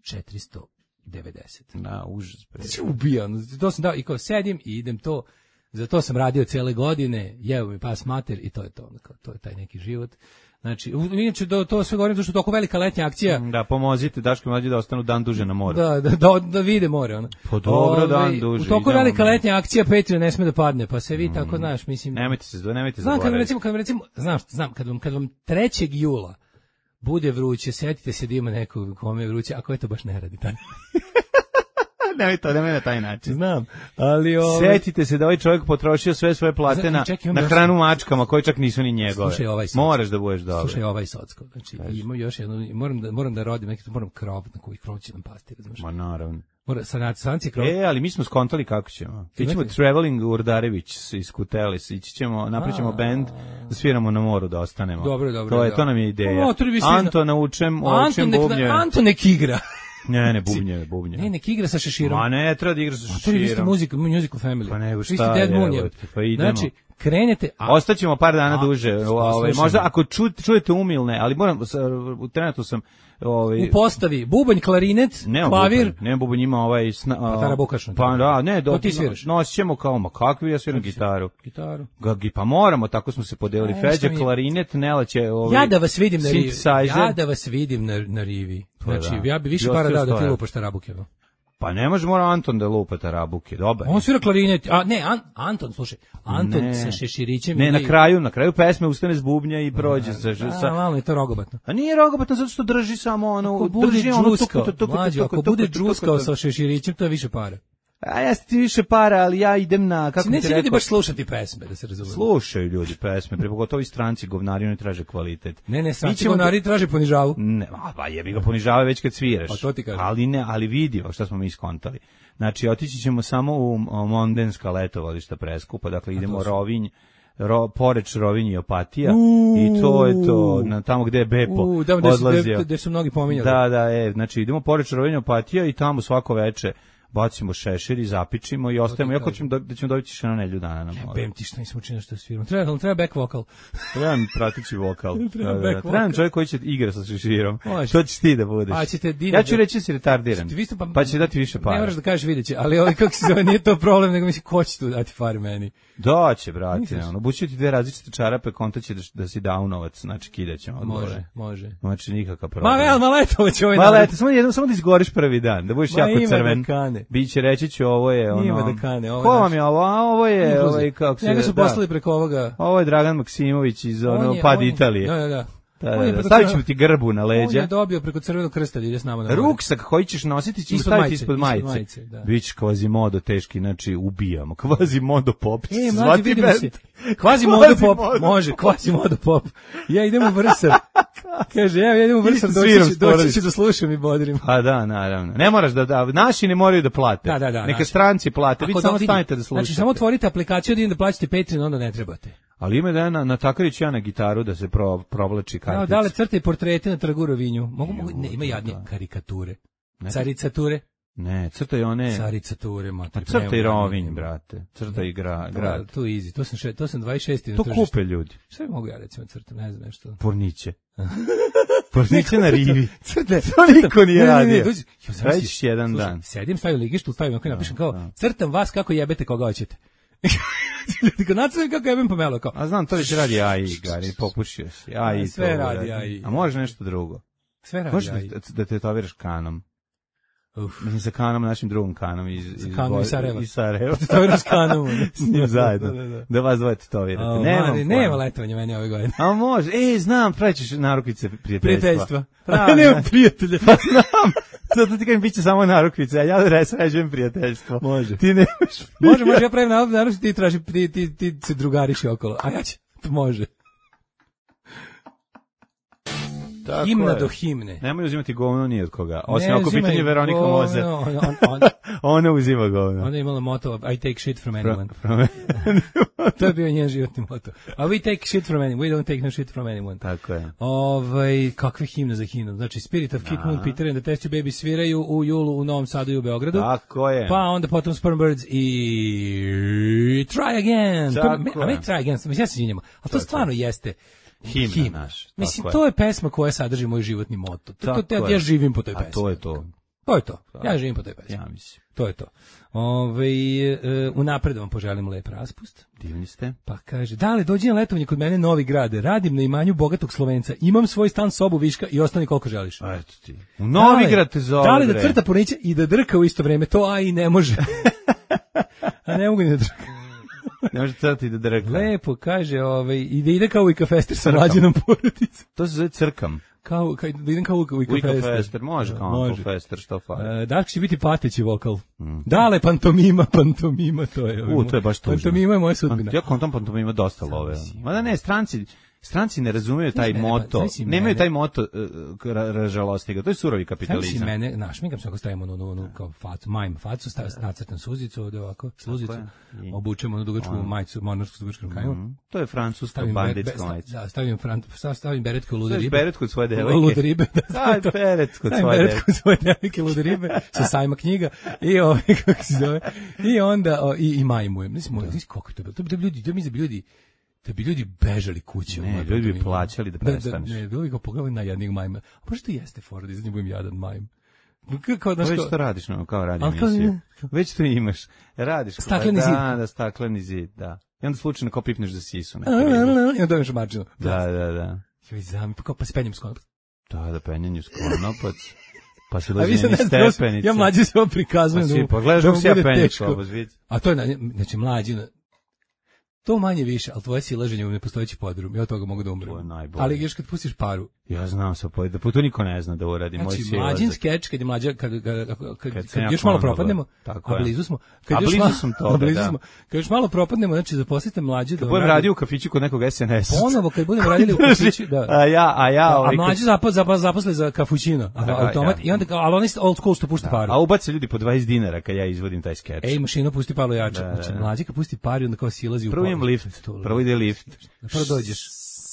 490. Na, užas. Znači, ubijam. To sam dao i kao sedim i idem to, za to sam radio cele godine, jeo mi pas mater i to je to, to je taj neki život. Znači, inače to sve govorim zato što je toliko velika letnja akcija. Da, pomozite Daško i Mlađi da ostanu dan duže na moru. Da vide more. Ono. Po dobro, dan duže. U toliko velika letnja akcija Patreon ne sme da padne, pa se vi tako, znaš, mislim... Nemojte zaboraviti. Znam, kad vam 3. jula bude vruće, setite se da ima neko kome je vruće, ako je to baš ne radi taj. Nemoj na taj način. Znam, ali setite se da ovaj čovjek potrošio sve svoje plate na hranu mačkama, koje čak nisu ni njegove. Slušaj ovaj Socko. Moraš da budeš dobar. Slušaj ovaj Socko. Znači, ima još jedno, moram da rodim, moram krov, na koji krov će nam pasti, razumiješ? Ma naravno. Sanci krov. Ali mi smo skontali kako ćemo. Ićemo traveling u Urdarević iz Kutelis, ići ćemo, napravićemo bend, da sviramo na moru, da ostanemo. Dobro. To nam je ideja. Anto naučem bubnje. Anto nek igra. Ne, bubnje. Ne, nek igra sa šeširom. Ma ne, treba da igra sa šeširom. To je isto musical family. Pa nego šta je, pa idemo. Znači, krenete... Ostaćemo par dana duže. Možda ako čujete umilne, ali trenutno sam... U postavi, bubanj, klarinet, klavir... Ne, bubanj ima Tarabukašno. Pa da, ne, to ti sviraš. Nosit ćemo kao, kakvi, ja sviram gitaru. Gitaru. Pa moramo, tako smo se podelili. Feđa, klarinet, Nela će... Ja da vas vidim na rivi. Znači, ja bi više para dao da ti lupaš tarabuke. Pa ne može, mora Anton da lupa tarabuke, dobar. On svira klarinet, Anton, slušaj, Anton sa šeširićem... Ne, na kraju pesme ustane s bubnja i prođe sa... malo je to rogobatno. A nije rogobatno, zato što drži samo ono... Ako bude džuskao sa šeširićem, to je više para. A ja ti više para, ali ja idem na... Neće ljudi baš slušati pesme, da se razumije. Slušaju ljudi pesme, pogotovo i stranci govnari, oni traže kvalitet. Ne, stranci govnari traže ponižavu. Ne, pa jebi ga ponižava već kad sviraš. Pa to ti kažem. Ali vidi, šta smo mi iskontali. Znači, otići ćemo samo u Mondenska letovališta preskupa, dakle idemo Rovinj, Poreč, Rovinj i Opatija i to je to, tamo gde je Bepo odlazio. Gde su mnogi pominjali. Da, znači idemo Poreč, Rovinj i Opatija i tamo svako veče bacimo šešir i zapičimo i ostajemo. Ja hoćemo da ćemo dobiti še na nedelju dana na moru. Bem ti šta nismo učinili što sviramo. Treba back vokal. Treba mi prateći vokal. Treba mi čovjek koji će igra sa šeširom. To ćeš ti da budeš. Ja ću reći si retardiran. Pa će dati više para. Ne moraš da kažeš vidjet će, ali kako se zove, nije to problem, nego mislim ko će tu dati pare meni. Daće, brate. Obuću ti 2 različite čarape, konta će da si downovac, znači kidaćemo. Može. Znači nikakav problem. Maletovo će ovaj samo da izgoriš prvi dan, da budeš jako crven. Biće reći ću ovo je ono. Ima da kane, ovo. Ko vam je ovo? Ovo je ovaj kako se. Njega su poslali preko ovoga. Ovo je Dragan Maksimović iz Pad Italije. Da. Stavit ćemo ti grbu na leđa. On je dobio preko Crvenog krsta da ide s nama na more. Ruksak koji ćeš nositi ćeš staviti ispod majice. Biće Kvazimodo teški, znači ubijamo. Kvazimodo pop. Zvati bend. Kvazimodo pop. Može, Kvazimodo pop. Ja idem u Vrsar. Kaže, ja idem u Vrsar, doći ću da slušam i bodrim. Pa da, naravno. Ne moraš naši ne moraju da plate. Neka stranci plate, vi samo stanete da slušate. Znači, samo otvorite aplikaciju da plaćate Patreon, onda ne trebate. Ali ima da je na Takarić ja na gitaru da se provlači kartic. Dale crte portrete na Trgu Rovinju. Ne, ima jadnije karikature. Caricature. Ne, crtaj one... Caricature, mater. Crtaj Rovinj, brate. Crtaj grad. To je easy. To sam 26. To kupe ljudi. Šta bi mogu ja recimo crtam, ne znam nešto. Porniće. Porniće na rivi. To niko nije radio. Reći jedan dan. Sedim, stavim ligištu, stavim ako napišem kao crtam vas kako jebete koga hoćete. Kako jebem pomelo kao. A znam, to već radi AI, Gari, popušio si. Sve radi AI. A može nešto drugo? Sve radi AI. Možeš da tetoviraš kanom. Mislim sa kanom, našim drugom kanom iz Sarajeva. Tetoviraš kanom. S njim zajedno. Da vas dvoje tetovirate. Nema letovanja meni ove godine. A može. Znam, pravićeš narukvice prijateljstva. Nemam prijatelja. Pa znam. Zato ti kažem, bit će samo narukvice, a ja sređujem prijateljstvo. Može. Ti nemaš. Može, ja pravim narukvice, ti traži, ti se drugariši okolo. A ja će, to može. Tako himna je. do himne. Nemoj uzimati govno ni od koga. Osim Ne ako uzimaj pitanje Veronika govno, Mozer. Ona uzima govno. Ona je imala moto I take shit from anyone. To je bio njen životni moto. A we take shit from anyone. We don't take no shit from anyone. Tako je. Kakve himne za himnu. Znači Spirit of Kid Moon, Peter and the Test Tube Baby sviraju u julu u Novom Sadu i u Beogradu. Tako je. Pa onda potom Sperm Birds i Try Again. Tako A ne je. Try Again, mislim ja se izvinjam. A to stvarno jeste Himna naš. Mislim, tako to je pesma koja sadrži moj životni moto. Ja živim po toj pesmi. A to je to. To je to. Ja živim po toj pesmi. Ja mislim. To je to. Unapred vam poželim lep raspust. Divni ste. Pa kaže, dale, dođi na letovanje kod mene Novi Grad, radim na imanju bogatog Slovenca, imam svoj stan, sobu, viška i ostani koliko želiš. Eto ti. U Novi Grad te zove. Dale da crta poniće i da drka u isto vreme, to i ne može. A ne mogu ni da drka. Ne može crti da drka. Lepo, kaže, i da ide kao Ika Fester sa mlađenom porodicom. To se zove crkam. Da idem kao Ika Fester. Može kao Ika Fester, što fali. Dark će biti pateći vokal. Dale, pantomima, to je. To je baš tužno. Pantomima je moja sudbina. Ja kontam pantomima dosta love. Mada ne, stranci ne razumeju taj moto. Nemaju taj moto ražalostiga. To je surovi kapitalizam. Mene, šminkam se ako stavimo onu kao facu, nacrtam suzicu, ovde ovako, sluzicu, obučemo onu dugačku majicu, monarsku s dugačkom kajom. To je francuska banditska majica. Da, stavim beretku lude ribe. Stavim beretku od svoje devojke. Lude ribe. Stavim beretku od svoje devojke, lude ribe, sa sajma knjiga i kako se zove. I onda, i majmujem. Mislim, koliko je to bilo? To bi ljudi da bi ljudi bežali kuće. Ne, ljudi bi plaćali da prestaneš. Ne, ljudi ga pogledali na jadnih majma. A možda to jeste fora da iz njih budem jadan majm. Već to radiš, kao radi emisiju. Već to imaš. Radiš. Stakleni zid. Da, stakleni zid, da. I onda slučajno kao pipneš za sisu. I onda dobiješ marđinu. Da. Pa se penjem s konopac. Da, penjenju s konopac. Pa se lozi niz stepenice. Ja mlađe se ovo prikazujem. Pa gledaš da se ja penjem s konopac, vidi. A to je, znači mlađina. To manje više, ali tvoje silaženje u nepostojeći podrum, ja od toga mogu da umrem. To je najbolje. Ali još kad pustiš paru. Ja znam sa da to niko ne zna da uradi. Znači, mlađin skeč, kad je mlađa, kad još malo propadnemo, a blizu smo. Kad još malo propadnemo, znači zaposlite mlađe. Kad budem radio u kafiću kod nekog SNS. Ponovo, kad budemo radili u kafiću, da. A mlađe zaposle za kafućino, automat, i onda, ali oni old school što pušta paru. A ubace ljudi po 20 dinara kad ja izvodim taj skeč. Ej, mašina pusti paru jače. Znači, mlađe kad pusti paru, onda kao silazi u Prvo ide lift. Prvo dođeš.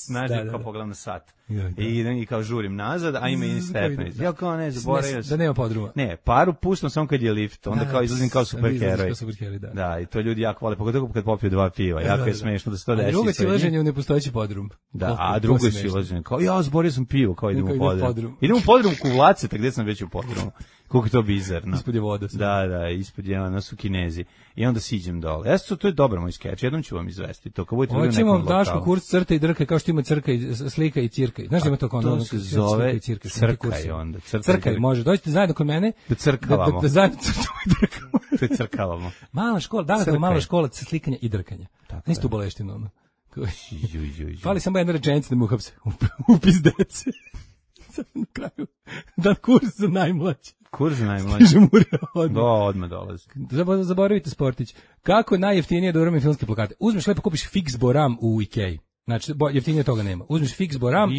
Znaš, kao pogledam na sat. I kao žurim nazad, a ima i stepenice. Ja kao ne, zaboravio sam. Da nema podruma. Ne, paru pustam samo kad je lift, onda kao izlazim kao superheroj. Da. Da, i to ljudi jako vole, pogotovo kad popiju 2 piva. Jako je smešno da se to desi. A drugo silaženje u nepostojeći podrum. Da, a drugo silaženje. Kao, ja, zaboravio sam pivo, kao idem u podrum. Idem u podrum Kuvlaceta, gdje sam već u podrumu. Koliko je to bizarno. Ispod je voda. Da, ispod je, ono su Kinezi. I onda siđem dole. To je dobar moj skeč, jednom ću vam izvesti to. Hoćemo Daško kurs crta i drka, kao što ima crka i slika i cirka. Znaš da ima to kao ono? To se zove crkaj onda. Crkaj, može. Dođite zajedno kod mene. Da crkavamo. Da zajedno crtamo i drkamo. To je crkavamo. Mala škola, mala škola slikanja i drkanja. Nisto u boleštinu, ono. Fali samo jedna rečenica da mu uhapse. Upis dece. Na kraju. Da kurs za najmlađe. Kurs za najmlađe. Stiže Murija odmah. Odmah dolazi. Zaboravite Sportić. Kako najjeftinije da uramim filmske plakate? Uzmeš lepo, kupiš Fix Boram u Ikei. Znači, jeftinije toga nema. Uzmeš Fix Boram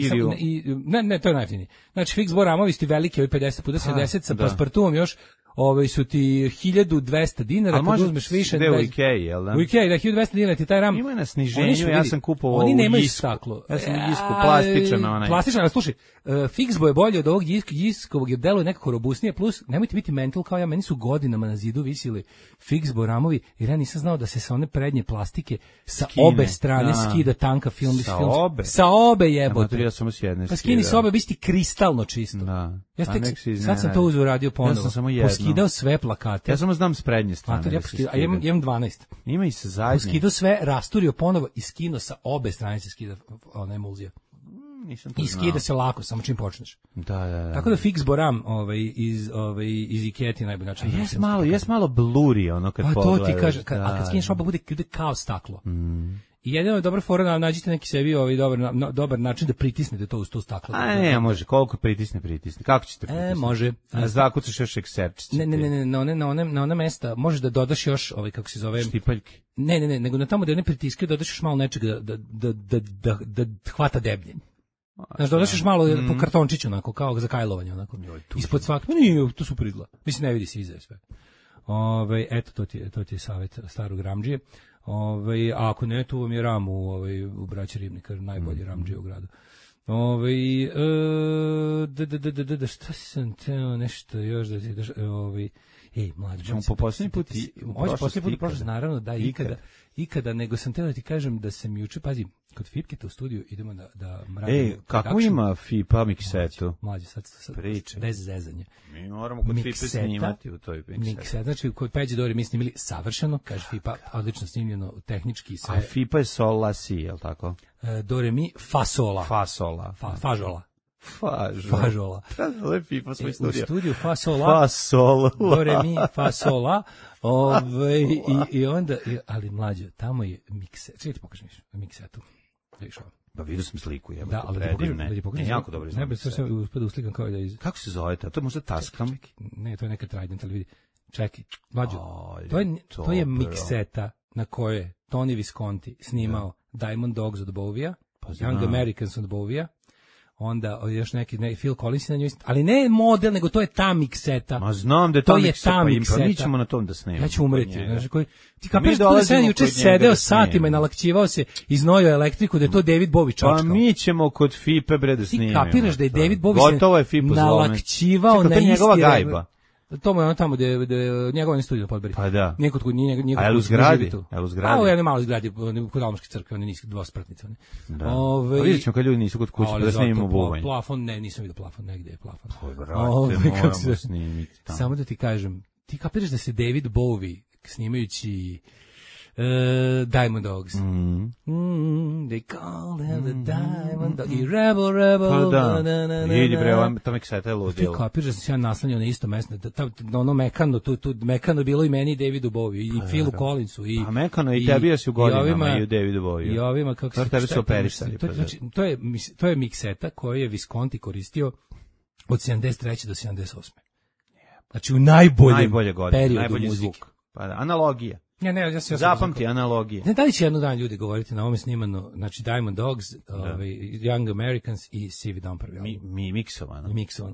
ne, to je najjeftinije. Znači, Fix Boramovi su ti veliki, ovi 50 puta 70 sa paspartuom još, su ti 1200 dinara, kad uzmeš više... Gde u Ikei, jel da? U Ikei, da, 1200 dinara ti taj ram... Ima na sniženju, ja sam kupovao oni nemaju Jisku. staklo. Ja sam Jisku, plastičan onaj. Plastičan, ali slušaj, Fixbo je bolje od ovog Jiskovog, jer deluje nekako robustnije, plus nemojte biti mental kao ja, meni su godinama na zidu visili Fixbo ramovi, jer ja nisam znao da se sa one prednje plastike sa obe strane skida tanka film. Sa obe jebote. Ja sam s jedne. Pa skini sa obe, vi ste kristalno čisto. Da. Sad sam to uzeo radio ponovo. Ja sam samo jedno. Poskidao sve plakate. Ja samo znam s prednje strane. A imam 12. Ima i sa zadnje. Poskidao sve, rasturio ponovo i skinuo sa obe strane se skida ona emulzija. I skida se lako, samo čim počneš. Da. Tako da Fix Boram iz Ikea ti najbolji način. Jes malo bluri ono kad pogledaš. Pa to ti kaže, a kad skineš oba bude kao staklo. I jedino je dobra fora, nađite neki sebi dobar način da pritisnete to uz to staklo. A ne, može, koliko pritisne. Kako ćete pritisniti? Može. Zakucaš još ekserčice. Ne, na ona mesta možeš da dodaš još, kako se zove... Štipaljke. Ne, nego na tamo da ne pritiskaju dodaš još malo nečega da hvata deblje. Znaš, dodaš još malo po kartončiću, onako, kao za kajlovanje, onako. Ispod svakog, nije, to super izgleda. Mislim, ne vidi se iza sve. Eto, to ti je savjet starog ramdžije. A ako ne, tu vam je ram u Braći Ribnika, najbolji ramdžije u gradu. Šta sam teo nešto još da ti daš, mlađe, ćemo po posljednji put naravno da ikada, nego sam teo da ti kažem da sam juče, pazi, kod Fipketa u studiju idemo da radimo. Kako ima Fipa miksetu? Mlađe, sad priče. Bez zezanja. Mi moramo kod Fipe snimati u toj miksetu. Znači, kod Peđe Dori mi snimili savršeno, kaže Fipa, odlično snimljeno, tehnički i sve. A Fipa je sol la si, je li tako? Do re mi fa sola. Fažola. Ovo je Fipa svoj studio. U studiju fa sola. Do re mi fa sola. I onda, ali mlađe, tamo je mikset. Čekaj ti pokažem miksetu. Vidiš ovo. Pa vidio sam sliku, jebote. Da, ali da ti pokažem. Jako dobro znam. Ne, bez sve uspio da uslikam kao da iz. Kako se zove to? To je možda Tascam? Ne, to je neka Trident, ali vidi. Čekaj, mlađe. To je mikseta na kojoj je Tony Visconti snimao Diamond Dogs od Bowieja, Young Americans od Bowieja, onda još neki Phil Collins na njoj, ali ne model, nego to je ta mikseta. Ma znam da je to mikseta, pa mi ćemo na tom da snimamo. Ja ću umreti. Ti kapiraš da sam juče sedeo satima i nalakćivao se, iznojio elektriku, da je to David Bowie čačkao. Pa mi ćemo kod Fipe bre da snimimo. Ti kapiraš da je David Bowie nalakćivao na isti gajba. To mu je ono tamo gde njegov studio podberi. Pa da. Nekod kod njega. A je u zgradi? A u jednoj maloj zgradi kod Almoške crkve, one niske dvospratnice. Da. A vidjet ćemo kad ljudi nisu kod kuće, da snimimo buvanj. Plafon, ne, nisam vidio plafon, negde je plafon. Moramo snimiti tamo. Samo da ti kažem, ti kapiraš da se David Bowie snimajući Diamond Dogs. They call him the Diamond Dog. I Rebel. Pa da. Vidi bre, to mikseta je ludilo. Ti kapiraš da sam se ja naslanjao na isto mesto. Ono mekano, tu mekano bilo i meni i Davidu Bowie. I Philu Collinsu. A mekano i tebi ja si u godinama i u Davidu Bowie. I ovima, kako se... Tebi su operisali. To je mikseta koju je Visconti koristio od 73. do 78. Znači u najboljem periodu muzike. Pa da, analogija. Ja zapamti analogije. Ne, da li će jedno dan ljudi govoriti na ovome snimano, znači Diamond Dogs, Young Americans i Sivi Dom prvi album. Mi miksovano.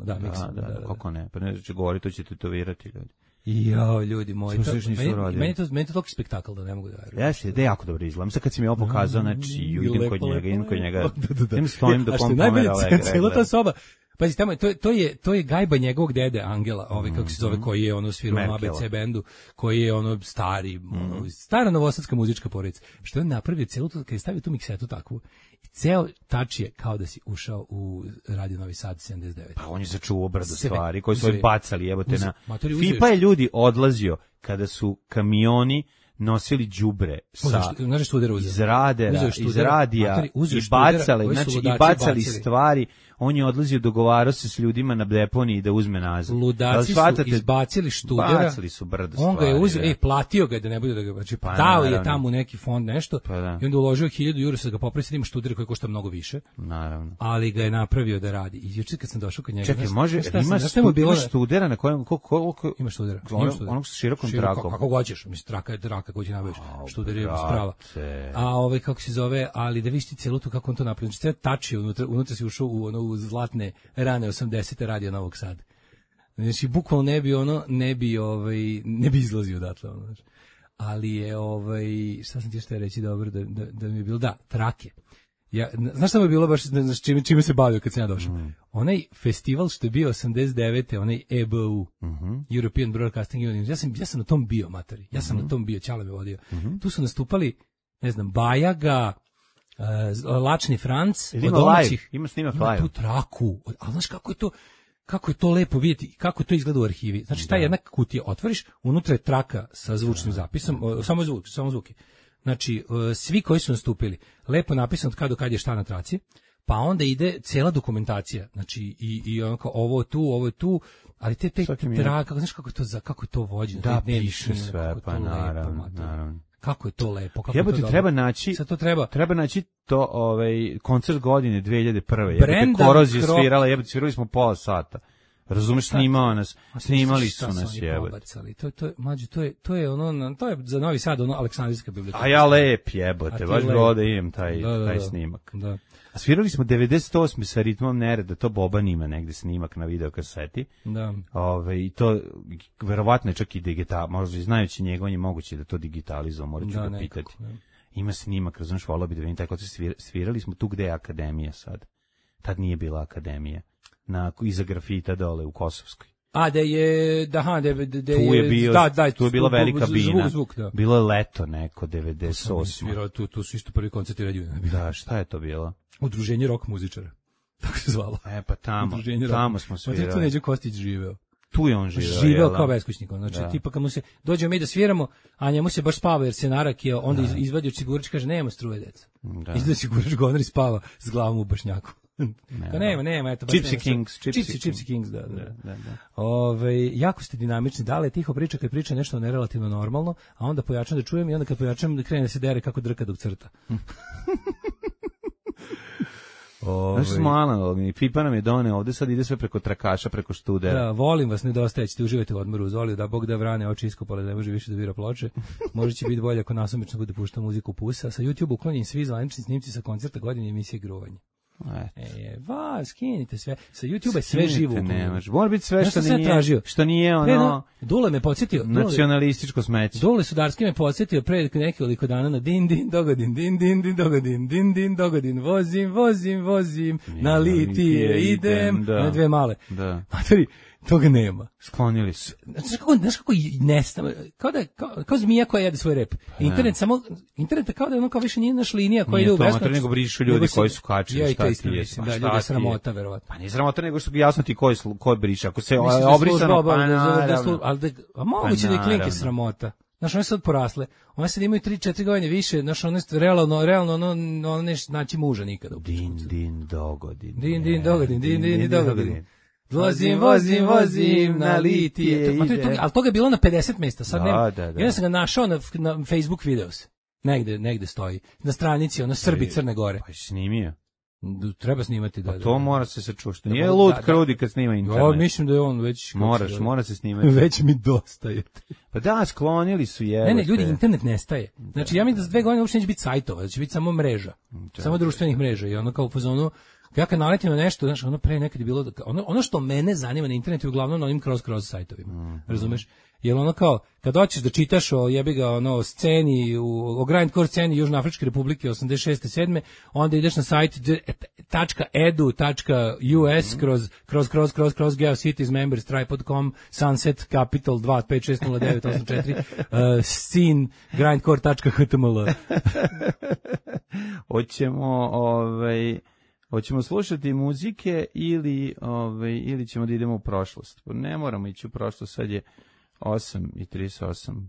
Da. Kako ne? Pa ne će govoriti, to će tetovirati ljudi. Jo, ljudi moji, meni je to toliko spektakl da ne mogu da verujem. Jesi, da je jako dobro izgleda. Sad kad si mi ovo pokazao, znači idem kod njega, idem stojim da pomera ove cijela ta soba. Pazi, tamo, to je gajba njegovog dede Angela, kako se zove, koji je ono svirao na ABC bendu, koji je ono stara novosadska muzička porodica. Što je on napravio celu to, kad je stavio tu miksetu takvu, i ceo tač je kao da si ušao u Radio Novi Sad 79. Pa on je začuvao brdo stvari koje su bacali, jebote na... Fipa je ljudi odlazio kada su kamioni nosili đubre iz radija i bacali stvari. On je odlazio, dogovarao se s ljudima na deponiji da uzme nazad. Ludaci su izbacili študera. Bacili su brdo stvari. On ga je uzeo, platio ga da ne bude da ga... Znači, dao je tamo neki fond nešto i onda uložio 1000 € da ga popravi, sad ima študera koji košta mnogo više. Naravno. Ali ga je napravio da radi. I juče kad sam došao kod njega... Čekaj, ima študera na kojem... Ima študera. Onog s širokom trakom. Kako hoćeš, mislim, traka je traka koju ti nabaviš. Študer je sprava. A kako se zove, ali da vidiš ti celu tu kako on to napravio. Znači, tači unutra si ušao u zlatne rane 80. Radio Novog Sada. Znači, bukvalno ne bi izlazio odatle, znači. Ali je, šta sam ti što reći dobro, da mi je bilo, trake. Znaš šta mi je bilo baš, čime se bavio kad sam ja došao? Onaj festival što je bio 89. onaj EBU, European Broadcasting Union, ja sam na tom bio, materi. Ja sam na tom bio, Ćale me vodio. Tu su nastupali, ne znam, Bajaga, Lačni Franc, od domaćih. Ima snimak live. Tu traku. Ali znaš kako je to lepo vidjeti, kako to izgleda u arhivi. Znači, ta jedna kutija otvoriš, unutra je traka sa zvučnim zapisom, samo zvuke. Znači, svi koji su nastupili, lepo napisano od kad do kad je šta na traci, pa onda ide cijela dokumentacija. Znači, i ono kao, ovo je tu, ali te traka, znaš kako je to vođeno. Da, piše sve, pa naravno. Kako je to lepo, treba naći to koncert godine 2001. Korozija svirala, svirali smo pola sata. Razumeš, snimali su nas, jebote. To je ono, to je za Novi Sad ono Aleksandrijska biblioteka. A ja lep jebote, baš bi ovde imam taj snimak. Da. A svirali smo 98. sa Ritmom nereda, to Boban ima negde snimak na videokaseti. Da. I to verovatno je čak i digital, možda i znajući njega, on je moguće da to digitalizuje, morat ću ga pitati. Ima snimak, razumiješ, volao bi da vidim tako, svirali smo tu gde je akademija sad. Tad nije bila akademija. Iza grafita dole u Kosovskoj. A da je, tu je bila velika bina. Zvuk, da. Bilo je leto neko, 98. Svirao, tu su isto prvi koncerti Radijuna. Da, šta je to bilo? Udruženje rock muzičara. Tako se zvalo. Pa tamo smo svirali. Tu Neđo Kostić živeo. Tu je on živeo. Živeo kao beskućnik. Znači, tipa kad mu se, dođemo mi da sviramo, a njemu se baš spava jer se narakio, onda izvadi od sigurač, kaže, nema struje, deca. Izvadi sigurač, govnar i spava s glavom u bašnjaku. Nema, eto. Gypsy Kings, da. Jako ste dinamični, dale tiho priča kad priča nešto nerelativno normalno, a onda pojačam da čujem i onda kad pojačam da krene da se dere kako drka dok crta. Znaš smo analogni, Pipa nam je doneo ovde, sad ide sve preko trakaša, preko študera. Da, volim vas, nedostaje, ćete uživati u odmoru uz Oliju, da Bog da vrane oči iskopale, ne može više da bira ploče. Možda će biti bolje ako nasumično bude pušta muziku Pusa. Sa YouTube uklonjeni svi zvanični snimci sa koncerta godine emisije Gruvanje. Skinite sve. Sa YouTube je sve živo. Mora biti sve što nije ono... Dule me podsjetio. Nacionalističko smeće. Dule Sudarski me podsjetio pre nekoliko dana na din dogodin, vozim, na litije idem, na dve male. Materi, toga nema. Sklonili su. Znaš kako nestamo, kao zmija koja jede svoj rep. Internet kao da je ono kao više nije naš linija koja ide u beskonačnost. Nije to, nego brišu ljudi koji su kačili, šta ti je. Da, ljudi je sramota, verovatno. Pa nije sramota, nego što jasno ti ko briše. Ako se obrisano, pa naravno. A moguće da je klinke sramota. Znaš, one sad porasle. One sad imaju 3-4 godine više. Znaš, one realno ono neš naći muža nikada. Din dogodin. Vozim na litije. Ali toga je bilo na 50 mjesta. Sad nema. Ja sam ga našao na Facebook videos. Negde stoji. Na stranici, Srbi Crne Gore. Pa si snimio? Treba snimati, da. To mora se sačušati. Nije lud krudi kad snima internet. Ja mislim da je on već... Mora se snimati. Već mi dostaje. Pa da, sklonili su je. Ne, ljudi, internet nestaje. Znači, ja mislim da za 2 godine uopšte neće biti sajtova, da će biti samo mreža. Samo društvenih mreža. I ono kao u fazonu, ja kad naletim na nešto, znaš, ono pre nekad je bilo, ono što mene zanima na internetu je uglavnom na onim kroz sajtovima. Razumeš? Jer ono kao, kad hoćeš da čitaš o jebiga o sceni, o grindcore sceni Južnoafričke republike 86. 7. onda ideš na sajt .edu.us kroz GeoCities members tripod.com sunset capital 2560984 scene grindcore.html. Hoćemo slušati muzike ili ćemo da idemo u prošlost. Ne moramo ići u prošlost, sad je 8:38.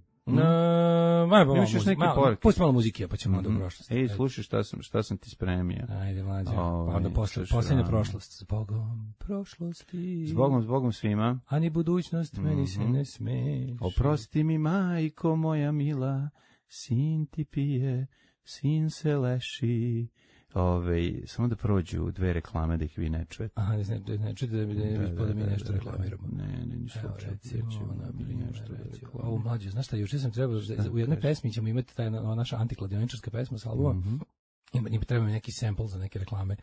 Imaš još neke poruke? Pusti malo muzike, pa ćemo onda u prošlost. Slušaj šta sam ti spremio. Ajde, mlađe. Onda posljednja prošlost. Zbogom prošlosti. Zbogom svima. A ni budućnost meni se ne smeš. Oprosti mi, majko moja mila, sin ti pije, sin se leši. Samo da prođu 2 reklame da ih vi ne čujete. Aha, ne čujete da mi nešto reklamiramo. Ne, ništa. Ovo mlađe, znaš šta, juče sam trebao, u jednoj pesmi ćemo imati naša antikladioničarska pesma s albuma. Treba mi neki sample za neke reklame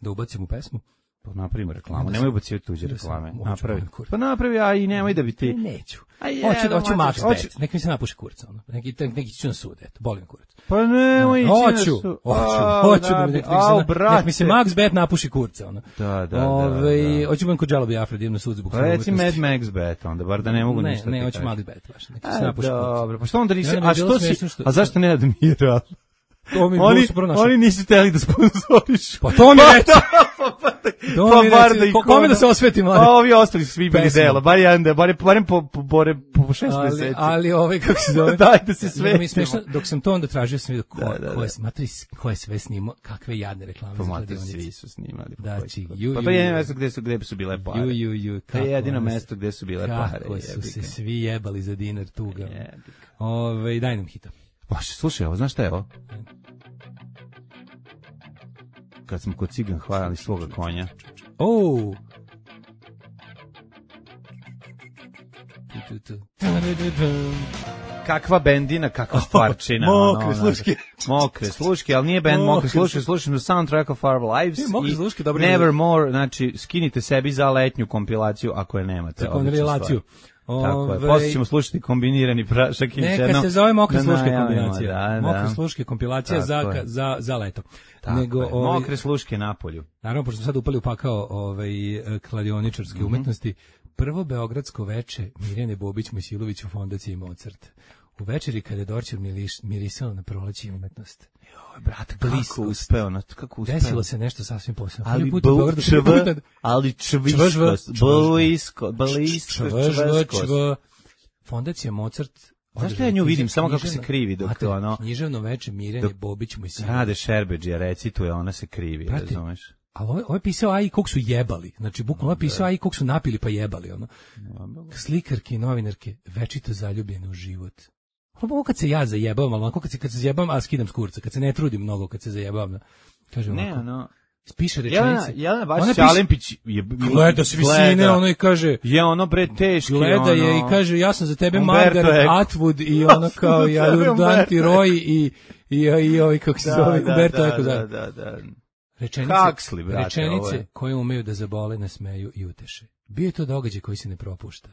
da ubacim u pesmu. Pa napravimo reklamu, nemoj ubacivati tuđe reklame. Pa napravi, a i nemoj da bi ti... Neću. Hoću Max Bet, nek mi se napuši kurca. Neki ću na sud, eto, boli me kurac. Pa nemoj ići na sud. Hoću da nek mi se Max Bet napuši kurca. Da. Hoću budem kod Džalo Biafra, da idem na sud zbog svoje umetnosti. Pa reci Mad Max Bet, onda, bar da ne mogu ništa ti kažem. Ne, hoću Max Bet, baš, nek mi se napuši kurca. Dobro, pa što onda nisi... A zašto ne Admiral? Oni nisu teli da sponzorišu. Pa to mi reći. Kome da se osveti, mlade? Pa ovi ostali su svi bili dela. Barem po 6 meseci. Ali kako se zove? Dajte se svetimo. Dok sam to onda tražio, sam vidio ko je sve snimao, kakve jadne reklame. Pa matri, svi su snimali. Pa to je jedino mesto gde su bile pare. To je jedino mesto gde su bile pare. Kako su se svi jebali za dinar tuga. Daj nam hita. Slušaj, ovo, znaš šta je ovo? Kad smo kod Cigan hvalili svoga konja. Kakva bendina, kakva stvarčina. Mokre sluške. Mokre sluške, ali nije bend Mokre sluške, slušamo soundtrack of our lives. Mokre sluške, dobro. Nevermore, znači, skinite sebi za letnju kompilaciju ako je nemate. Za korelaciju. Tako je, posle ćemo slušati kombinirani prašak. Neka se zove Mokre sluške kombinacija. Mokre sluške kompilacija za leto. Mokre sluške na polju. Naravno, pošto smo sad upali u pakao kladioničarske umetnosti, prvo beogradsko veče Mirjane Bobić Mojsilović u fondaciji Mozart. U večeri kada je Dorćer mirisao na proleće i umetnost. Joj, brate, kako uspeo. Desilo se nešto sasvim posebno. Ali čvisko. Fondacija Mozart. Zašto ja nju vidim, samo kako se krivi dok to ono... Književno veče Mirjane Bobić Mojsilović. Rade Šerbeđija, recituje, ona se krivi, razumeš? Ali ovo je pisao Aji kog su jebali. Znači, bukvalno ovo je pisao Aji kog su napili pa jebali. Ono. Slikarke i novinarke večito zaljubljene u život. Ovo kad se ja zajebavam, ali onako kad se zajebavam, a skidam s kurca, kad se ne trudim mnogo, kad se zajebavam. Kaže onako, piše rečenice. Jelena Bašić Alempić gleda s visine, ono i kaže... Je ono bre teški, gleda je i kaže, ja sam za tebe Margaret Atwood i ono kao ja Danti Roy i ovi kako se zove, Umberto Eco. Da. Rečenice koje umeju da zabole, nasmeju i uteše. Bio je to događaj koji se ne propušta.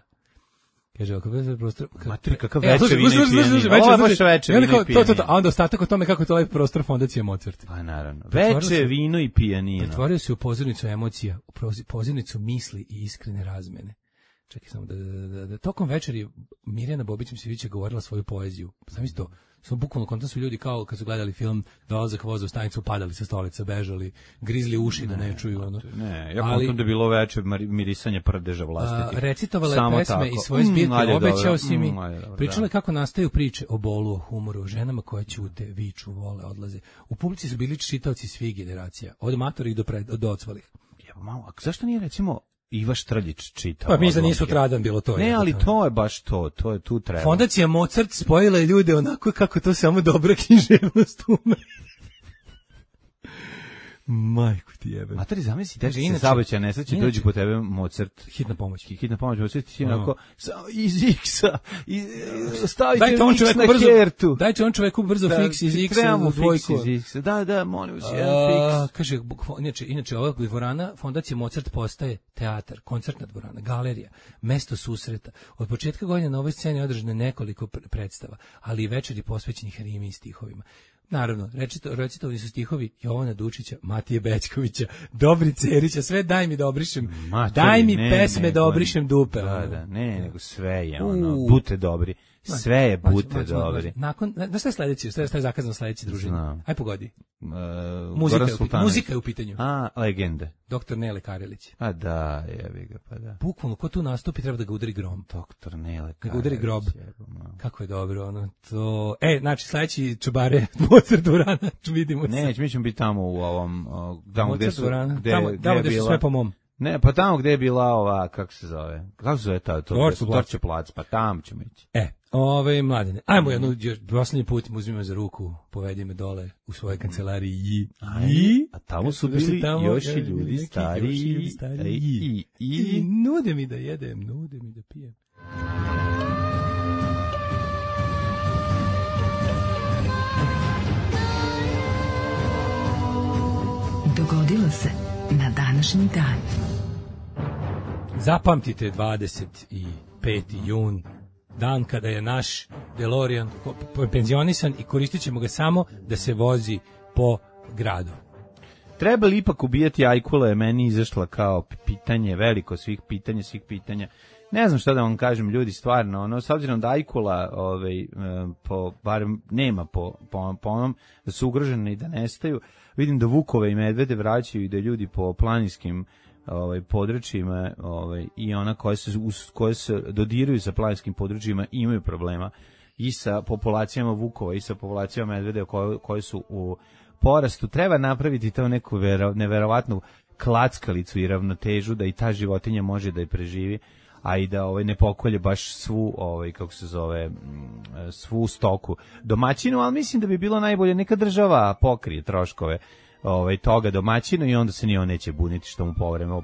Kaže, ako bez prostor... Matri, kakav veče vino i pijanina. Ovo je baš veče vino i pijanina. A onda ostatak o tome kako je to lep prostor fondacije Mozart. Pa naravno. Veče vino i pijanina. Pretvorio se u pozornicu emocija, u pozornicu misli i iskrene razmene. Čekaj samo da tokom večeri Mirjana Bobić Mojsilović je govorila svoju poeziju. Sam isto, samo bukvalno konta su ljudi kao kad su gledali film Dolazak voza u stanicu, padali sa stolica, bežali, grizli uši da ne čuju. Ono. Ne, ja kontam da je bilo veče mirisanje prdeža vlastitih. Recitovale pesme i svoje zbirke, obećao si mi. Pričale kako nastaju priče o bolu, o humoru, o ženama koje ćute, viču, vole, odlaze. U publici su bili čitaoci svih generacija, od matorih do odsvalih. Malo, a zašto nije recimo Iva Štrljić čitao? Pa mi da nisu tradan bilo to. Ne, ali to je baš to je tu treba. Fondacija Mozart spojila je ljude onako kako to samo dobra književnost ume. Majku ti jebe. Materi, zamisli, da se saobraćajna nesreća dođe po tebe Mozart. Hitna pomoć, Mozart ti onako iz X-a, stavite X na hertu. Dajte on čoveku brzo fiks iz X-a u dvojku. Da, molim vas, jedan fiks. Kaže, inače, ova dvorana, fondacija Mozart postaje teatar, koncertna dvorana, galerija, mesto susreta. Od početka godine na ovoj sceni održano nekoliko predstava, ali i večeri posvećenih rimi i stihovima. Naravno, recitovani su stihovi Jovana Dučića, Matije Bećkovića, Dobrice Erića, sve daj mi da obrišem, daj mi pesme da obrišem dupe. Da, nego sve je ono, bute dobri, sve je bute dobri. Nakon, znaš šta je sledeći, šta je zakazano sledeći družine? Aj pogodi. Muzika je u pitanju. Legende. Doktor Nele Karelić. A da, jebi ga, pa da. Bukvalno, ko tu nastupi treba da ga udari grom. Doktor Nele Karelić. Da ga udari grob. Kako je dobro, ono, to... Znači, sledeći čubare Mozart dvorana, vidimo se. Ne, mi ćemo biti tamo u ovom, tamo gde su... Tamo gde su sve po mom. Ne, pa tamo gde je bila ova, kako se zove ta, Dorće plac, pa tamo ćemo ići. Mladene, ajmo jednu, posljednji put mi uzmimo za ruku, povedi me dole u svojoj kancelariji a tamo su bili još i ljudi stariji i nude mi da jedem, nude mi da pijem. Dogodilo se na današnji dan. Zapamtite 25. jun, dan kada je naš DeLorean penzionisan i koristit ćemo ga samo da se vozi po gradu. Treba li ipak ubijati ajkule, je meni izašla kao pitanje, veliko svih pitanja. Ne znam šta da vam kažem, ljudi, stvarno, s obzirom da ajkula barem nema po onom, da su ugrožene i da nestaju, vidim da vukove i medvede vraćaju i da ljudi po planinskim područjima i ona koje se dodiruju sa planinskim područjima imaju problema i sa populacijama vukova i sa populacijama medvede koje su u porastu. Treba napraviti to neku neverovatnu klackalicu i ravnotežu da i ta životinja može da je preživi, a i da ne pokolje baš svu svu stoku domaćinu, ali mislim da bi bilo najbolje neka država pokrije troškove toga domaćinu i onda se ni on neće buniti što mu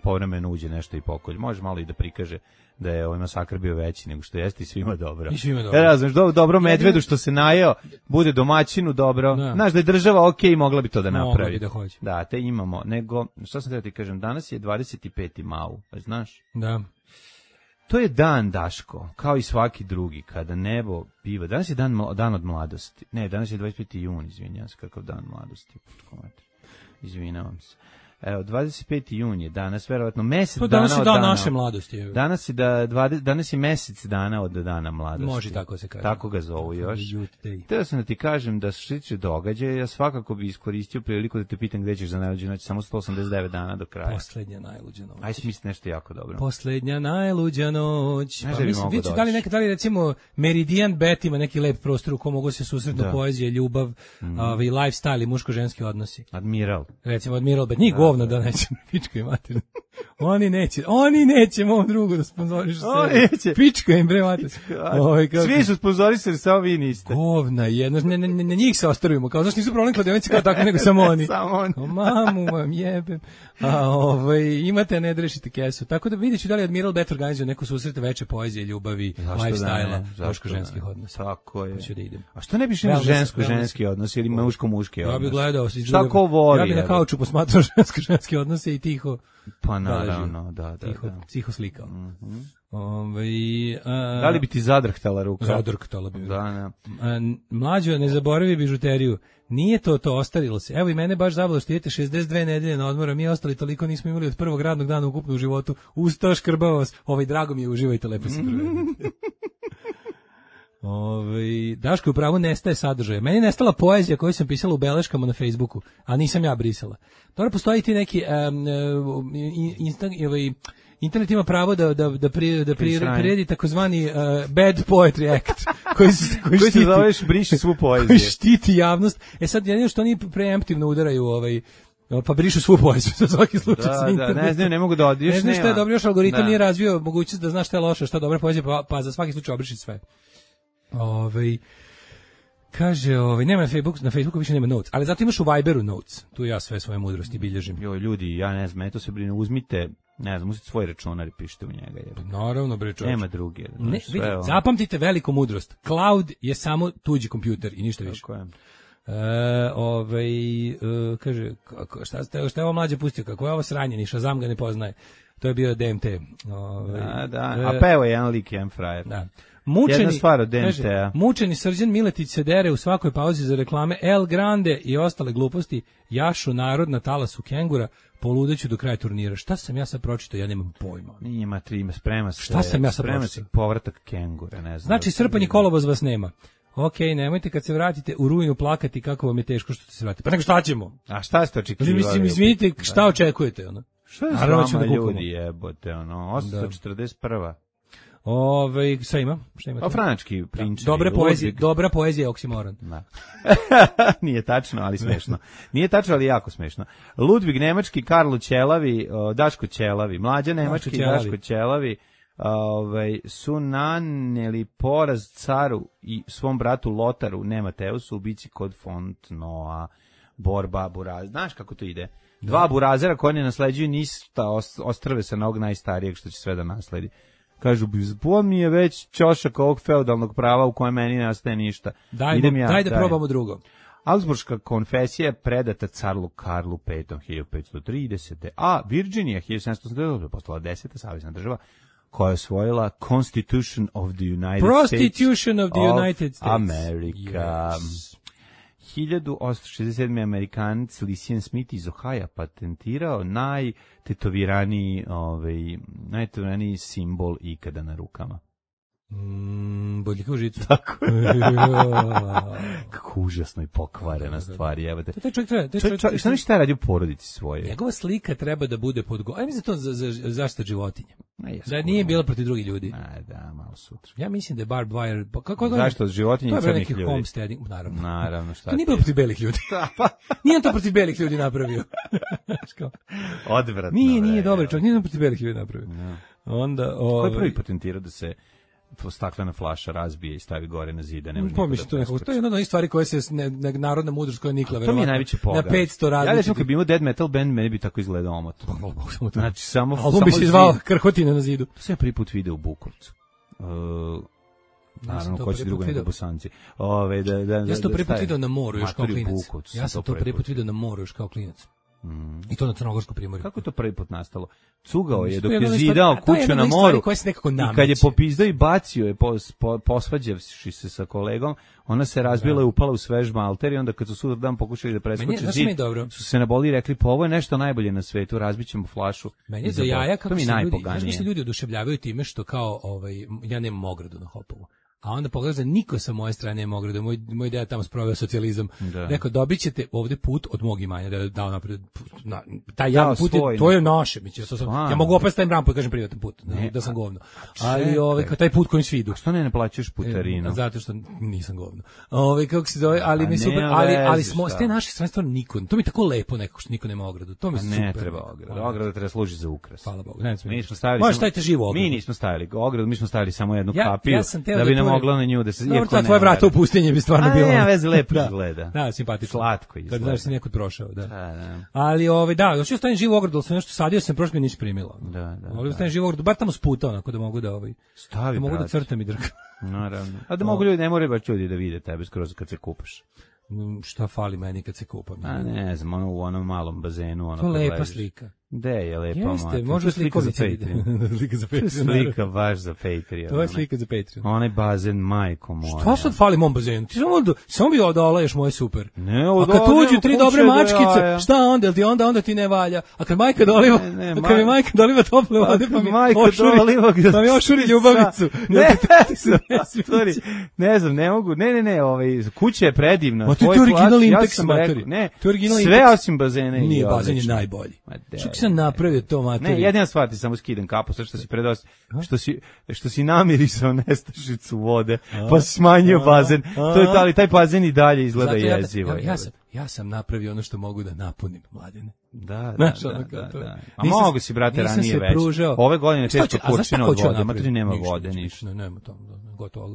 povremeno uđe nešto i pokolj. Može malo i da prikaže da je ovaj masakr bio veći nego što jeste i svima dobro. I svima dobro. Razumeš, dobro medvedu što se najeo, bude domaćinu dobro. Znaš da je država okej, mogla bi to da napravi. Mogla bi da hoće. Da, te imamo. Nego, šta sam da ti kažem, danas je 25. mau, znaš? Da. To je dan, Daško, kao i svaki drugi, kada nebo biva. Danas je dan od mladosti. Ne, danas je 25. jun, izvinjam se, kakav dan mladosti. Izvinjavam se. Evo, 25. jun je danas, verovatno mesec dana od dana. Danas je dan naše mladosti. Danas je mesec dana od dana mladosti. Može tako se kaže. Tako ga zovu još. Htio sam da ti kažem da što se tiče događaja, ja svakako bi iskoristio priliku da te pitam gde ćeš za najluđu noć, samo 189 dana do kraja. Poslednja najluđa noć. Aj smisli nešto jako dobro. Poslednja najluđa noć. Pa mislim, da li recimo Meridian Bet ima neki lep prostor u kom mogu se susretnu poezija, ljubav, i lifestyle i muško-ženski odnosi. Admiral. Recimo Admiral Bet. Njih govno da neće pička i mater. Oni neće mom drugu da sponzorišu se. Pička im bre mater. Svi su sponzorisali, samo vi niste. Govna jedno, na njih se ostavimo. Kao zašto nisu problem kladionice kao tako nego samo oni. Samo oni. Mamu vam jebem. Imate ne rešite kesu. Tako da vidjet ću da li Admiral Bet organizuje neko susret veće poezije, ljubavi, lifestyle-a, muško-ženskih odnosa. Tako je. Hoću da idem. A što ne biš imao žensko-ženski odnos ili muško-muški odnos? Ja bih gledao. Šta ko voli? Ja bih na kauču posmatrao žensko-ženske odnose i tiho. Pa naravno, da. Tiho slikao. Da li bi ti zadrhtala ruka? Zadrhtala bi. Da. Mlađo, ne zaboravi bižuteriju. Nije to ostarilo se. Evo i mene baš zabavilo što idete 62 nedelje na odmora, mi ostali toliko nismo imali od prvog radnog dana ukupno u životu. Ustao, škrbao vas. Drago mi je, uživajte, lepo se provedete. Daško, upravo nestaje sadržaja. Meni je nestala poezija koju sam pisala u beleškama na Facebooku, a nisam ja brisala. Dobro, postoji ti neki internet ima pravo da priredi takozvani Bad Poetry Act koji se zoveš briši svu poeziju. Koji štiti javnost. Sad jedino što oni preemptivno udaraju pa brišu svu poeziju za svaki slučaj sa internetom. Ne znam, ne mogu da odiješ. Ne znam šta je dobro, još algoritam nije razvio mogućnost da znaš šta je loše, šta je dobra poezija, pa za svaki slučaj obriši sve. Kaže, nema na Facebooku više nema notes, ali zato imaš u Viberu notes. Tu ja sve svoje mudrosti bilježim. Ljudi, ja ne znam, to se brine, uzmite, ne znam, uzmite svoj računar i pišite u njega. Naravno, bre, čovječ. Nema druge. Zapamtite veliku mudrost. Cloud je samo tuđi kompjuter i ništa više. Tako je. Kaže, šta je ovo mlađe pustio, kako je ovo sranje, ni Shazam ga ne poznaje. To je bio DMT. A pa evo jedan lik, jedan frajer. Da. Jedna stvar od DMT-a. Mučeni Srđan Miletić se dere u svakoj pauzi za reklame El Grande i ostale gluposti, jašu narod na talasu kengura, poludeću do kraja turnira. Šta sam ja sad pročitao? Ja nemam pojma. Nije sprema se. Šta sam ja sad pročitao? Povratak kengura, ne znam. Znači, srpanji kolovoz vas nema. Okej, nemojte kad se vratite u rujnu plakati kako vam je teško što ste se vratili. Pa nego šta ćemo? A šta ste očekivali? Mislim, izvinite, šta očekujete? Šta je s vama ljudi jebote? 841. Šta ima? Franački prinč. Dobra poezija je oksimoron. Nije tačno, ali smešno. Nije tačno, ali jako smešno. Ludvig nemački, Karlo Ćelavi, Daško Ćelavi, Mlađa nemački, Daško Ćelavi, su naneli poraz caru i svom bratu Lotaru, ne Mateusu, u bici kod Fontnoa, borba Buraz. Znaš kako to ide? Dva burazera koji ne nasleđuju ništa, ostrve se na ovog najstarijeg što će sve da nasledi. Kažu, on mi je već ćošak ovog feudalnog prava u kojem meni ne ostaje ništa. Daj da probamo drugo. Augsburška konfesija je predata caru Karlu V. 1530. A Virginija 1789. postala 10. savezna država koja je osvojila Constitution of the United Prostitution of the United States. America. Yes. 1867. Amerikanac Lucien Smith iz Ohaja patentirao najtetoviraniji simbol ikada na rukama. Bodljika u žicu. Tako je. Kako užasno i pokvarena stvar. Šta mi šta radi u porodici svoje? Njegova slika treba da bude ajme za to za zaštita životinja. Da nije bila protiv drugih ljudi. Da, malo sutra. Ja mislim da je barbed wire... Zašto od životinja i crnih ljudi? Homesteading, naravno. Šta to nije bilo protiv belih ljudi. Nije on to protiv belih ljudi napravio. Odvratno. Nije dobar čovjek, nije on protiv belih ljudi napravio. Onda, ko je prvi patentirao da se staklena flaša razbije i stavi gore na zid, ne može to je jedna od onih stvari koje se narodna mudrost koja nikla verovatno. To mi je najveći pogled. Na 500 različitih. Ja recimo kad bi imao dead metal band, meni bi tako izgledao omot. Znači samo album bi se zvao Krhotina na zidu. To sam ja prvi put video u Bukovcu. Naravno, ko će drugo nego Bosanci. Ja sam to prvi put video na moru još kao klinac. Ja sam to prvi put video na moru još kao klinac. I to na Crnogorskom primorju. Kako je to prvi put nastalo? Cugao je dok je zidao kuću na moru i kad je popizdao i bacio je posvađavši se sa kolegom, ona se razbila i upala u svež malter i onda kad su sutra dan pokušali da preskoče zid, su se naboli i rekli pa ovo je nešto najbolje na svetu, razbićemo flašu. Meni je za jaja kako se ljudi oduševljavaju time što kao ja nemam ogradu na Hopovu. A onda pogledaš da niko sa moje strane nema ogradu. Moj deda tamo sproveo socijalizam. Rekao, dobit ćete ovde put od mog imanja. Da dao napred. Taj javni put, to je naše. Ja mogu opet stavim rampu i kažem privatan put. Da sam govno. Ali taj put kojim svi idu. Što ne plaćaš putarinu? Zato što nisam govno. Kako se zove, ali mi super. Ali smo, s te naše strane stvarno niko. To mi je tako lepo nekako što niko nema ogradu. To mi super. Ne treba ogradu. Ograda treba služiti za ukras. Hvala Bogu. Možeš staviti živu ogradu. Mi nismo stavili ogradu, mi smo stavili samo jednu kapiju da bi nam mogla na nju da se ta tvoja vrata u pustinji bi stvarno bilo. Ne, veze lepo izgleda. Da, simpatično. Slatko izgleda. Kad znaš si nekud prošao, da. Ali hoću staviti živu ogradu, sam nešto sadio sam prošle nisi primila. Da. Mogu da stavim živu ogradu, bar tamo s puta onako da mogu da stavi. Da mogu da crtam i drkam. Naravno. A da mogu ljudi, ne moraju baš ljudi da vide tebe skroz kad se kupaš. Šta fali meni kad se kupam? Ne znam, u onom malom bazenu. To lepa slika. Gde je lepa mati? Jeste, može slika za Patreon. Slika za Patreon. Slika baš za Patreon. To je slika za Patreon. Onaj bazen, majko moja. Šta sad fali mom bazenu? Ti samo bi odolaješ moje super. Ne, a kad tuđu 3 dobre mačkice, šta onda? Jel ti onda ti ne valja? A kad majka doliva, kad mi majka doliva tople vode, pa mi ošuri ljubavicu. Ne znam, ne mogu. Ne, kuća je predivna. To je originalni Intex materi. Ne, sve osim bazena. Nije, bazen je najbolji. Sam napravio to materiju. Ne, jedina stvar ti samo skidam kapu, sve što si predosti, što si namirisao nestašicu vode, pa si smanjio bazen. To je to, ali taj bazen i dalje izgleda jezivo. Ja sam napravio ono što mogu da napunim, Mladene. Da. A mogu si, brate, ranije već. Ove godine često kurčina od vode, matri nema vode, ništa. Nema to, gotovo,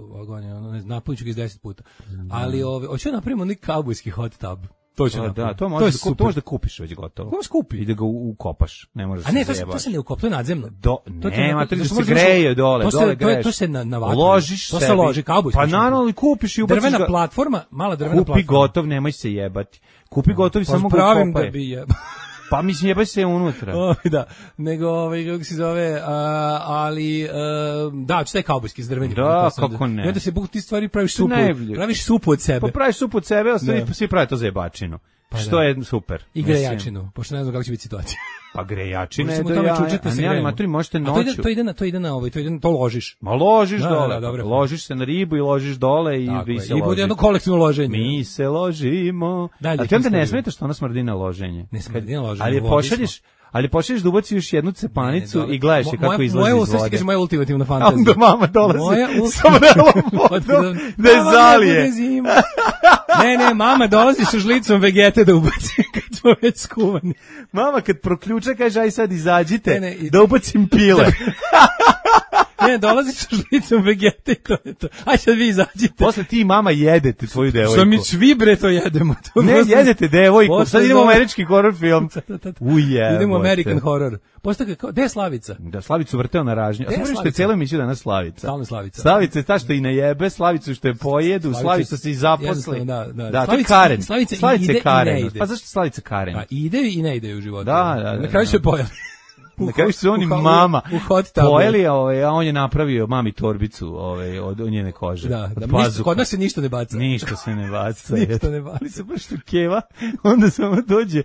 napunit ću ga iz 10 puta. Ali hoću napravimo neki kaubojski hot tub. To možeš da kupiš već gotovo. Ko skupi? I da ga ukopaš, ne možeš se zajebaš. A ne, to se ne ukopljuje nadzemno. Nema, to se greje dole greš. To se na vatru. Ložiš sebi. To se loži, kaubojski. Pa naravno, kupiš i ubaciš ga. Drvena platforma, mala drvena platforma. Kupi gotov, nemoj se jebati. Kupi gotov i samo ga ukopaj. Pravim da bi jebao. Pa mislim jebaj se unutra. Da, nego kako se zove, ali da, što je kaubojski zdrveni. Da, kako ne. I onda se ti stvari praviš supu od sebe. Pa praviš supu od sebe, ostali svi prave to za jebačinu. Što je super. I grejačinu, pošto ne znam kako će biti situacija. Pa grejačina je do jaja, a ne, ali maturi možete noću. To ložiš. Ma ložiš dole, ložiš se na ribu i ložiš dole i vi se ložite. I bude jedno kolektivno loženje. Mi se ložimo. A ti onda ne smeta što ona smrdi na loženje. Ne smrdi na loženje. Ali pošalješ da ubaci još jednu cepanicu i gledaš je kako izlazi iz vode. Moja ultimativna fantazija. Onda mama dolazi sa vrelom vodom da je zalije. Ne, mama dolazi sa žlicom vegete da ubaci kad smo već skuvani. Mama kad proključa kaže aj sad izađite da ubacim pile. Ne, dolazi sa žlicom vegete i to je to. Aj sad vi izađite. Posle ti i mama jedete tvoju devojku. Što mi svi bre to jedemo. Ne, jedete devojku. Sad idemo u američki horror film. Idemo u American horror. Posle gde je Slavica? Da, Slavicu vrteo na ražnju. A samo što je cijelu emisiju danas Slavica. Stalno Slavica. Slavica je ta što i najebe, Slavicu što je pojedu, Slavica se i zaposli. Da, to je Karen. Slavica je Karen. Pa zašto Slavica Karen? Pa ide i ne ide u životu. Da. Na kraju se pojeli. Na kraju su oni mama pojeli, a on je napravio mami torbicu od njene kože. Da, kod nas se ništa ne baca. Ništa se ne baca. Ali se baš tu keva, onda samo dođe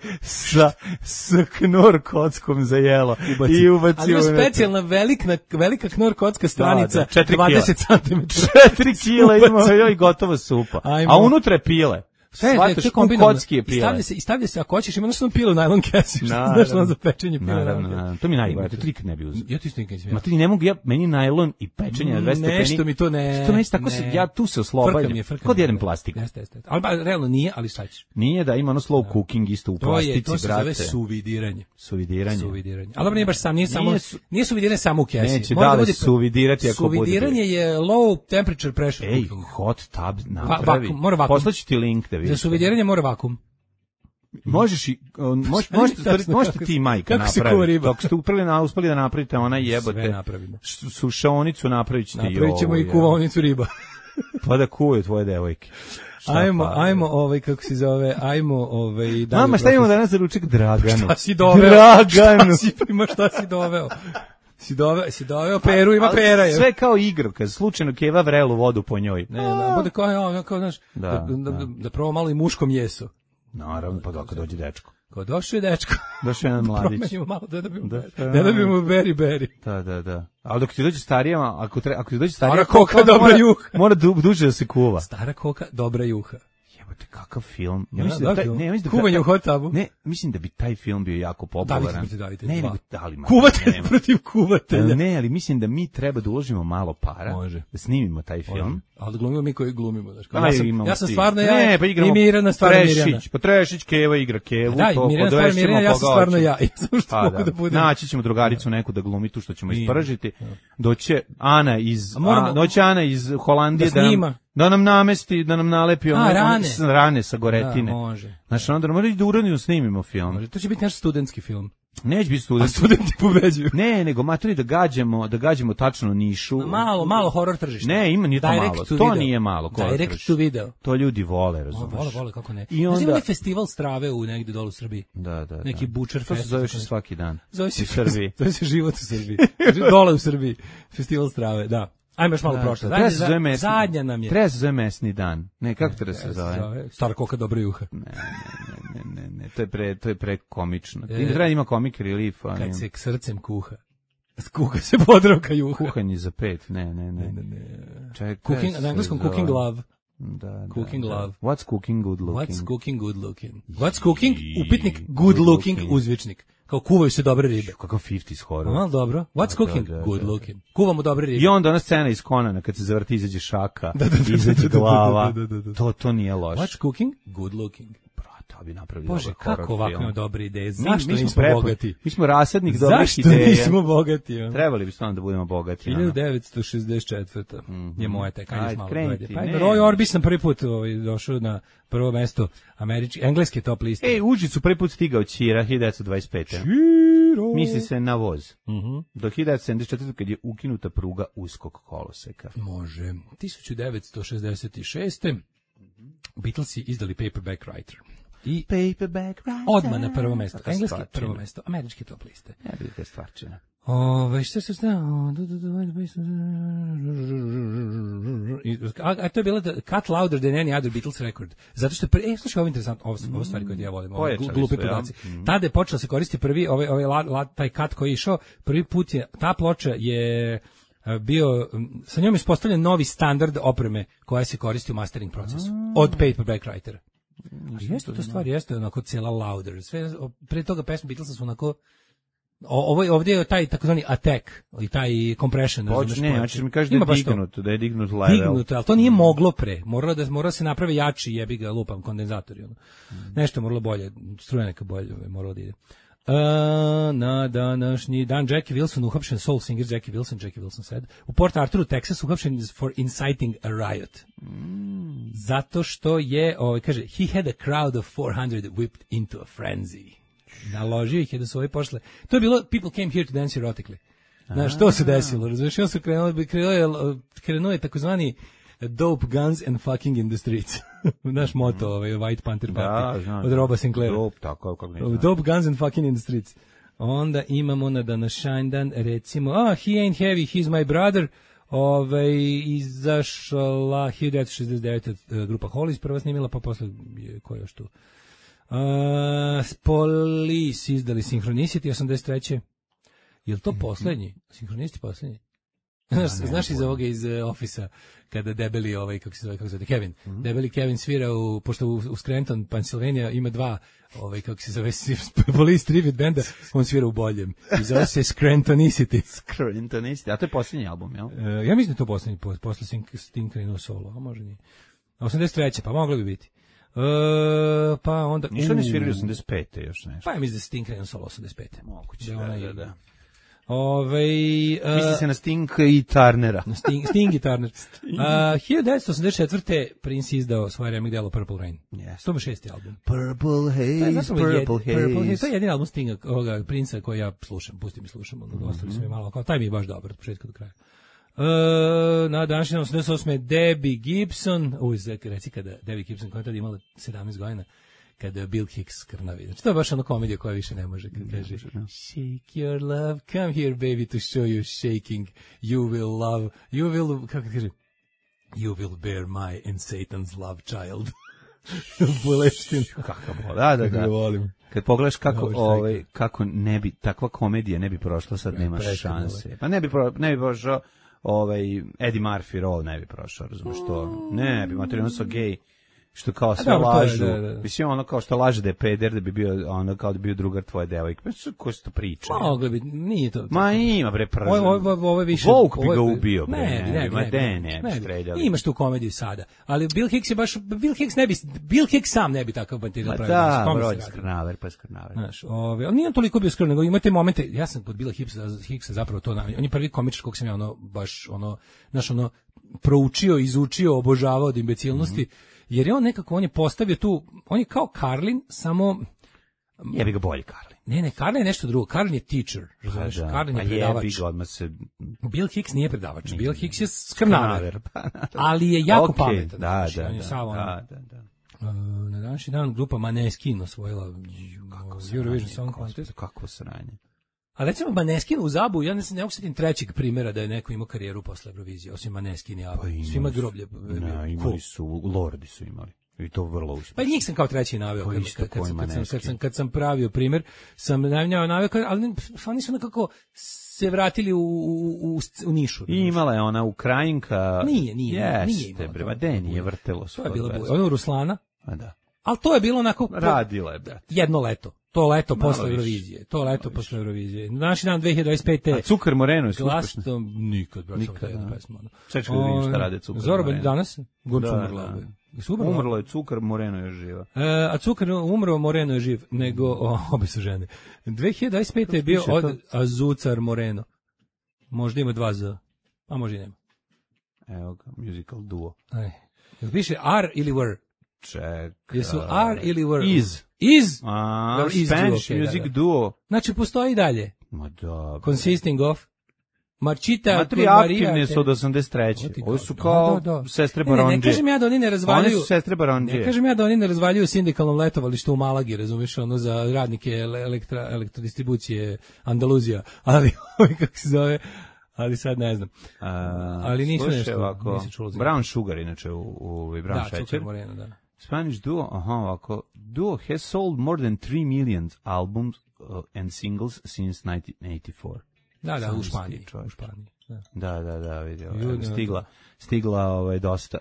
sa knor kockom za jelo i ubaci. Ali je specijalna velika knor kocka stranica, 4 20 cm. 4 kila ima i gotova supa. A unutra je pile. Shvataš, kocki je pile. I stavlja se, ako hoćeš, ima nešto pilu najlon kesi, znaš ono za pečenje pile. Naravno. To mi najbolje, to nikad ne bi uzeo. Ja ti isto nikad nisam. Ma ti ne mogu, meni najlon i pečenje na 200 stepeni. Nešto mi to ne. Što meni tako se, ja tu se oslobađam. Kod jedem plastiku. Jeste. Ali realno nije, ali šta ćeš? Nije da ima ono slow cooking isto u plastici, to se brate. zove suvidiranje. Suvidiranje. Ali dobro, nije baš sam, nije suvidiranje samo u kesi. Neće da li suvidirati ako bude. Suvidiranje je low temperature pressure cooking. Hot tub napravi. Mora vakum. Poslaću ti link da vidiš. Za suvidiranje mora vakum. Možeš i možete ti majka napraviti. Dok ste uspeli da napravite ona jebote. Sve napravimo. Sušaonicu napravit ćete i ovo. Napravit ćemo i kuvaonicu riba. Pa da kuvaju tvoje devojke. Ajmo, kako se zove, Mama, šta imamo danas za ručak? Draganu. Šta si doveo? Draganu. Šta si doveo? Si doveo peru, ima pera. Je. Sve kao igra, kad slučajno Keva vrelu vodu po njoj. Ne, bude kao, znaš, da prvo malo i muškom jesu. Naravno, pa dok dođe dečko. Ko došao je dečko. Došao je jedan mladić. Promenimo malo da dobijemo beri. Da. Ali dok ti dođe starijama, ako ti dođe starija... Stara koka, dobra juha. Mora duže da se kuva. Stara koka, dobra juha. Jebote, kakav film. Ja mislim da kuvanje u hot tubu. Ne, mislim da bi taj film bio jako popularan. Davite. Ne, nego dali ma. Kuvatelj protiv kuvatelja. Ne, ali mislim da mi treba da uložimo malo para. Može. Da snimimo taj film. Ali da glumimo mi koji glumimo, znaš. Ja sam stvarno i Mirjana stvarno Mirjana. Pa Trešić, Keva igra Kevu. Da, Mirjana stvarno Mirjana, ja sam stvarno ja. Ja sam što mogu da budem. Naći ćemo drugaricu neku da glumi tu što ćemo ispržiti. Doće Ana iz Holandije da nam namesti, da nam nalepi rane sa goretine. Da, može. Znači, onda moramo da uradimo, snimimo film. Može. To će biti naš studentski film. Neće biti studentski. A studenti pobeđuju. Ne, nego maturi da gađamo tačno nišu. Malo horor tržište. Ne, nije to malo. To nije malo. Direct to video. To ljudi vole, razumiješ. Vole, kako ne. I onda ima festival strave u negde dolu u Srbiji. Da. Neki Butcher Fest. To se zoveš svaki dan. Zove se Srbiji. To je život u Srbiji. Dole u Srbiji. Festival strave, da. Ajme još malo prošlo. Zadnja nam je. Treba se zove mesni dan. Ne, kako treba se zove? Stara koka, dobra juha. Ne. To je pre komično. Treba ima comic relief. Kad se k srcem kuha. Kuha se Podravka juha. Kuhanje za 5. Ne. Cooking, na engleskom cooking love. Da. Cooking love. What's cooking good looking? What's cooking, upitnik, good looking, uzvičnik. Kao kuvaju se dobre ribe. Kakav 50s horror. Malo dobro. What's cooking? Good looking. Kuvamo dobre ribe. I onda ona scena iz Conana kad se zavrti, izađe šaka, izađe glava. To nije loše. What's cooking? Good looking. Brate, bi napravili Bože, kako ovako ima dobre ideje. Zašto mi nismo bogati? Mi smo rasadnik dobrih ideja. Zašto nismo bogati? Trebali bi stvarno da budemo bogati. 1964. Je moja taj, kanješ malo dojde. Pa Roy Orbison prvi put došao na prvo mesto engleske top liste. Užicu prvi put stigao Ćira 1925. Misli se na voz. Do 1974. kad je ukinuta pruga uskog koloseka. Može. 1966. Beatlesi izdali Paperback Writer. I Paperback Writer. Odmah na prvo mesto. Engleski prvo mesto. Američki top liste. Velika stvarčina. Šta se a to je bilo Cut Louder Than Any Other Beatles Record. Zato što je slušaj, ovo je interesantno, ovo stvari koje ja volim, glupe podaci. Tada je počelo se koristiti prvi taj cut koji je išao, prvi put je, ta ploča je bio, sa njom je ispostavljen novi standard opreme koja se koristi u mastering procesu, od Paperback Writera. Jeste to stvar, jeste onako cijela louder. Sve, pre toga pesme Beatlesa su onako, ovdje je taj takozvani attack i taj compression. Znači mi kaže da je dignut level. Dignut, ali to nije moglo pre. Moralo se napravi jači, jebi ga, lupam, kondenzatori. Nešto je moralo bolje, struja neka bolje, moralo da ide. Na današnji dan Jackie Wilson uhapšen, soul singer Jackie Wilson said, u Port Arthuru, Texas, uhapšen for inciting a riot. Zato što je, kaže, he had a crowd of 400 whipped into a frenzy. Naložio ih je da su pošle. To je bilo People Came Here to Dance Erotically. Znaš, što se desilo? Razumiješ, on su krenuo je takozvani Dope Guns and Fucking in the Streets. Naš moto, White Panther Party, od Roba Sinclaira. Dope Guns and Fucking in the Streets. Onda imamo na današnji dan, recimo, He Ain't Heavy, He's My Brother, izašla 1969. grupa Hollies, prva snimila, pa posle, ko je još tu? Police izdali Synchronicity 83. Je li to poslednji? Sinhronisti poslednji? Znaš iz ovoga iz Office-a, kada debeli kako se zove Kevin. Debeli Kevin svira pošto u Scranton, Pennsylvania ima dva kako se zove Police Tribute benda, on svira u boljem. I zove se Scrantonicity. Scrantonicity, a to je posljednji album, jel? Ja mislim da je to posljednji, posle Sting krenuo solo, a može nije. 83. pa moglo bi biti. Pa onda... Nisu oni svirali 85. još nešto? Pa ja mislim da je Sting krenuo solo 85. Moguće, da. Misli se na Sting i Turnera. Na Sting i Turner. 1984. Prince izdao svoje remake delo Purple Rain. Yes. To je 6. album. Purple Haze, Purple Haze. To je jedini album Stinga, ovoga Princa koji ja slušam, pustim i slušam. Ostali su mi malo, kao taj mi je baš dobar od početka do kraja. Na današnjem 88. Debbie Gibson, reci kada Debbie Gibson koja je tada imala 17 godina, kada Bill Hicks krnavi. Znači, to je baš ono komedija koja više ne može, kad kaže shake your love, come here baby to show you shaking, you will love, you will, kako kaže, you will bear my and Satan's love child. Buleštin. Kakav, da. Volim. Kad pogledaš kako ne bi, takva komedija ne bi prošla, sad nema šanse. Pa ne bi prošao Eddie Murphy role ne bi prošao, razumiješ to? Ne bi, materijalno su gej, što kao sve lažu. Mislim, ono kao što laže da je peder, da bi bio, ono kao da bi bio drugar tvoje devojke. Pa ko se to priča? Mogli bi, nije to. Ma ima, bre, prvo. Ovo je više... Vogue bi ga ubio, bre. Ne bi streljali. Imaš tu komediju sada. Ali Bill Hicks je baš, Bill Hicks sam ne bi takav materijal pravio. Da, broj skrnaver, pa skrnaver. Znaš, ali nije toliko bio skrnaver, nego imate momente, ja sam kod Billa Hicksa zapravo to, on je prvi komičar kog sam ja baš proučio, izučio, obožavao od imbecilnosti. Jer je on nekako, on je postavio tu, on je kao Carlin, samo... Jebi ga bolji Carlin. Ne, Carlin je nešto drugo, Carlin je teacher, razumiješ, Carlin je predavač. Jebi ga, odmah se... Bill Hicks nije predavač, Bill Hicks je skrnaver, ali je jako pametan. Da. Na današnji dan grupa Maneskin osvojila Eurovision Song Contest. Kakvo sranje. A recimo Maneskin u Zabu, ja ne mogu setim trećeg primjera da je neko imao karijeru posle Eurovizije, osim Maneskin i Abu. Svima groblje. Imali su, Lordi su imali. I to vrlo uspješno. Pa njih sam kao treći naveo. Kad sam pravio primjer, sam naveo, ali oni su nekako se vratili u nišu. I imala je ona Ukrajinka. Nije. Jeste, bre, nije vrtelo. To je bilo ono Ruslana. A da. Ali to je bilo onako... Radila je, brate. Jedno leto. To leto posle Eurovizije. Naši dan 2025. A Cukar Moreno je uspešno? Nikad, brate. Čekaj da vidim šta rade Cukar Moreno. Zorba danas? Umrlo je Cukar, Moreno je živa. A Cukar umro, Moreno je živ. Nego, obi su žene. 2025. je bio od Azucar Moreno. Možda ima 2 Z. A možda i nema. Evo ga, musical duo. Piše R ili were? Čekaj. Jesu R ili were? Is? Spanish music duo. Znači, postoji dalje. Ma da. Consisting of Marčita, Matri aktivne su od 83. Ovo su kao sestre Barondije. Ne kažem ja da oni ne razvaljuju. One su sestre Barondije. Ne kažem ja da oni ne razvaljuju sindikalnom letovalištu u Malagi, razumiješ, ono za radnike elektrodistribucije Andaluzija. Ali, kako se zove... Ali sad ne znam. Ali nisu nešto. Brown Sugar, inače, u Brown Šećer. Da, Cukar Moreno, da. Spanish duo, ovako. Duo has sold more than 3 million albums and singles since 1984. Da, u Španiji. Da, vidio. Stigla dosta,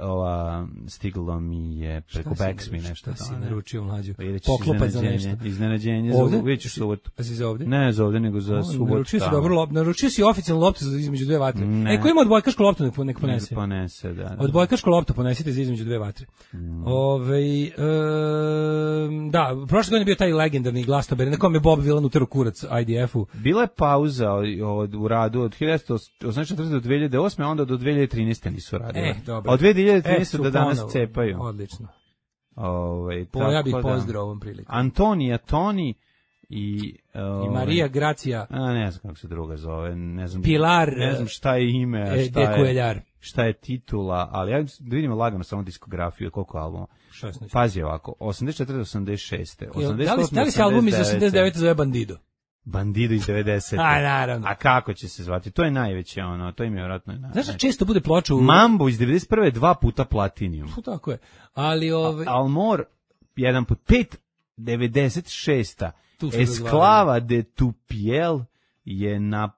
stiglo mi je preko Backsmi nešto. Šta si naručio, mlađu? Poklopac za nešto. Iznenađenje, vidjet subotu. Pa si za ovde? Ne za ovde, nego za subotu. Naručio si oficijalnu loptu između 2 vatre. Ko ima odbojkašku loptu, nek ponese. Ponese, da. Odbojkašku loptu ponesite za između 2 vatre. Da, prošle godine je bio taj legendarni Glastonbury, na kom je Bob Dylan uterao kurac IDF-u. Bila je pauza u radu od 1984. do 2008. a onda do 2013. nisu radili. Dobro. Od 2013. do danas cepaju. Odlično. Ja bih pozdrav ovom priliku. Antonija, Toni i Marija Gracija. Ne znam kako se druga zove, ne znam. Pilar. Ne znam šta je ime, šta je titula, ali ja vidimo lagano samo diskografiju, koliko albuma. 16. Pazi ovako, 84 do 86. Da li se album iz 89 zove Bandido? Bandido iz 90. Naravno. A kako će se zvati? To je najveće to im je vjerojatno najveće. Znaš, često bude ploča u... Mambo iz 91. 2 puta platinum. Tako je. Ali Almor 1 put 5, 96. Esclava de tu piel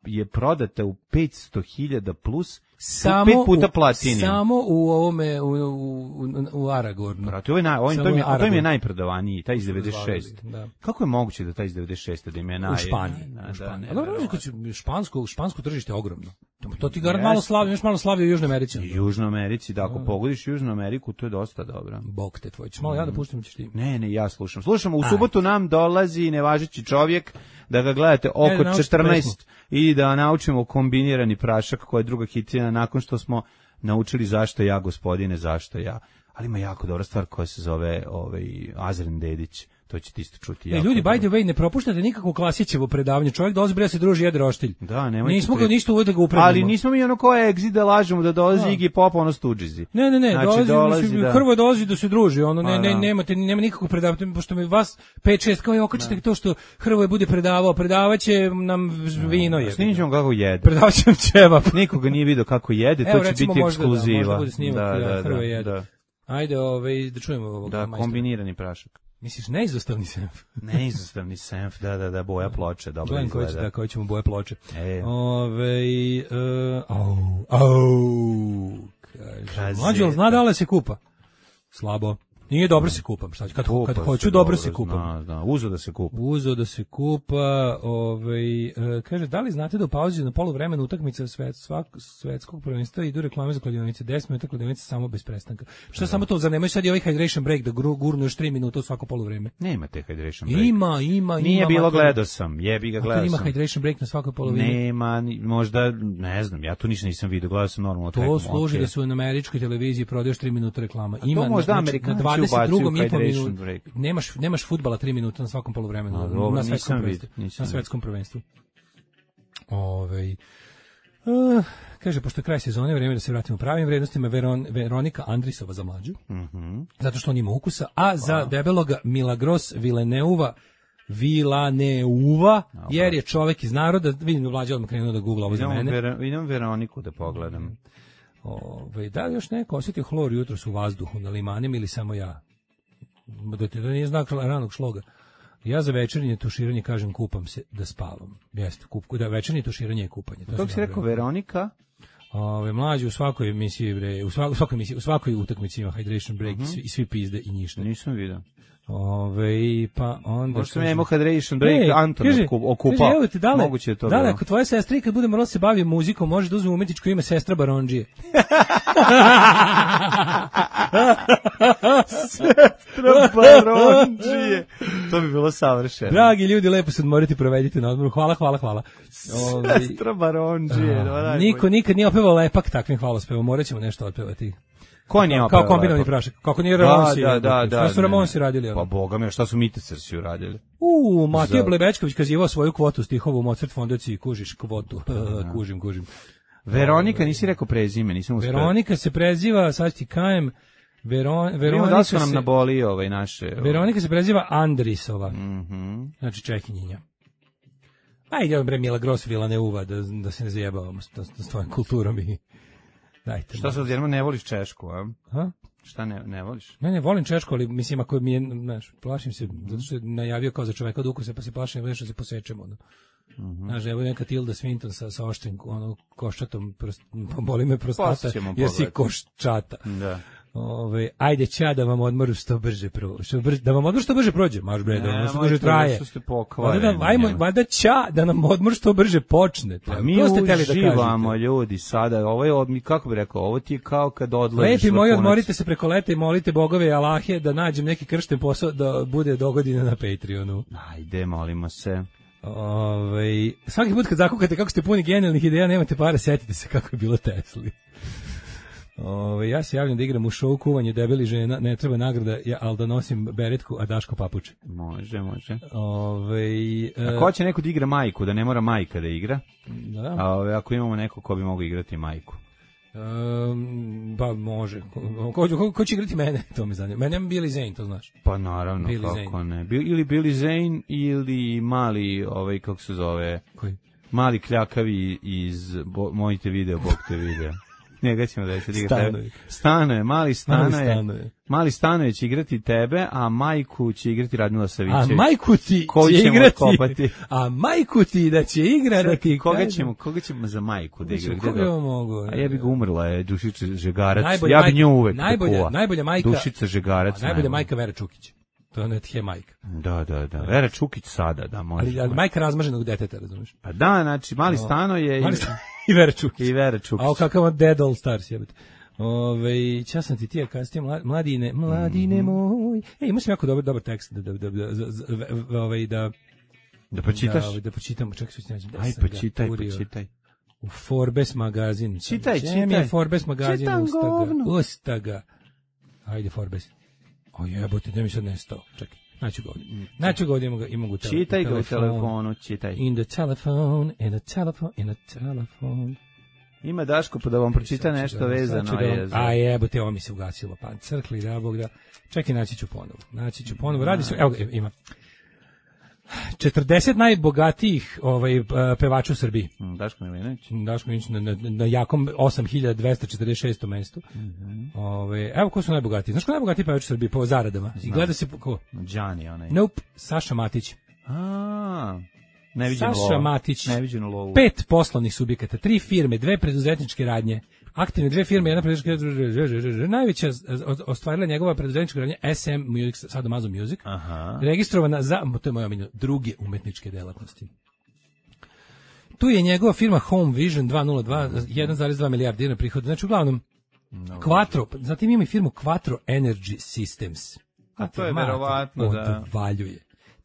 je prodata u 500.000 plus, samo 5 puta platinum. Samo u ovome u Aragornu. Brate, to im je najprodavaniji, taj iz 96. Da. Kako je moguće da taj iz 96. da im je u Španiji. Špansko tržište je ogromno. To ti garant malo slavi, još malo slavi u Južnoj Americi. U Južnoj Americi, da, ako pogodiš Južnu Ameriku, to je dosta dobro. Bog te tvoj. Malo ja da puštam, ćeš ti. Ne, ja slušam. Slušamo, u subotu nam dolazi nevažeći čovjek, da ga gledate oko 14 i da naučimo kombinirani prašak, koja je druga hitina nakon što smo naučili zašto ja, gospodine, zašto ja. Ali ima jako dobra stvar koja se zove Azren Dedić. To ćete isto čuti. Ljudi, by the way, ne propuštate nikakvo Klasićevo predavanje. Čovjek dolazi bre da se druži, jede roštilj. Da, nemojte. Nismo ga ništa uvode ga upredimo. Ali nismo mi ono koje exit da lažemo da dolazi Iggy Pop, ono Stuđizi. Ne, znači, dolazi da... Hrvoje dolazi da se druži, ono nema nikakvog predavanja, pošto mi vas 5-6 kao okačite to što Hrvoje bude predavao, predavaće nam vino je. Snimćemo kako jede. Predavaće nam ćevap. Nikoga nije video kako jede, to će biti ekskluziva. Možda bude snimak, Hrvoje jede. Ajde, da čujemo ovog. Da, kombinirani prašak. Misliš, neizostavni senf? Neizostavni senf, da, boja ploče, dobro izgleda. Da, koji ćemo boje ploče. Kaže, mlađo, zna da li se kupa? Slabo. Nije dobro se kupam, šta ću, kad hoću dobro se kupam. Uzo da se kupa, kaže, da li znate da u pauzi na poluvremenu utakmica svetskog prvenstva idu reklame za kladionice, 10 minuta kladionice samo bez prestanka. Šta samo to, zar nemaju sad i ovaj hydration break da gurnu još 3 minuta u svako poluvreme? Nema te hydration break. Ima. Nije bilo, gledao sam, jebi ga, gledao sam. Ima hydration break na svakoj poluvreme? Nema, možda, ne znam, ja to ništa nisam vidio, gledao sam normalno. To služi da su na američkoj televiziji prodaš 3 minuta reklama. Ima, to možda Amerikanci ubacuju hydration break. Nemaš fudbala 3 minuta na svakom poluvremenu na svetskom prvenstvu. Kaže, pošto je kraj sezone, vreme da se vratimo u pravim vrednostima. Veronika Andrisova za mlađu, zato što on ima ukusa, a za debeloga Milagros Vilaneuva, jer je čovek iz naroda. Vidim da mlađa odmah krenuo da googla ovo za mene. Idem Veroniku da pogledam. Da li još neko osjetio hlor jutros u vazduhu na limanima ili samo ja? Da ti to nije znak ranog šloga. Ja za večernje tuširanje kažem kupam se da spavam. Jeste, da večernje tuširanje je kupanje. Kako si rekao, Veronika? Mlađi u svakoj emisiji, u svakoj utakmici ima hydration break i svi pizde i ništa. Nisam vidio. Pa onda možda ja imao hydration break, Anton okupao. Moguće je to. Da li, ako tvoja sestra kad bude morala se bavi muzikom, može da uzme umetničko ime Sestra Barondžije. Sestra Barondžije. To bi bilo savršeno. Dragi ljudi, lepo se odmoriti, provedite na odmoru. Hvala. Sestra Barondžije. Niko nikad nije opevao lepak takvim hvalospevom. Morat ćemo nešto otpevati. Ko nije opevao? Kao kombinovani prašak. Kako nije Ramonsi? Da. Šta su Ramonsi radili? Pa boga mi, šta su Mitecersi uradili? Matija Blebečković kazivao svoju kvotu stihova u Mozart fondaciji, kužiš kvotu. Kužim. Veronika, nisi rekao prezime, nisam uspeo. Veronika se preziva, sad ti kajem, Veronika da su nam naboli naše... Veronika se preziva Andrisova. Znači Čehinjinja. Ajde, bre, Milagros Vilaneuva, da se ne zajebavamo s tvojom kulturom i... Dajte. Šta sad, jedno ne voliš Češku, a? Šta ne voliš? Ne, volim Češku, ali mislim, ako mi je, plašim se, zato što je najavio kao za čoveka od ukusa, pa se plašim da se posećemo. Znaš, evo neka Tilda Swinton sa oštrim koščatom, boli me prostata, jer si koščata. Da. Ajde, ča da vam odmor što brže da vam odmor što brže prođe, maš bre, da vam što brže traje. Valjda ča da nam odmor što brže počne. Mi uživamo, ljudi, sada, ovo je, kako bi rekao, ovo ti je kao kad odlaziš. Lepi moji, odmorite se preko leta i molite bogove i Allahe da nađem neki kršten posao da bude dogodine na Patreonu. Ajde, molimo se. Svaki put kad zakukate kako ste puni genijalnih ideja, nemate pare, setite se kako je bilo Tesli. Ja se javljam da igram u show Kuvanje debeli žena, ne treba nagrada, ali da nosim beretku, a Daško papuče. Može. Ako će neko da igra majku, da ne mora majka da igra, ako imamo neko ko bi mogo igrati majku. Pa može. Ko će igrati mene? To me zanima. Mene je Billy Zane, to znaš. Pa naravno, kako ne. Ili Billy Zane ili mali, kako se zove? Koji? Mali kljakavi iz Mojte video, Bog te video. Njega ćemo da se igra tebe. Stanoje, mali Stanoje će igrati tebe, a majku će igrati Radmila Savićević. A majku ti će igrati. A majku ti da će igrati. Koga ćemo za majku da igra? Koga mogu? A ja bih ga umrla je Dušica Žegarac. Ja bih nju uvek kupovao. Najbolja majka. Dušica Žegarac. Najbolja majka Vera Čukić. To ne je majka. Da. Vera Čukić sada, da, može. Ali majka razmaženog deteta, razumiješ? Pa da, znači, mali Stanoje i Vera Čukić. I Vera Čukić. A kakav Dead All Stars, jebate. Čas sam ti ja kasnije, mladine moj. Imao sam jako dobar tekst da pročitaš? Da pročitam, čekaj se nađem. Aj, pročitaj. U Forbes magazin. Čitaj. Forbes magazin Ustaga. Ajde Forbes. O jebote, da mi sad nestao. Čekaj, naću ga ovdje, imam ga čitaj ga u telefonu, čitaj. In the telephone. Ima Daško pa da vam pročita nešto vezano. A jebote, ovo mi se ugasilo, pa crkli, da Bog da. Čekaj, naći ću ponovo. Radi se, evo ima. 40 najbogatijih pevača u Srbiji. Daško Milinović na jakom 8246. mestu. Evo ko su najbogatiji. Znaš ko najbogatiji pevač u Srbiji po zaradama? I gleda se ko? Đani onaj. Nope, Saša Matić. Saša Matić. Neviđenu lovu. 5 poslovnih subjekata, 3 firme, 2 preduzetničke radnje. Aktivne 2 firme, jedna preduzetnička. Najveća ostvarila njegova preduzetnička radnja SM Music, sad Amazon Music. Registrovana za, to je moja omiljena, druge umetničke delatnosti. Tu je njegova firma Home Vision 202, 1,2 milijarda dinara prihoda. Znači, uglavnom, Quattro, zatim ima i firmu Quattro Energy Systems. A to je verovatno da odvaljuje.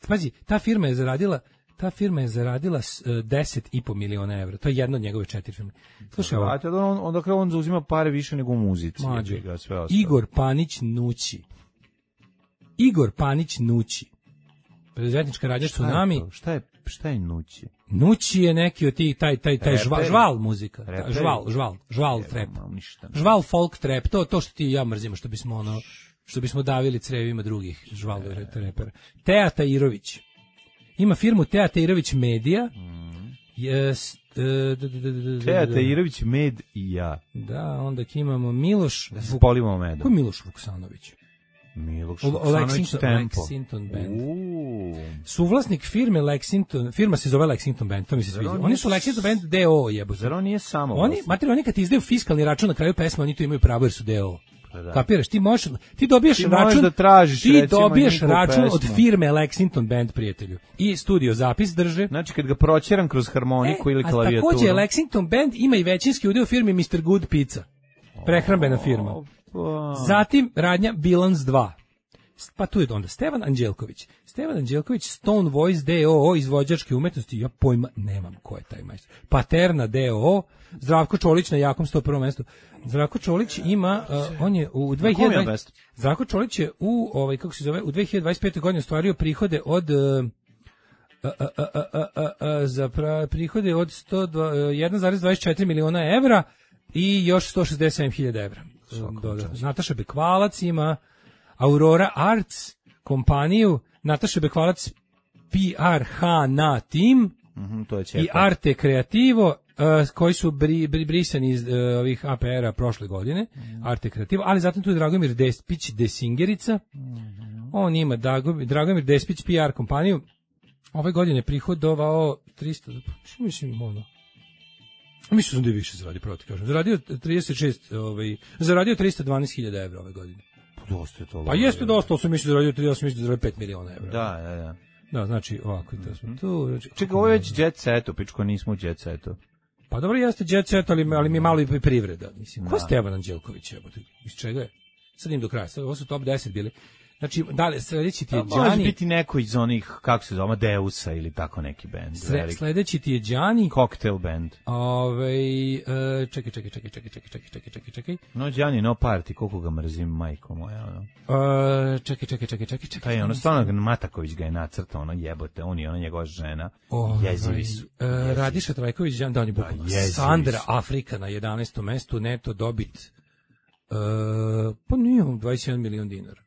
Pazi, ta firma je zaradila 10,5 miliona evra. To je jedna od njegove 4 firme. Slušaj, onda on zauzima pare više nego u muzici. Igor Panić Nući. Preduzetnička radnja Tsunami. Šta je Nući? Nući je neki od tih, taj žval muzika. Žval trap. Žval folk trap. To što ti i ja mrzimo, što bismo davili crevima drugih žval repera. Teja Tajirović. Ima firmu Teja Tajirović Media. Teja Tajirović Med i ja. Da, onda imamo Miloš... Da se spolimo medom. Ko je Miloš Vuksanović? Miloš Vuksanović Tempo. Lexington Band. Suvlasnik firme Lexington, firma se zove Lexington Band, to mi se sviđa. Oni su Lexington Band D.O. jebote. Zar on nije samo? Oni kad ti izdaju fiskalni račun na kraju pesme, oni to imaju pravo jer su D.O. Kapiraš, ti dobiješ račun, račun od firme Lexington Band, prijatelju. I studio zapis drže. Znači kad ga proćeram kroz harmoniku ili klavijaturu. A takođe Lexington Band ima i većinski udeo u firmi Mr. Good Pizza. Prehrambena firma. Zatim radnja Bilans 2. Pa tu je onda Stevan Anđelković, Stone Voice D.O.O. izvođačke umetnosti, ja pojma nemam ko je taj majstor. Paterna D.O.O. Zdravko Čolić na jakom 101. mestu. Zdravko Čolić ima, on je u 2020. Zdravko Čolić je u u 2025. godini ostvario prihode od prihode od 1,24 miliona evra i još 167.000 evra. Nataša Bekvalac ima Aurora Arts kompaniju, Nataša Bekvalac PRH na tim i Arte Kreativo koji su brisani iz ovih APR-a prošle godine, Arte Kreativo, ali zatim tu je Dragomir Despić Desingerica, on ima Dragomir Despić PR kompaniju, ove godine prihodovao 300, mislim da je više zaradio, pravo ti kažem, zaradio 312.000 evra ove godine. Pa jeste dosta, sam mislio da zaradio 5 miliona evra. Da. Da, znači ovako to smo tu. Čekaj, ovo je već jet setu, pičko nismo u jet setu. Pa dobro, jeste jet set, ali mi je malo i privreda. Mislim, ko je Stevan Anđelković? Iz čega je? Sad im do kraja, ovo su top 10 bili. Znači, dalje, sledeći ti je Đani. Može biti neko iz onih, kako se zove, Amadeusa ili tako neki bend. Sledeći ti je Đani. Cocktail band. Čekaj. No, Đani, no party, koliko ga mrzim, majko moja, ono. Čekaj. Taj, ono, stvarno, Mataković ga je nacrtao, ono, jebote, on i ona njegova žena. Jezivi su. Radiša Trajković, Đani, da, on je bukvalno. Sandra Afrika na 11. mestu, neto dobit. Pa nije 21 milion dinara.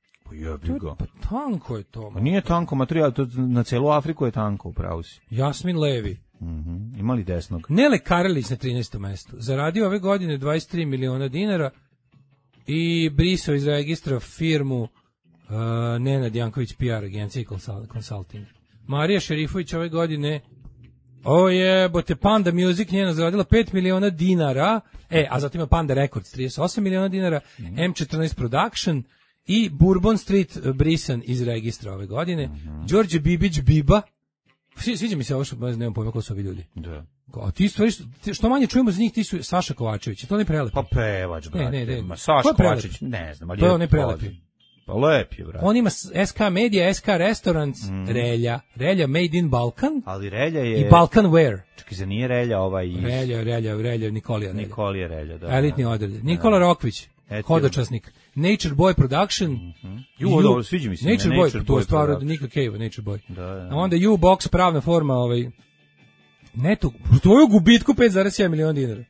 Pa tanko je to. Pa nije tanko materijal, to na celu Afriku je tanko, upravo si. Jasmin Levi. Imali desnog. Nele Karelić na 13. mestu. Zaradio ove godine 23 miliona dinara i brisao iz registra firmu Nenad Janković PR agencija i consulting. Marija Šerifović ove godine bote Panda Music njena zaradila 5 miliona dinara, a zatim ima Panda Records 38 miliona dinara, M14 Production i Bourbon Street brisan iz registra ove godine. Đorđe Bibić Biba, sviđa mi se ovo što nemam pojma ko su ovi ljudi. Da. A ti stvari, što manje čujemo za njih, ti su Saša Kovačević, to ne prelepi. Pa pevač, brate. Ne. Saša Kovačević, ne znam, ali to je ne prelepi. Pa lep je, brate. On ima SK Media, SK Restaurants, Relja Made in Balkan. Ali Relja je... I Balkan Wear. Čekaj, za nije Relja iz... Relja, Nikolija Relja. Nikolija Relja, da. Elitni odred. Nikola Rokvić, hodočasnik. Nature Boy Production. Dobro, sviđa mi se. Nature Boy, to je stvar od Nika Cave, Nature Boy. Da. A onda U-Box, pravna forma, neto, tvoju gubitku 5,7 miliona dinara.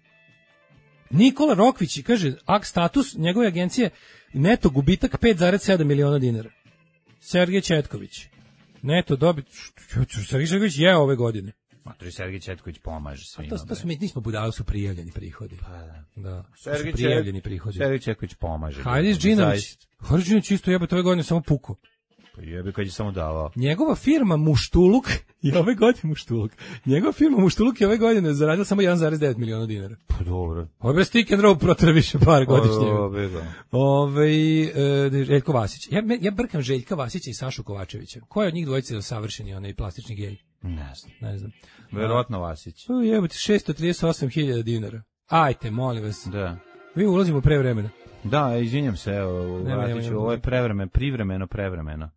Nikola Rokvić, kaže, status njegove agencije, neto gubitak 5,7 miliona dinara. Sergej Četković. Neto dobit, Sergej Četković je ove godine. Matori, Sergej Četković pomaže svima. To su mi, nismo budali, su prijavljeni prihodi. Pa da. Sergej prijavljeni prihodi. Sergej Četković pomaže. Hajdis Džinović. Hajdis Džinović isto jebate ove godine samo puko. Pa jebe kad je samo davao. Njegova firma Muštuluk je ove godine Muštuluk. Njegova firma Muštuluk je ove godine zaradila samo 1,9 miliona dinara. Pa dobro. Ovo je stick and roll protera više par godišnje. Željko Vasić. Ja brkam Željka Vasića i Sašu Kovačevića. Ko je od njih dvojice savršeni onaj plastični gej? Ne znam. Verovatno Vasić. Jebote, 638.000 dinara. Ajte, molim vas. Da. Mi ulazimo pre vremena. Da, izvinjam se, evo, vratit ću, ovo je privremeno.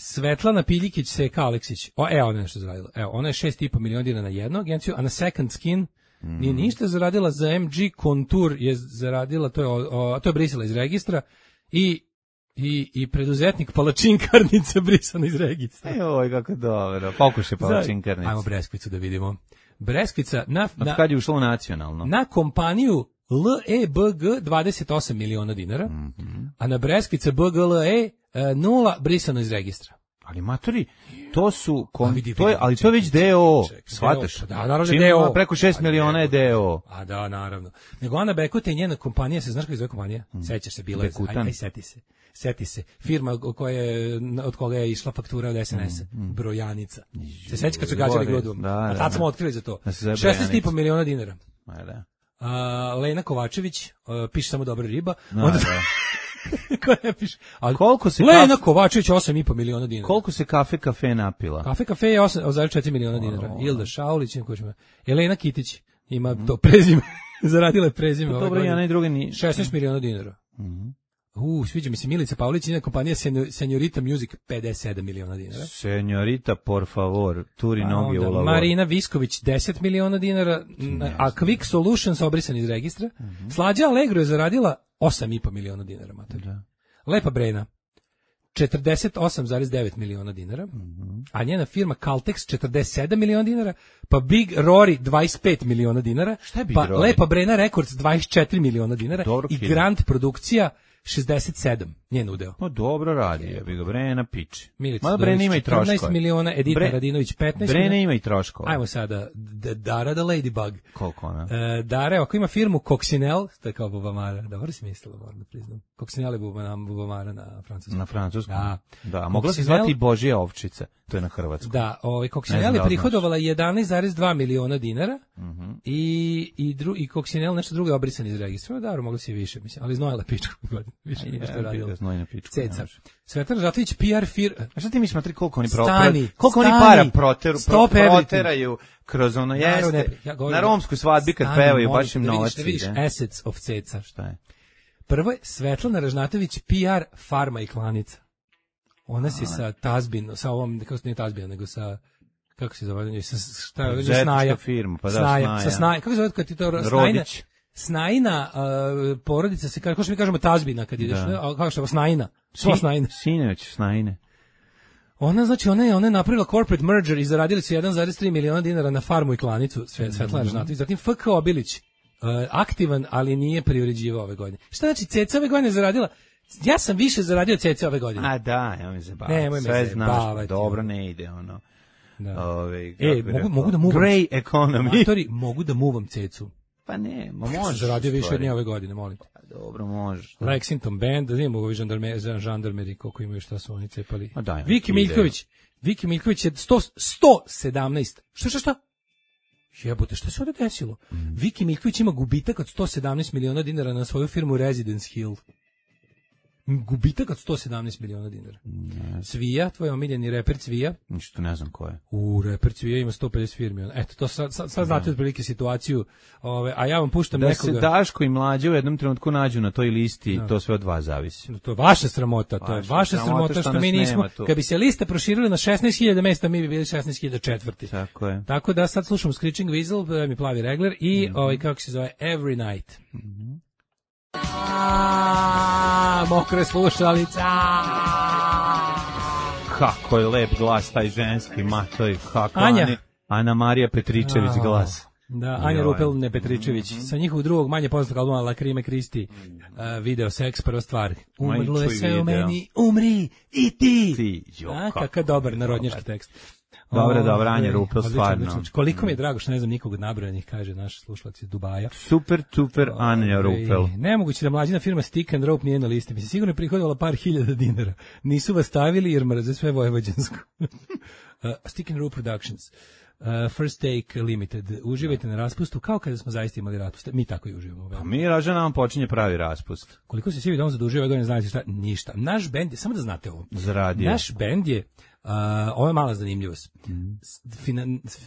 Svetlana Piljikić, Seka Aleksić. Ona je nešto zaradila. Ona je 6,5 miliona dinara na jednu agenciju, a na Second Skin nije ništa zaradila. Za MG Contour je zaradila, to je brisala iz registra i preduzetnik palačinkarnica brisana iz registra. Oj, kako dobro. Pokušaj palačinkarnica. Ajmo Breskvicu da vidimo. Breskvica kad je ušlo u nacionalno? Na kompaniju LEBG 28 miliona dinara, a na Breskvica BGLE 0 brisano iz registra. Ali matori, to su ali to je već DO, shvataš? Da, naravno DO. Preko 6 miliona je DO. A da, naravno. Nego Ana Bekute i njena kompanija, se znaš kako je zove kompanija? Sećaš se, bilo je, aj seti se. Firma od koga je išla faktura od SNS-a, Brojanica. Se sećaš kad su gađali Glodom? A tad smo otkrili za to. 16,5 miliona dinara. Lena Kovačević, piše samo dobra riba. Ko ne piše? Lena Kovačević 8,5 miliona dinara. Koliko se kafe napila? Kafe je 8,4 miliona dinara. Ilda Šaulić, Elena Kitić ima to prezime. Zaradila je prezime. Dobro, ja druga ni 16 miliona dinara. Sviđa mi se Milica Pavlić i kompanija Senjorita Music 57 miliona dinara. Senjorita, por favor, turi noge u lavor. Marina Visković 10 miliona dinara, a Quick Solutions obrisan iz registra. Slađa Allegro je zaradila 8,5 miliona dinara. Lepa Brena 48,9 miliona dinara, a njena firma Caltex 47 miliona dinara, pa Big Rory 25 miliona dinara, pa Lepa Brena Records 24 miliona dinara i Grand Produkcija 67, njen udeo. No dobro radi, ja bi ga Brena piči. Milica Brena ima i troškove. 14 miliona, Edita Radinović 15 miliona. Brena ima i troškove. Ajmo sada, Dara the Ladybug. Koliko ona? Dara, ako ima firmu Coccinelle, to je kao bubamara, dobro si mislila, moram da priznam. Coccinelle je bubamara na francuskom. Na francuskom? Da, mogla se zvati Božija ovčica, to je na hrvatskom. Da, Coccinelle je prihodovala 11,2 miliona dinara i Coccinelle nešto drugo je obrisan iz registra. Dobro, mogla si više, mislim, ali znojila pičku. Više nego što je radila. Ceca. Svetlana Žatlić, PR firma. A šta ti misliš, matri, koliko oni para proteraju kroz ono jeste, na romskoj svadbi kad pevaju, baš im novac ide. Da vidiš assets of Ceca. Šta je? Prvo je Svetlana Ražnatović, PR farma i klanica. Ona se sa Tazbin, sa ovom, kako se nije Tazbina, nego sa, kako se zove, sa Snaja. Firma, pa da, Snaja. Kako se zove kad ti to Rodić? Snajina porodica se, kao što mi kažemo Tazbina kad ideš, a kako što je Snajina? Sineć, Snajine. Ona, znači, ona je napravila corporate merger i zaradili su 1,3 miliona dinara na farmu i klanicu, Svetlana Ražnatović. Zatim FK Obilić, aktivan, ali nije privređivao ove godine. Šta znači, Ceca ove godine zaradila? Ja sam više zaradio Ceca ove godine. A da, ja mi se bavim. Sve znaš, dobro ne ide, ono. Da. Mogu da muvam. Grey economy. Matori, mogu da muvam cecu. Pa ne, možeš. Zaradio više od nje ove godine, molim te. Dobro, možeš. Lexington Band, da vidimo ovi žandarmeri, koliko imaju, šta su oni cepali. Daj, Viki Miljković je 117. Šta? Jebote, šta se ovdje desilo? Viki Miljković ima gubitak od 117 miliona dinara na svoju firmu Residence Hill. Gubitak od 117 miliona dinara. Cvija, tvoj omiljeni reper Cvija. Ništa ne znam ko je. Reper Cvija ima 150 firmi. Eto, to sad znate otprilike situaciju. A ja vam puštam nekoga. Da se Daško i Mlađe u jednom trenutku nađu na toj listi, to sve od vas zavisi. To je vaša sramota, što mi nismo. Kad bi se lista proširila na 16.000 mesta, mi bi bili 16.004. Tako je. Tako da sad slušamo Screeching Weasel, mi plavi regler i kako se zove Every Night. Mokre slušalica. Kako je lep glas taj ženski, matoj, kako Anja. Ana Marija Petričević glas. Da, Anja Rupel, ne Petričević. Sa njihovog drugog manje poznatog albuma Lakrime Kristi, video seks, prva stvar. Umrlo je sve u meni, umri i ti. Kakav dobar narodnjački tekst. Dobro, Anja Rupel, stvarno. Koliko mi je drago što ne znam nikog od nabrojanih, kaže naš slušalac iz Dubaja. Super, Anja Rupel. Nemoguće da mlađina firma Stick and Rope nije na listi. Mi se sigurno je prihodovala par hiljada dinara. Nisu vas stavili jer mrze sve vojvođansko. Stick and Rope Productions. First Take Limited. Uživajte na raspustu kao kada smo zaista imali raspust. Mi tako i uživamo. Pa mi raža nam počinje pravi raspust. Koliko se svi dom zadužio ove godine, znate šta? Ništa. Naš bend je, samo da znate ovo. Zaradio. Naš bend je, ovo je mala zanimljivost.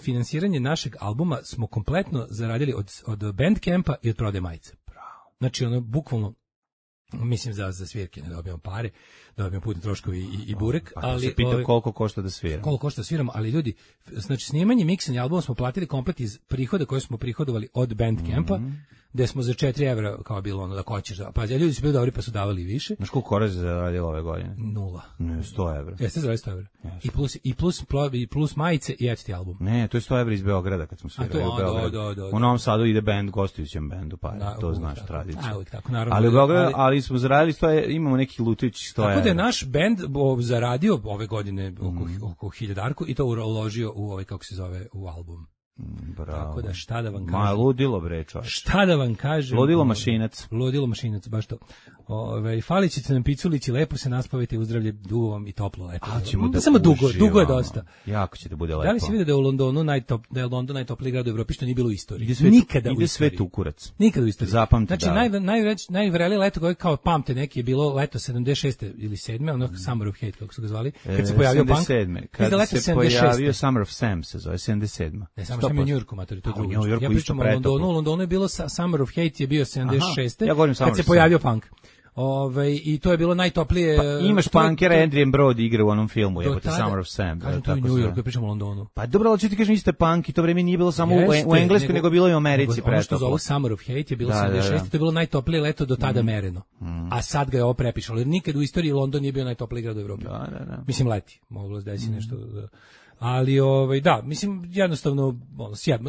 Finansiranje našeg albuma smo kompletno zaradili od Bandcampa i od prodaje majice. Znači, ono, bukvalno, mislim za svirke ne dobijamo pare, dobijamo putne troškovi i burek, ali se pita koliko košta da sviramo. Koliko košta da sviramo, ali ljudi, znači snimanje, miksanje albuma smo platili komplet iz prihoda koje smo prihodovali od Bandcampa, gde smo za 4 evra kao bilo ono da hoćeš. Pa ljudi su bili dobri pa su davali više. Znaš koliko Korez zaradilo ove godine? 0. Ne, 100 evra. Jeste zaradili 100 evra. I plus majice i eto ti album. Ne, to je 100 evra iz Beograda kad smo svirali u Beogradu. U Novom Sadu ide bend gostujućem bendu, pa to znaš tradiciju. Uvijek tako, naravno. Ali u Beogradu, ali smo zaradili 100, imamo neki lutajući 100 evra. Tako da je naš bend zaradio ove godine oko 1000 i to uložio u ovaj, kako se zove, u album. Bravo. Tako da šta da vam kažem. Ma ludilo bre, čovjek. Šta da vam kažem. Ludilo mašinac. Ludilo mašinac, baš to. Falić ćete nam piculići, lepo se naspavite, uzdravlje, dugo vam i toplo lepo. Samo dugo je dosta. Jako će da bude lepo. Da li si vidio da je u Londonu da je London najtopliji grad u Evropi, što nije bilo u istoriji? Nikada u istoriji. Ide sve tu kurac. Nikada u istoriji. Zapamti. Znači najvrelije leto koje kao pamte neki je bilo leto 76. ili 7. ono Summer of Hate kako su ga zvali. Kad se pojavio punk. 77. Kad se pojavio Summer of Sam se zove 77. Ne, samo što je u Njujorku, matori, to je drugo. Ja pričam o Londonu, u Londonu je bilo Summer of Hate je bio 76. Ja govorim kad se pojavio punk. I to je bilo najtoplije. Pa imaš punkera, Adrian Brody igra u onom filmu, jebote Summer of Sam. Kažem to u Njujorku, ja pričam o Londonu. Pa dobro, ali ću ti kažem, isto punk i to vreme nije bilo samo u Engleskoj, nego bilo i u Americi. Ono što zovu Summer of Hate je bilo 76. To je bilo najtoplije leto do tada mereno. A sad ga je ovo prepišalo, jer nikad u istoriji London nije bio najtopliji grad u Evropi. Mislim, leti, moglo se desiti nešto. Ali da, mislim jednostavno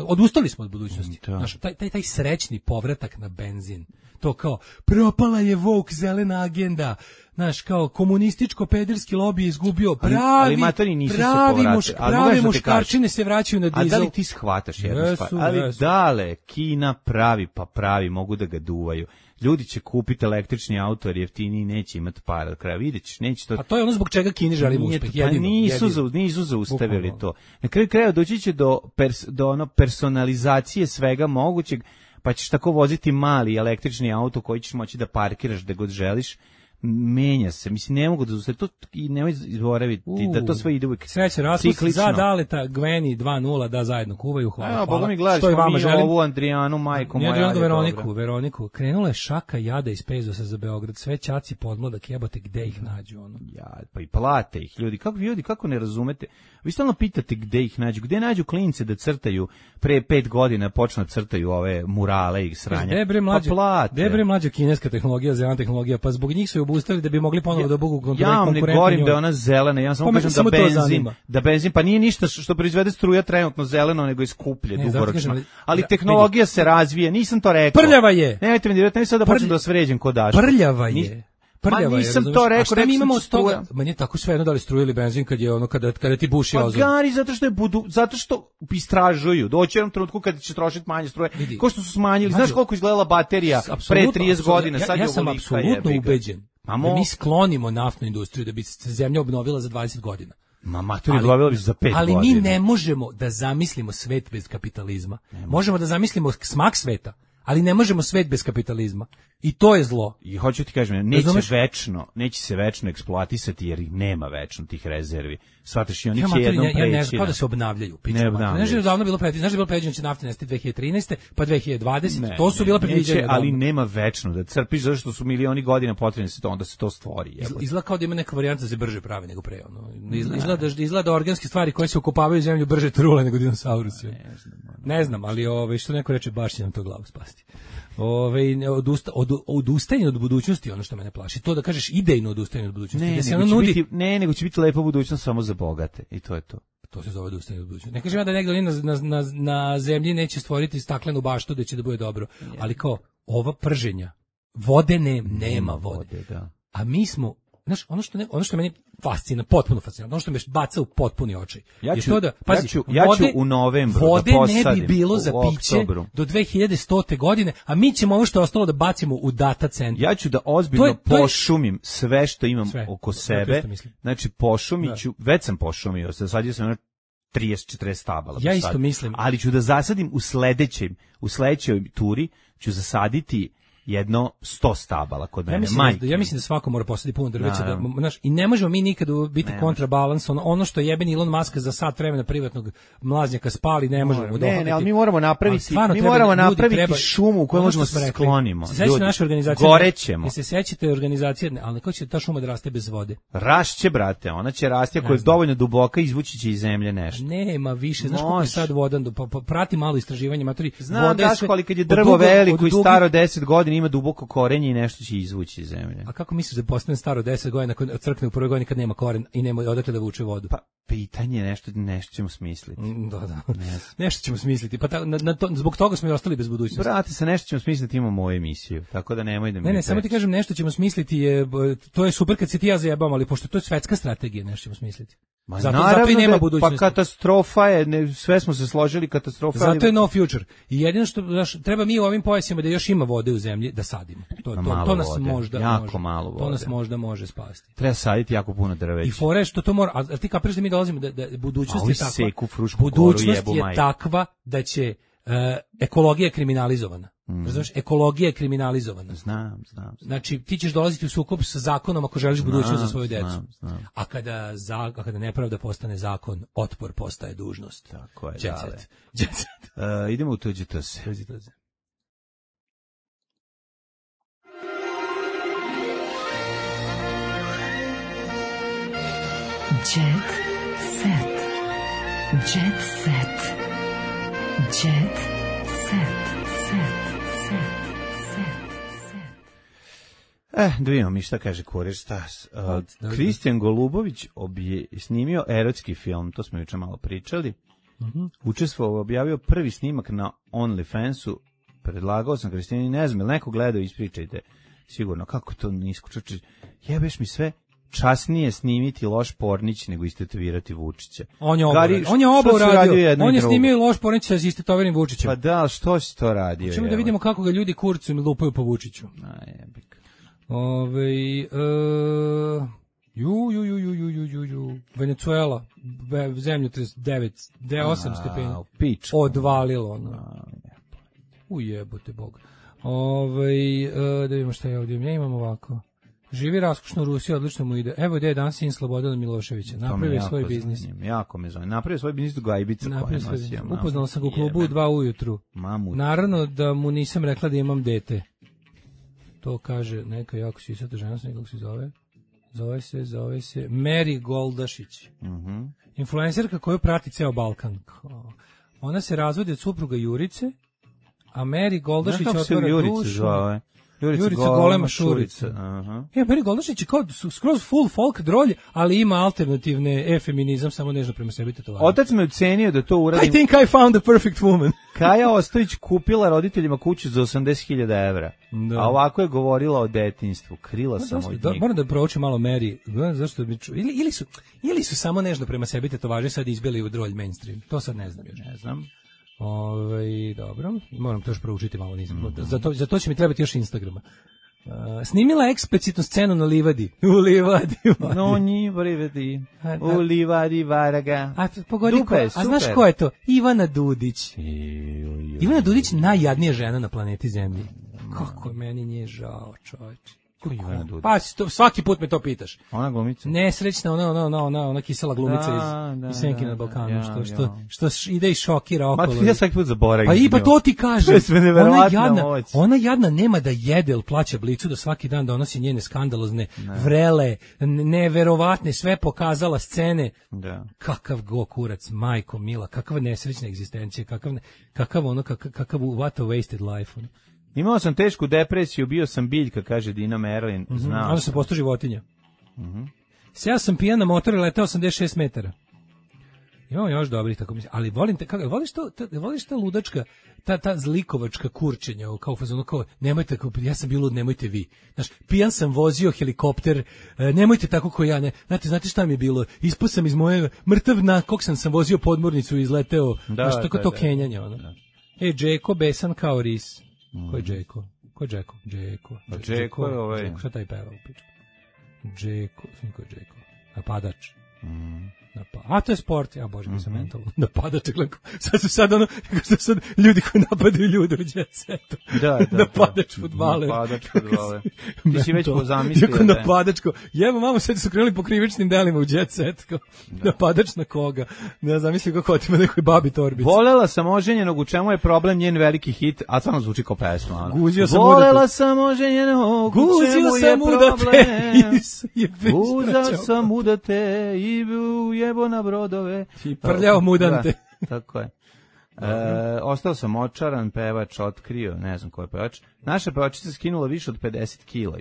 odustali smo od budućnosti. Znaš, taj srećni povratak na benzin. To kao propala je woke zelena agenda. Znaš, kao komunističko pederski lobi je izgubio pravi muškarčine se vraćaju na dizel. A da li ti shvataš jednu stvar? Ali dale, Kina pravi, mogu da ga duvaju. Ljudi će kupiti električni auto jer jeftiniji neće imati para do kraja. Vidjet ćeš, neće to. A to je ono zbog čega Kini želimo uspeh. Nisu zaustavili to. Na kraju kraja doći će do personalizacije svega mogućeg, pa ćeš tako voziti mali električni auto koji ćeš moći da parkiraš gde god želiš. Menja se, mislim, ne mogu da zaustavi to i nemoj zaboraviti da to sve ide uvijek sreće raspust za Daleta, Gveni 2-0 da zajedno kuvaju, hvala. Boga mi gledaš, mi ovu Andrijanu, majko moja. Veroniku, krenula je šaka jada iz Pezosa za Beograd, sve ćaci podmladak, jebote, gde ih nađu, ono? Ja, pa i plate ih, ljudi, kako ne razumete? Vi stalno pitate gde ih nađu, gde nađu klince da crtaju, pre 5 godina počnu da crtaju ove murale i sranja. Debre mlađa kineska tehnologija, zelena tehnologija, pa zbog njih su je obustavili da bi mogli ponovo da budu konkurentni. Ja vam ne govorim da je ona zelena, ja samo kažem da benzin, pa nije ništa što proizvede struja trenutno zeleno, nego je skuplje dugoročno. Ali tehnologija se razvija, nisam to rekao. Prljava je! Nemojte mi dirati, ne sad da počnem da vas vređam ko daš. Prljava je. prljava. Ma nisam je, to rekao, šta mi imamo od toga? struja. Meni je tako svejedno da li struju ili benzin kad je ono kada ti buši Pa ozon. gari zato što istražuju. Doći u jednom trenutku kad će trošiti manje struje. Ko što su smanjili, znaš koliko izgledala baterija pre 30 godina, sad je ja sam ovolika, apsolutno jebi ga. ubeđen da mi sklonimo naftnu industriju da bi se zemlja obnovila za 20 godina. Maturi obnovila bi se za 5 godina. Ali mi ne možemo da zamislimo svet bez kapitalizma. Možemo da zamislimo smak sveta, ali ne možemo svet bez kapitalizma. I to je zlo. I hoću ti kažem, neće se večno eksploatisati jer ih nema večno tih rezervi. Shvataš, i oni će jednom preći. Ja ne znam, kao da se obnavljaju. Ne obnavljaju. Znaš da je davno bilo predviđeno, znaš da je bilo predviđeno da će nafta nestati 2013. pa 2020. To su bila predviđanja. Ali nema večno da crpiš zato što su milioni godina potrebni da se to stvori. Izgleda kao da ima neka varijanta da se brže pravi nego pre. Izgleda organske stvari koje se ukopavaju u zemlju brže trule nego dinosaurusi. Ne znam, ali što neko reče, baš će nam to glavu spasti. Odustajanje od budućnosti ono što mene plaši. To da kažeš idejno odustajanje od budućnosti. Nego će biti lepa budućnost samo za bogate i to je to. To se zove odustajanje od budućnosti. Ne kažem ja da negdje na zemlji neće stvoriti staklenu baštu da će da bude dobro, ali kao ova prženja, vode nema vode. Da. A mi smo, znaš, ono što meni fascina, potpuno fascinantno, ono što me baca u potpuni očaj. Ja ću u novembru vode da posadim. Ne bi bilo za piće do 2100. godine, a mi ćemo ovo što je ostalo da bacimo u data centar. Ja ću da ozbiljno pošumim sve što imam oko sebe. Znači pošumit ću, već sam pošumio, sad sam 30-40 stabala. Ja isto mislim. Ali ću da zasadim u sledećoj turi ću zasaditi jedno 100 stabala kod mene. Ja mislim da svako mora posaditi puno drveća. I ne možemo mi nikada biti kontrabalans. Ono što jebeni Elon Musk za sat vremena privatnog mlaznjaka spali, ne možemo dohvatiti. Ne, ali mi moramo napraviti šumu u kojoj možemo se sklonimo. Se sećate naše organizacije? Gorećemo. Se sećate organizacije, ali kako će ta šuma da raste bez vode? Rašće, brate, ona će rasti ako je dovoljno duboka, izvući će iz zemlje nešto. Nema više, znaš koliko je sad vodan, prati malo istraživanje, matori. Znam, Daško, ali kad je drvo veliko i staro 10 godina, ima duboko korenje i nešto će izvući iz zemlje. A kako misliš da postane staro 10 godina nakon crkne u prvoj godini kad nema koren i nema odakle da vuče vodu? Pa pitanje, nešto ćemo smisliti. Da. Nešto ćemo smisliti. Pa zbog toga smo i ostali bez budućnosti. Brate, sa nešto ćemo smisliti, imamo moju emisiju. Tako da nemoj da mi. Ne, samo ti kažem, nešto ćemo smisliti, to je super kad se ti ja zajebam, ali pošto to je svetska strategija, nešto ćemo smisliti. Zato i nema budućnosti. Pa katastrofa je, sve smo se složili, katastrofa. Zato je no future. I jedino što treba mi u ovim pojasima da još ima vode u zemlji da sadimo. To nas možda jako malo vode. To nas možda može spasti. Treba saditi jako puno drveća. I fore što to mora, a ti kapiraš da mi dolazimo da budućnost je takva. Budućnost je takva da će ekologija kriminalizovana. Znaš, ekologija je kriminalizovana. Znam. Znači, ti ćeš dolaziti u sukob sa zakonom ako želiš budućnost za svoju decu. Znam. A kada nepravda postane zakon, otpor postaje dužnost. Tako je, Jet set. Idemo u tuđe se. Jet set. Jet set. Jet set. Da vidimo mi šta kaže kurir Stas. Kristijan Golubović snimio erotski film, to smo juče malo pričali. Učestvovao, objavio prvi snimak na OnlyFansu. Predlagao sam Kristijani, ne znam, neko gledao, ispričajte. Sigurno, kako to nisko čuči. Jebeš mi sve. Časnije snimiti loš pornić nego istetovirati Vučića. On je oba uradio. On je snimio loš pornić sa istetoviranjem Vučićem. Pa da, što si to radio? Hoćemo da vidimo kako ga ljudi kurcem lupaju po Vučiću. Jebik. Venezuela, zemljotres 8 stepeni. Odvalilo. Ujebote Bog. Da vidimo šta je ovdje. Ja imam ovako. Živi raskošno u Rusiji, odlično mu ide. Evo gdje je danas sin Slobodana Miloševića. Napravio svoj biznis. Jako me zove. Napravio svoj biznis do Gajbica. Upoznala sam ga u klubu u 2 ujutru. Naravno da mu nisam rekla da imam dete. To kaže neka jako sisata žena, nekog se zove. Zove se Meri Goldašić. Influencerka koju prati ceo Balkan. Ona se razvodi od supruga Jurice, a Meri Goldašić otvara dušu. Jurica Golema Šurica. Aha. Meri Goldašić je kao skroz full folk drolj, ali ima alternativne feminizam, samo nežno prema sebi tetovaže. Otac me ucenio da to uradim. I think I found the perfect woman. Kaja Ostojić kupila roditeljima kuću za 80.000 evra. Da. A ovako je govorila o detinjstvu. Krila sam od njih. Moram da proučim malo Meri. Zašto bi ili su samo nežno prema sebi tetovaže sad izbili u drolj mainstream. To sad ne znam još. Ne znam. Dobro, moram to još proučiti malo, nisam. Za to će mi trebati još Instagrama. Snimila eksplicitnu scenu na livadi. U livadi. No nji livadi. U livadi varaga. A pogodi ko, a znaš ko je to? Ivana Dudić. Ivana Dudić najjadnija žena na planeti Zemlji. Kako je meni nje žao, čovječe. Pa svaki put me to pitaš. Ona glumica. Nesrećna, ona kisela glumica iz Senki na Balkanu, što ide i šokira okolo. Ma ja svaki put zaboravim. Pa to ti kažem. Ona ona jadna nema da jede, ili plaća Blicu da svaki dan donosi njene skandalozne, vrele, neverovatne, sve pokazala scene. Da. Kakav go kurac, majko mila, kakva nesrećna egzistencija, kakav what a wasted life. Imao sam tešku depresiju, bio sam biljka, kaže Dina Merlin. Onda sam postao životinja. Sjao sam pijan na motor i letao 86 metara. Imamo još dobrih tako mislim. Ali volim te, voliš ta ludačka, ta zlikovačka kurčenja, kao fazonu, kao, nemojte, ja sam bio lud, nemojte vi. Znaš, pijan sam vozio helikopter, nemojte tako ko ja, ne. Znate šta mi je bilo? Ispao sam iz moje mrtav kog sam vozio podmornicu i izleteo. Znaš, tako to kenjanje, ono. Džeko, besan kao ris. Ko je Džeko? Džeko je ovaj. Šta taj peva u pičku? Džeko, ko je Džeko? Napadač. A to je sport, ja bože, mi sam mentalno. Napadač, sad ljudi koji napadaju ljude u jet setu. Napadač fudbaler. Ti si već zamislio da je. Napadačko. Jebo, mamo, sad su krenuli po krivičnim delima u jet set. Napadač na koga? Ne zamislim kako otima nekoj babi torbici. Volela sam oženjenog, u čemu je problem njen veliki hit, a stvarno zvuči kao pesma. Volela sam oženjenog, u čemu je problem. Guzio sam udate i jebo na brodove. I prljao mudante. Tako je. Ostao sam očaran, pevač otkrio, ne znam ko je pevač. Naša pevačica skinula više od 50 kila.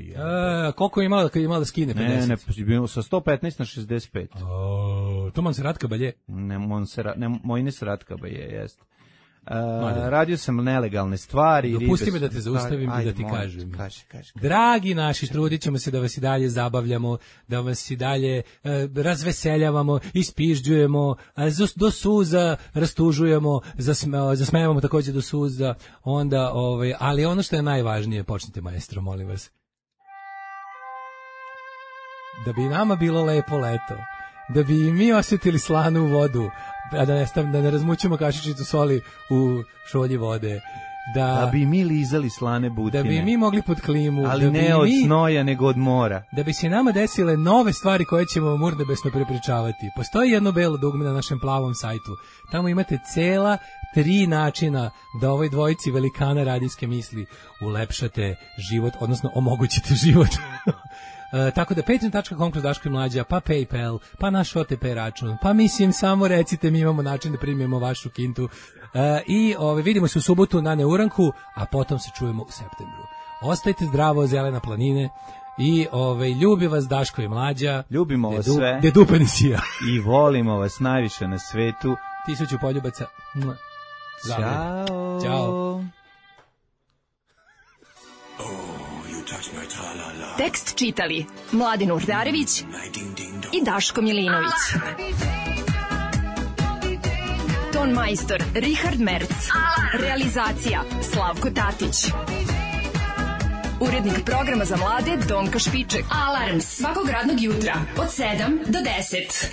Koliko je imala da skine 50? Ne, bilo sa 115 na 65. To Monserrat Caballé? Ne, Moines Caballé, jest. Radio sam nelegalne stvari. Dopusti me da te zaustavim i da ti kažem. Dragi naši, trudit ćemo se da vas i dalje zabavljamo, da vas i dalje razveseljavamo, ispižđujemo, do suza rastužujemo, zasmevamo također do suza, onda, ali ono što je najvažnije, počnite maestro, molim vas. Da bi nama bilo lepo leto, da bi mi osjetili slanu vodu, a da ne razmućemo kašičicu soli u šolji vode. Da bi mi lizali slane butine. Da bi mi mogli pod klimu. Ali ne od snoja, nego od mora. Da bi se nama desile nove stvari koje ćemo vam urnebesno prepričavati. Postoji jedno belo dugme na našem plavom sajtu. Tamo imate cela 3 načina da ovoj dvojici velikana radijske misli ulepšate život, odnosno omogućite život. Tako da patreon.com kroz Daško i Mlađa, pa PayPal, pa naš OTP račun, pa mislim samo recite, mi imamo način da primimo vašu kintu. I vidimo se u subotu na Neuranku, a potom se čujemo u septembru. Ostajte zdravo, zelena planine, i ljubi vas Daško i Mlađa. Ljubimo vas sve. Dedupen sija. I volimo vas najviše na svetu. 1000 poljubaca. Ćao. Ćao. Tekst čitali Mladin Urdarević i Daško Milinović. Ton majstor Richard Merc. Realizacija Slavko Tatić. Urednik programa za mlade Donka Špiček. Alarms svakog radnog jutra od 7 do 10.